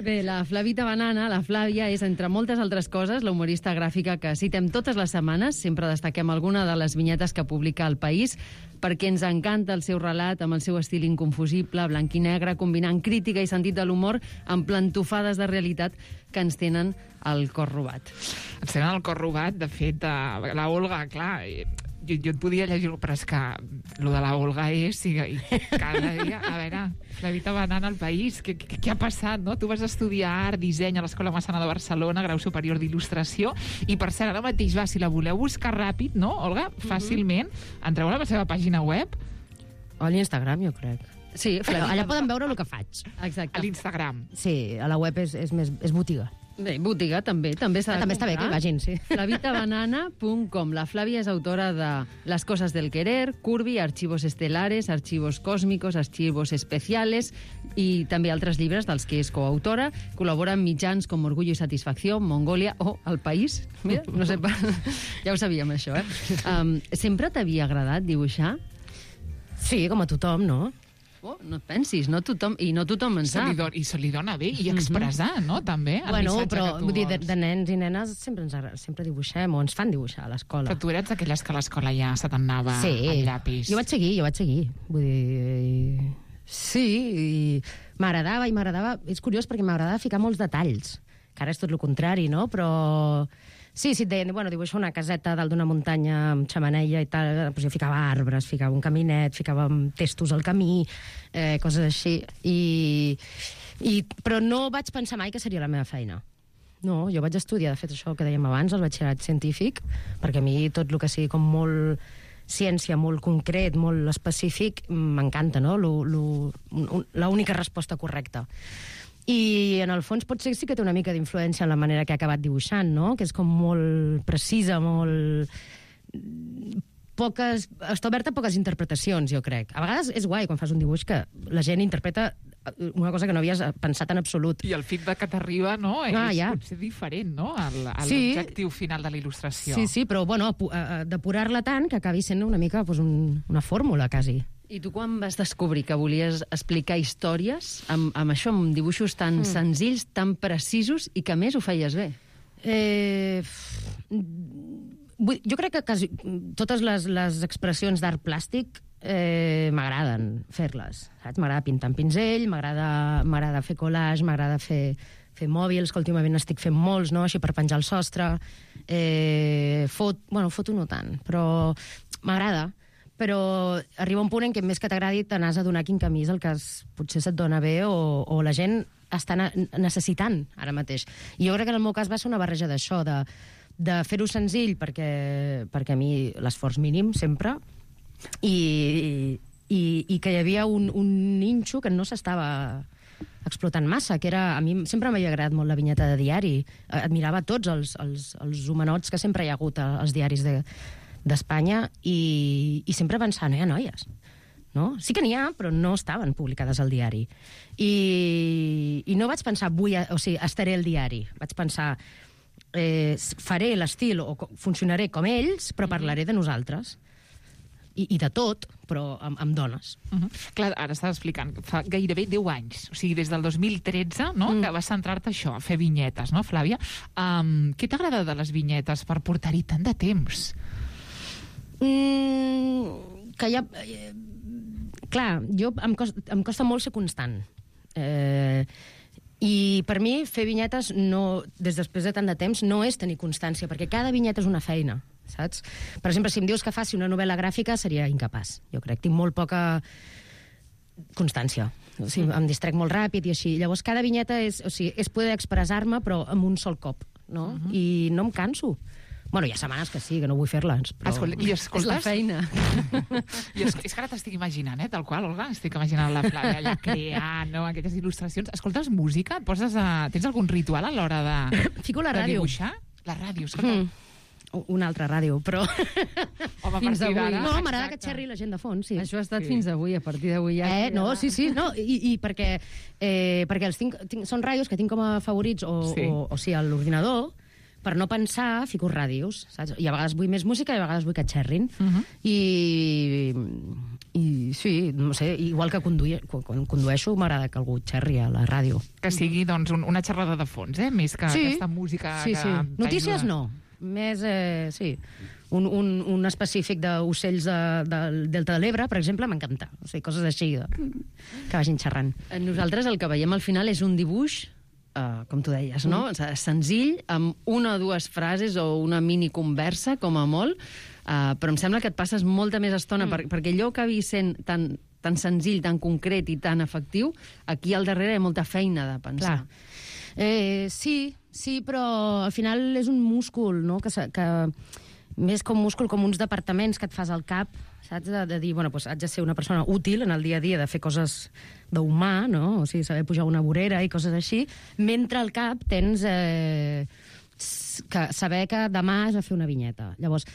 Bé, la Flavita Banana, la Flàvia, és, entre moltes altres coses, la humorista gràfica que citem totes les setmanes. Sempre destaquem alguna de les vinyetes que publica El País, perquè ens encanta el seu relat amb el seu estil inconfusible, blanc i negre, combinant crítica i sentit de l'humor amb plantofades de realitat que ens tenen el cor robat. Ens tenen el cor robat, de fet, la Olga, clar, jo et podia llegir, però és que el de la Olga és, i cada dia, a veure, Flavita Banana al país, què ha passat, no? Tu vas estudiar art, disseny a l'Escola Massana de Barcelona, grau superior d'il·lustració, i per cert, ara mateix va, si la voleu buscar ràpid, no, Olga? Fàcilment, entreu a la seva pàgina web. O a l'Instagram, jo crec. Sí, allà poden veure el que faig. Exacte. A l'Instagram. Sí, a la web és botiga. Bé, botiga també s'ha de també està bé que hi vagin, sí. Flavitabanana.com. La Flàvia és autora de Las cosas del querer, Curvi, Archivos estelares, Archivos cósmicos, Archivos especiales i també altres llibres dels que és coautora. Col·labora amb mitjans com Orgullo i Satisfacció, Mongòlia o El País. Mira, no sé, ja ho sabíem, això, Sempre t'havia agradat dibuixar? Sí, com a tothom, no? Oh, no et pensis, no tothom en sap. I se li dona bé, i expressar, no?, també, el missatge però, que tu vull dir, vols. de nens i nenes sempre dibuixem, o ens fan dibuixar a l'escola. Però tu eres d'aquelles que a l'escola ja se t'anava el llapis. Jo vaig seguir. Vull dir... Sí, i m'agradava... És curiós perquè m'agradava ficar molts detalls, que ara és tot el contrari, no? Però... Sí, et deien, dibuixa una caseta dalt d'una muntanya amb xamaneia i tal, doncs jo ficava arbres, ficava un caminet, ficava testos al camí, coses així. Però no vaig pensar mai que seria la meva feina. No, jo vaig estudiar, de fet, això que dèiem abans, el batxillerat científic, perquè a mi tot el que sigui com molt ciència, molt concret, molt específic, m'encanta, no? L'única resposta correcta. I en el fons potser sí que té una mica d'influència en la manera que ha acabat dibuixant, no? Que és com molt precisa, molt... està oberta a poques interpretacions, jo crec. A vegades és guai quan fas un dibuix que la gent interpreta una cosa que no havies pensat en absolut. I el feedback que t'arriba, no? Potser diferent, no? L'objectiu final de la il·lustració. Sí, però, bueno, depurar-la tant que acabi sent una mica una fórmula, quasi. I tu quan vas descobrir que volies explicar històries amb això, amb dibuixos tan senzills, tan precisos, i que a més ho feies bé? Jo crec que totes les expressions d'art plàstic m'agraden fer-les, saps? M'agrada pintar amb pinzell, m'agrada fer collage, m'agrada fer mòbils, que últimament estic fent molts, no?, així per penjar el sostre. Foto no tant, però m'agrada. Però arriba un punt en què més que t'agradi te n'has d'adonar quin camí és el que potser se't dona bé o la gent està necessitant ara mateix. I jo crec que en el meu cas va ser una barreja d'això, de fer-ho senzill, perquè a mi l'esforç mínim sempre, i que hi havia un ninxo que no s'estava explotant massa, que era... A mi sempre m'havia agradat molt la vinyeta de diari. Admirava tots els homenots que sempre hi ha hagut als diaris d'Espanya i sempre pensava, no hi ha noies, no? Sí que n'hi ha, però no estaven publicades al diari. I no vaig pensar, estaré al diari. Vaig pensar, faré l'estil o funcionaré com ells, però parlaré de nosaltres. I de tot, però amb dones. Clar, ara estàs explicant, fa gairebé 10 anys, o sigui, des del 2013, no?, que vas centrar-te això, a fer vinyetes, no, Flàvia? Què t'agrada de les vinyetes per portar-hi tant de temps? Que hi ha... Clar, em costa molt ser constant. I per mi fer vinyetes, després de tant de temps, no és tenir constància, perquè cada vinyeta és una feina, saps? Per exemple, si em dius que faci una novel·la gràfica, seria incapaç, jo crec. Tinc molt poca constància. O sigui, em distrec molt ràpid i així. Llavors, cada vinyeta és poder expressar-me, però amb un sol cop, no? I no em canso. Bueno, hi ha setmanes que sí, que no vull fer-les, però és la feina. És que ara t'estic imaginant, tal qual, Olga, estic imaginant la Flàvia allà creant, no?, aquestes il·lustracions. Escoltes música? Tens algun ritual a l'hora de Fico la ràdio. Dibuixar? La ràdio, escolta. Una altra ràdio, però... Home, fins avui. d'ara... No, m'agrada que xerri la gent de fons, sí. Això ha estat fins avui, a partir d'avui ja... No, sí, no, i perquè els són ràdios que tinc com a favorits, o sigui, a l'ordinador, per no pensar, fico ràdios, saps? I a vegades vull més música i a vegades vull que xerrin. I sí, no sé, igual que quan condueixo m'agrada que algú xerri a la ràdio. Que sigui, doncs, una xerrada de fons, més que aquesta música... Sí. Notícies no. Més, sí. Un específic d'ocells del Delta de l'Ebre, per exemple, m'encanta. O sigui, coses així, que vagin xerrant. Nosaltres el que veiem al final és un dibuix, com tu deies, no? Senzill, amb una o dues frases o una mini conversa, com a molt, però em sembla que et passes molta més estona, perquè allò que acabi sent tan senzill, tan concret i tan efectiu, aquí al darrere hi ha molta feina de pensar. Sí, però al final és un múscul, no? Que més com múscul, com uns departaments que et fas al cap, saps? De dir, bueno, doncs haig de ser una persona útil en el dia a dia, de fer coses d'humà, no? O sigui, saber pujar una vorera i coses així, mentre al cap tens saber que demà has de fer una vinyeta. Llavors,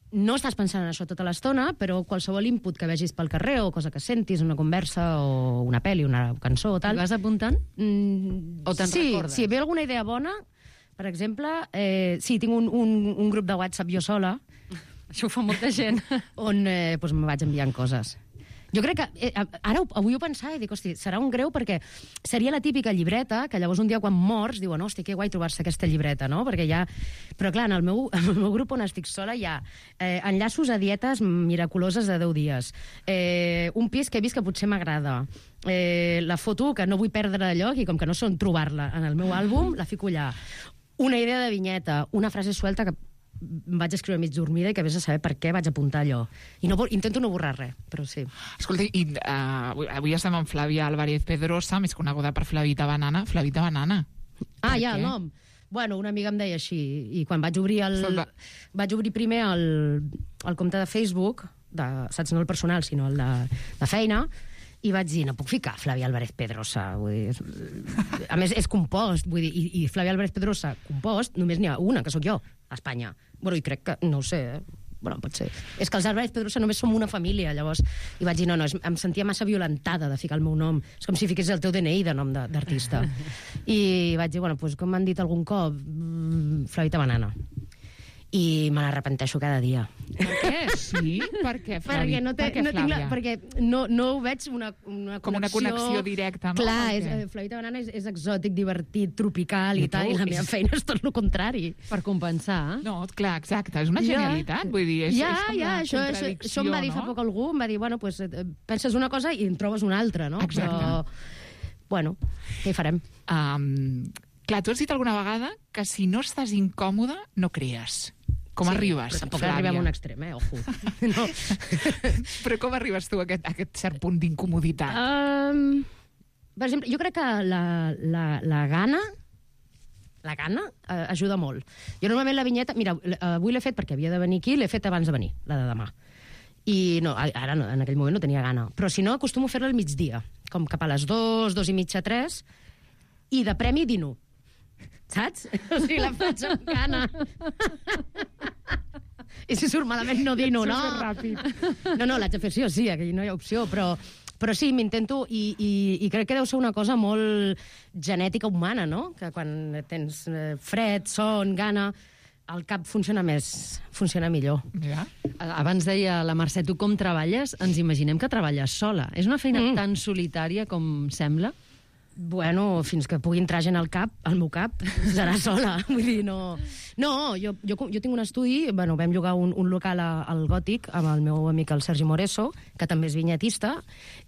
no estàs pensant en això tota l'estona, però qualsevol input que vegis pel carrer o cosa que sentis, una conversa o una pel·li, una cançó o tal... I vas apuntant? O te'n recordes? Sí, ve alguna idea bona, per exemple, sí, tinc un grup de WhatsApp jo sola, això ho fa molta gent, on doncs me vaig enviant coses. Jo crec que, avui ho pensava i dic, hosti, serà un greu perquè seria la típica llibreta, que llavors un dia quan mors diuen, hosti, que guai trobar-se aquesta llibreta, no? Perquè ja... Però clar, en el meu grup on estic sola hi ha enllaços a dietes miraculoses de 10 dies, un pis que he vist que potser m'agrada, la foto que no vull perdre de lloc i com que no sé on trobar-la en el meu àlbum, la fico allà. Una idea de vinyeta, una frase suelta que vaig escriure mig dormida i que vés a saber per què vaig apuntar allò. I intento no borrar res, però sí. Escolta, i avui estem amb Flàvia Álvarez Pedrosa, més coneguda per Flavita Banana. Flavita Banana. Ja, el nom. Bueno, una amiga em deia així, i quan vaig obrir primer el compte de Facebook, saps, no el personal, sinó el de feina, i vaig dir, no puc ficar Flavia Álvarez Pedrosa. Vull dir, a més, és compost, vull dir, i Flavia Álvarez Pedrosa, compost, només n'hi ha una, que sóc jo, a Espanya. Bueno, i crec que, no ho sé, bueno, pot ser. És que els Álvarez Pedrosa només som una família, llavors. I vaig dir, no, em sentia massa violentada de ficar el meu nom. És com si fiqués el teu DNI de nom d'artista. I vaig dir, bueno, doncs com m'han dit algun cop, Flavita Banana. I me n'arrepenteixo cada dia. Per què? Sí? Per què, Flavi? Perquè no ho veig una connexió... Com una connexió directa, no? Clar, Flavita Banana és exòtic, divertit, tropical i tal, i la meva feina és tot el contrari. Per compensar. No, clar, exacte, és una genialitat, vull dir, és com una contradicció, això em va dir fa poc algú, em va dir, bueno, pues, penses una cosa i en trobes una altra, no? Exacte. Però, bueno, què hi farem? Clar, tu has dit alguna vegada que si no estàs incòmode, no crees. Com arribes, però tampoc arribem a un extrem, ojo. No. Però com arribes tu a aquest cert punt d'incomoditat? Per exemple, jo crec que la gana ajuda molt. Jo normalment la vinyeta... Mira, avui l'he fet perquè havia de venir aquí, l'he fet abans de venir, la de demà. I no, ara no, en aquell moment no tenia gana. Però si no, acostumo a fer-la al migdia, com cap a les 2, 2:30, 3, i de premi dino. Saps? O sigui, la faig amb gana. I si surt malament no dino, no? No, l'haig de fer sí o sí, aquí no hi ha opció, però sí, m'intento, i crec que deu ser una cosa molt genètica humana, no? Que quan tens fred, son, gana, el cap funciona millor. Ja. Abans deia la Mercè, tu com treballes? Ens imaginem que treballes sola. És una feina tan solitària com sembla? Bueno, fins que pugui entrar gent al meu cap, serà sola. Vull dir, no... No, jo tinc un estudi, bueno, vam llogar un local al Gòtic amb el meu amic el Sergi Moreso, que també és vinyetista,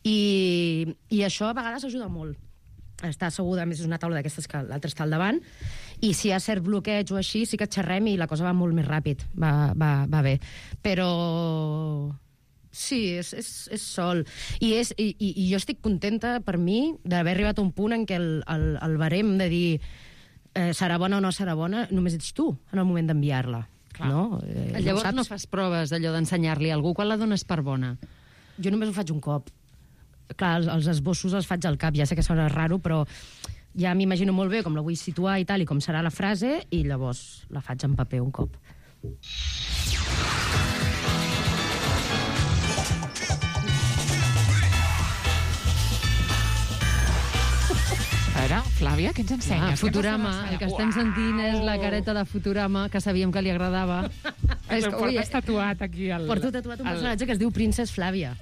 i això a vegades ajuda molt. Està asseguda, a més és una taula d'aquestes que l'altre està al davant, i si hi ha cert bloqueig o així, sí que xerrem i la cosa va molt més ràpid, va bé. Però... Sí, és sol. I jo estic contenta, per mi, d'haver arribat a un punt en què el barem de dir serà bona o no serà bona, només ets tu en el moment d'enviar-la. No? Llavors no fas proves d'allò d'ensenyar-li a algú quan la dones per bona? Jo només ho faig un cop. Clar, els esbossos els faig al cap, ja sé que sona raro, però ja m'imagino molt bé com la vull situar i tal, i com serà la frase, i llavors la faig en paper un cop. A veure, Flàvia, què ens ensenyes? Futurama, el que estem sentint és la careta de Futurama, que sabíem que li agradava. És que portes tatuat aquí. Porto tatuat un personatge que es diu Princess Flàvia.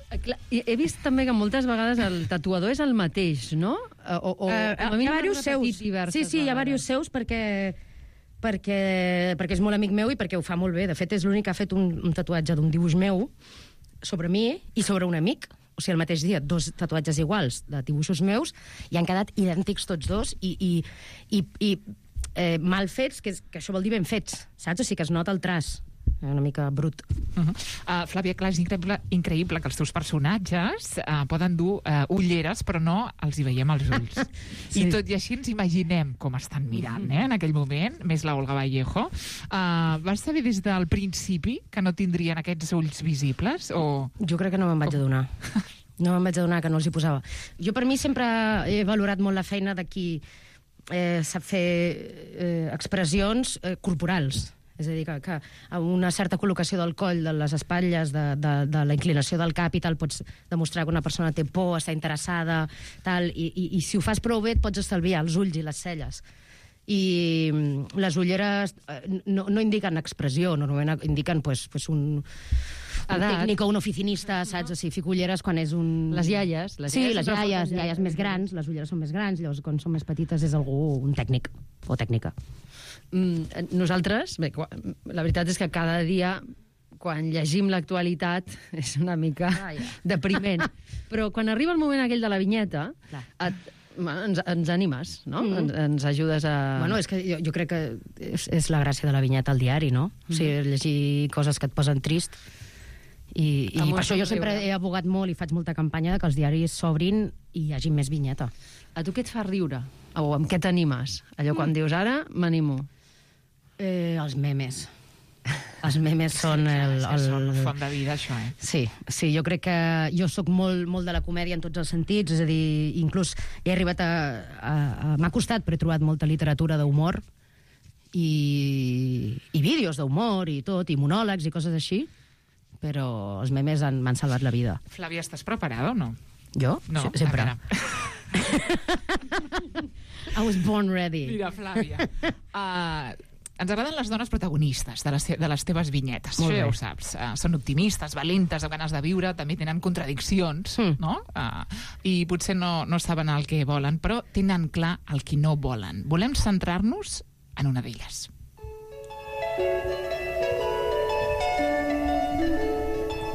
He vist també que moltes vegades el tatuador és el mateix, no? Hi ha diversos seus. Sí, hi ha diversos seus perquè és molt amic meu i perquè ho fa molt bé. De fet, és l'únic que ha fet un tatuatge d'un dibuix meu sobre mi i sobre un amic. O sigui, el mateix dia, 2 tatuatges iguals de dibuixos meus, i han quedat idèntics tots dos, i mal fets, que això vol dir ben fets, saps? O sigui, que es nota el traç, una mica brut. Flàvia, clar, és increïble que els teus personatges poden dur ulleres, però no els hi veiem als ulls. Sí. I tot i així ens imaginem com estan mirant, en aquell moment, més la Olga Vallejo. Vas saber des del principi que no tindrien aquests ulls visibles? O... Jo crec que no me'n vaig adonar. No me'n vaig adonar que no els hi posava. Jo, per mi, sempre he valorat molt la feina de qui sap fer expressions corporals. És a dir, que amb una certa col·locació del coll, de les espatlles, de la inclinació del cap i tal, pots demostrar que una persona té por, està interessada, tal, i si ho fas prou bé et pots estalviar els ulls i les celles. I les ulleres no indiquen expressió, normalment indiquen un tècnic o un oficinista, saps? O sigui, fico ulleres quan és un... Les iaies. Sí, les iaies més grans, les ulleres són més grans, llavors quan són més petites és algú, un tècnic o tècnica. Nosaltres, bé, la veritat és que cada dia quan llegim l'actualitat és una mica depriment, però quan arriba el moment aquell de la vinyeta ens animes, no? Ens ajudes a... Bueno, és que jo crec que és la gràcia de la vinyeta al diari, no? O sigui, llegir coses que et posen trist, i per això jo sempre he abogat molt i faig molta campanya que els diaris s'obrin hi hagi més vinyeta. A tu què et fa riure? O amb què t'animes? Allò quan dius, ara m'animo. Els memes. Els memes són Són font de vida, això, Sí, jo crec que jo sóc molt de la comèdia en tots els sentits, és a dir, inclús he arribat m'ha costat, però he trobat molta literatura d'humor i vídeos d'humor i tot, i monòlegs i coses així, però els memes m'han salvat la vida. Flàvia, estàs preparada o no? Jo? No, Sempre. I was born ready. Mira, Flàvia, ens agraden les dones protagonistes de les teves vinyetes. Molt Això ja bé. ho saps. Són optimistes, valentes, amb ganes de viure, també tenen contradiccions, no? I potser no saben el que volen, però tenen clar el que no volen. Volem centrar-nos en una d'elles.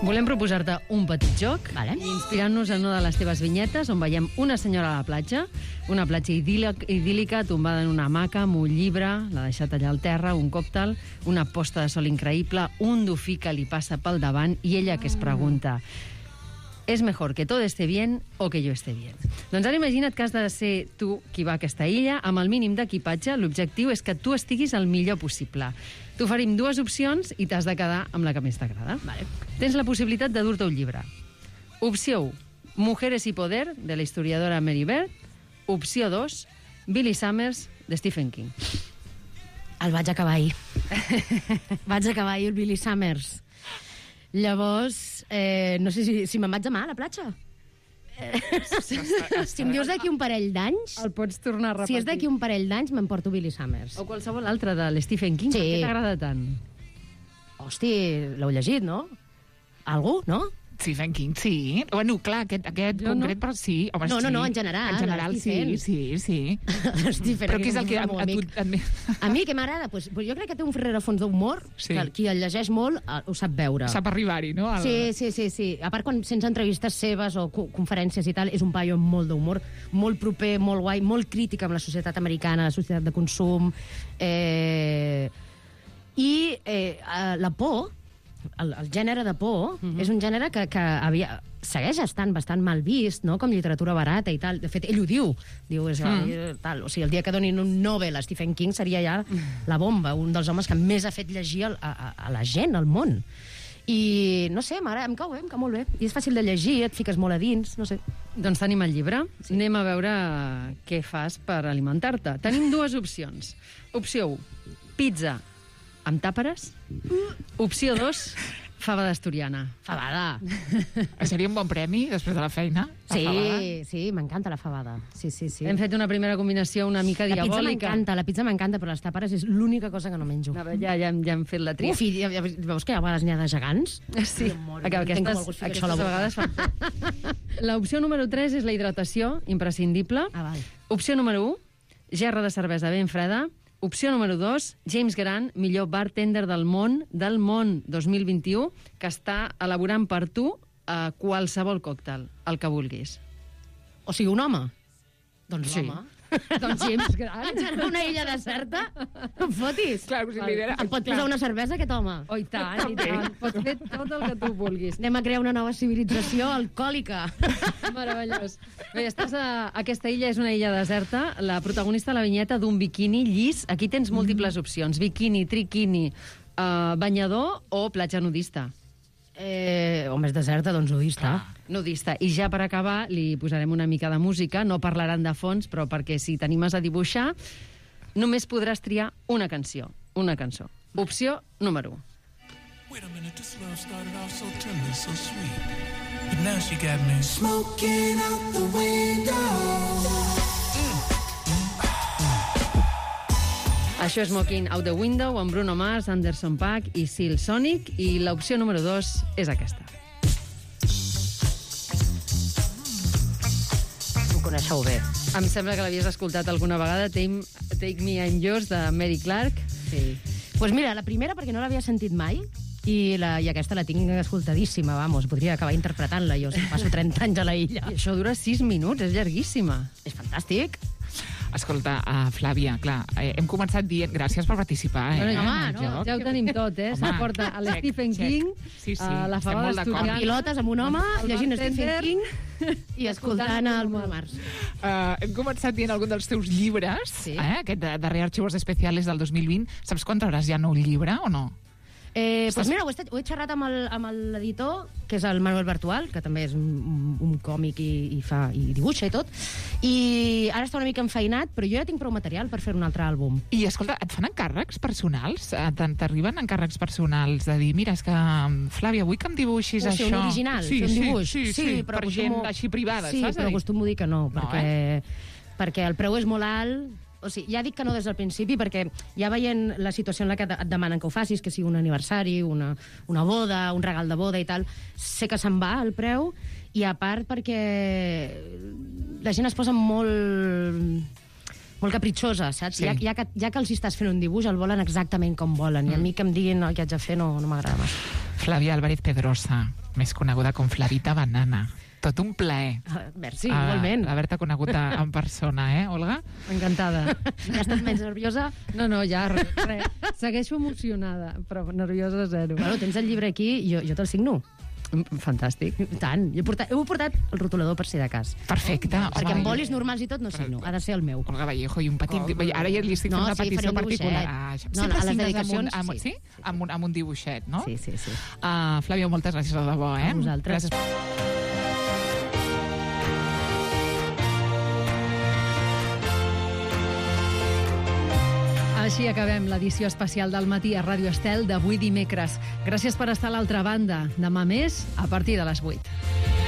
Volem proposar-te un petit joc, inspirant-nos en una de les teves vinyetes, on veiem una senyora a la platja, una platja idíl·lica, tombada en una hamaca, amb un llibre, l'ha deixat allà al terra, un còctel, una posta de sol increïble, un dofí que li passa pel davant, i ella que es pregunta: ¿es mejor que todo esté bien o que yo esté bien? Doncs ara imagina't que has de ser tu qui va a aquesta illa, amb el mínim d'equipatge. L'objectiu és que tu estiguis el millor possible. T'oferim 2 opcions i t'has de quedar amb la que més t'agrada. Tens la possibilitat de dur-te un llibre. Opció 1, Mujeres y poder, de la historiadora Mary Beard. Opció 2, Billy Summers, de Stephen King. El vaig acabar ahir. Vaig acabar ahir el Billy Summers. Llavors, no sé si me'n vaig demà a la platja. Si em dius d'aquí un parell d'anys... El pots tornar a repetir. Si és d'aquí un parell d'anys, m'emporto Billy Summers. O qualsevol altre de l'Stephen King. Sí. Per què t'agrada tant? Hosti, l'heu llegit, no? Algú, no? Stephen King, sí. Bueno, clar, aquest concret, però sí. Home, No, sí. en general. En general, sí. Però què és el que a tu... A mi, què m'agrada? Pues jo crec que té un rerefons d'humor, que qui el llegeix molt ho sap veure. Sap arribar-hi, no? Sí. A part, quan sents entrevistes seves o conferències i tal, és un paio amb molt d'humor, molt proper, molt guai, molt crític amb la societat americana, la societat de consum. La por, el gènere de por, és un gènere que segueix estant bastant mal vist, no? Com literatura barata i tal. De fet, ell ho diu. Tal. O sigui, el dia que donin un Nobel a Stephen King seria ja la bomba, un dels homes que més ha fet llegir a la gent, al món. I, no sé, em cau molt bé. I és fàcil de llegir, et fiques molt a dins, no sé. Doncs tenim el llibre. Sí. Anem a veure què fas per alimentar-te. Tenim 2 opcions. Opció 1, pizza amb tàperes. Opció 2, fava d'asturiana. Fabada. Seria un bon premi, després de la feina? Sí, m'encanta la fabada. Sí. Hem fet una primera combinació una mica diabòlica. La pizza m'encanta, però les tàperes és l'única cosa que no menjo. Ja hem fet la tria. Uf, i veus que a vegades n'hi ha de gegants? Sí, aquestes vegades fan. L'opció número 3 és la hidratació, imprescindible. Opció número 1, gerra de cervesa ben freda. Opció número 2, James Grant, millor bartender del món 2021, que està elaborant per tu qualsevol còctel, el que vulguis. O sigui, un home? Doncs sí. Doncs James Grant. En una illa deserta? No em fotis. Clar, em pot posar una cervesa, aquest home? Oh, i tant. Pots fer tot el que tu vulguis. Anem a crear una nova civilització alcohòlica. Meravellós. Bé, aquesta illa és una illa deserta. La protagonista de la vinyeta d'un biquini llis. Aquí tens múltiples opcions. Biquini, triquini, banyador o platja nudista. O més deserta, doncs nudista. Nudista. I ja per acabar li posarem una mica de música, no parlaran de fons, però perquè si t'animes a dibuixar, només podràs triar una cançó. Opció número 1. Wait a minute, this love started off so tender, so sweet. But now she got me smoking out the window. Això és Smoking Out the Window amb Bruno Mars, Anderson .Paak i Silk Sonic, i l'opció número 2 és aquesta. Ho coneixeu bé. Em sembla que l'havies escoltat alguna vegada, Take Me and Yours, de Mary Clark. Sí. Pues mira, la primera perquè no l'havia sentit mai, i aquesta la tinc escoltadíssima, vamos, podria acabar interpretant-la jo, si passo 30 anys a la illa. I això dura 6 minuts, és llarguíssima. És fantàstic. Escolta, Flàvia, clar, hem començat dient... Gràcies per participar, Ja ho tenim tot, Home, porta a l'Stephen King, Sí, la estem fava molt d'acord. d'estudiant. Amb pilotes, amb un home, El llegint bartender. Stephen King i escoltant el Bruno Mars. Hem començat dient algun dels teus llibres, aquest darrer Archivos Especiales del 2020. Saps quan trauràs ja nou llibre o no? Pues mira, ho he xerrat amb l'editor, que és el Manuel Bartual, que també és un còmic i dibuixa i tot, i ara està una mica enfeinat, però jo ja tinc prou material per fer un altre àlbum. I, escolta, et fan encàrrecs personals? T'arriben encàrrecs personals de dir, mira, és que, Flàvia, vull que em dibuixis això. Un original, fer un dibuix. Sí, però per gent així privada, sí, saps? Sí, però acostumo a dir que no, perquè el preu és molt alt. O sigui, ja dic que no des del principi, perquè ja veient la situació en la que et demanen que ho facis, que sigui un aniversari, una boda, un regal de boda i tal, sé que se'n va el preu, i a part perquè la gent es posa molt capritxosa, saps? Sí. Ja que els estàs fent un dibuix, el volen exactament com volen, i a mi que em diguin el que haig de fer no m'agrada massa. Flàvia Álvarez Pedrosa, més coneguda com Flavita Banana. Tot un plaer. Merci, igualment. Haver-te conegut en persona, Olga? Encantada. Ja estàs menys nerviosa? No, ja, res. Segueixo emocionada, però nerviosa zero. Bueno, tens el llibre aquí, jo te'l signo. Fantàstic. Tant. Heu portat el rotulador per si de cas. Perfecte. Perquè amb bolis normals i tot no signo. Ha de ser el meu. Olga Vallejo, i un petit... Ara ja li estic fent una petició particular. No, a les dedicacions, sí. Amb un dibuixet, no? Sí. Flàvia, moltes gràcies de debò, A vosaltres. Gràcies. Així acabem l'edició especial del matí a Ràdio Estel d'avui dimecres. Gràcies per estar a l'altra banda. Demà més, a partir de les 8.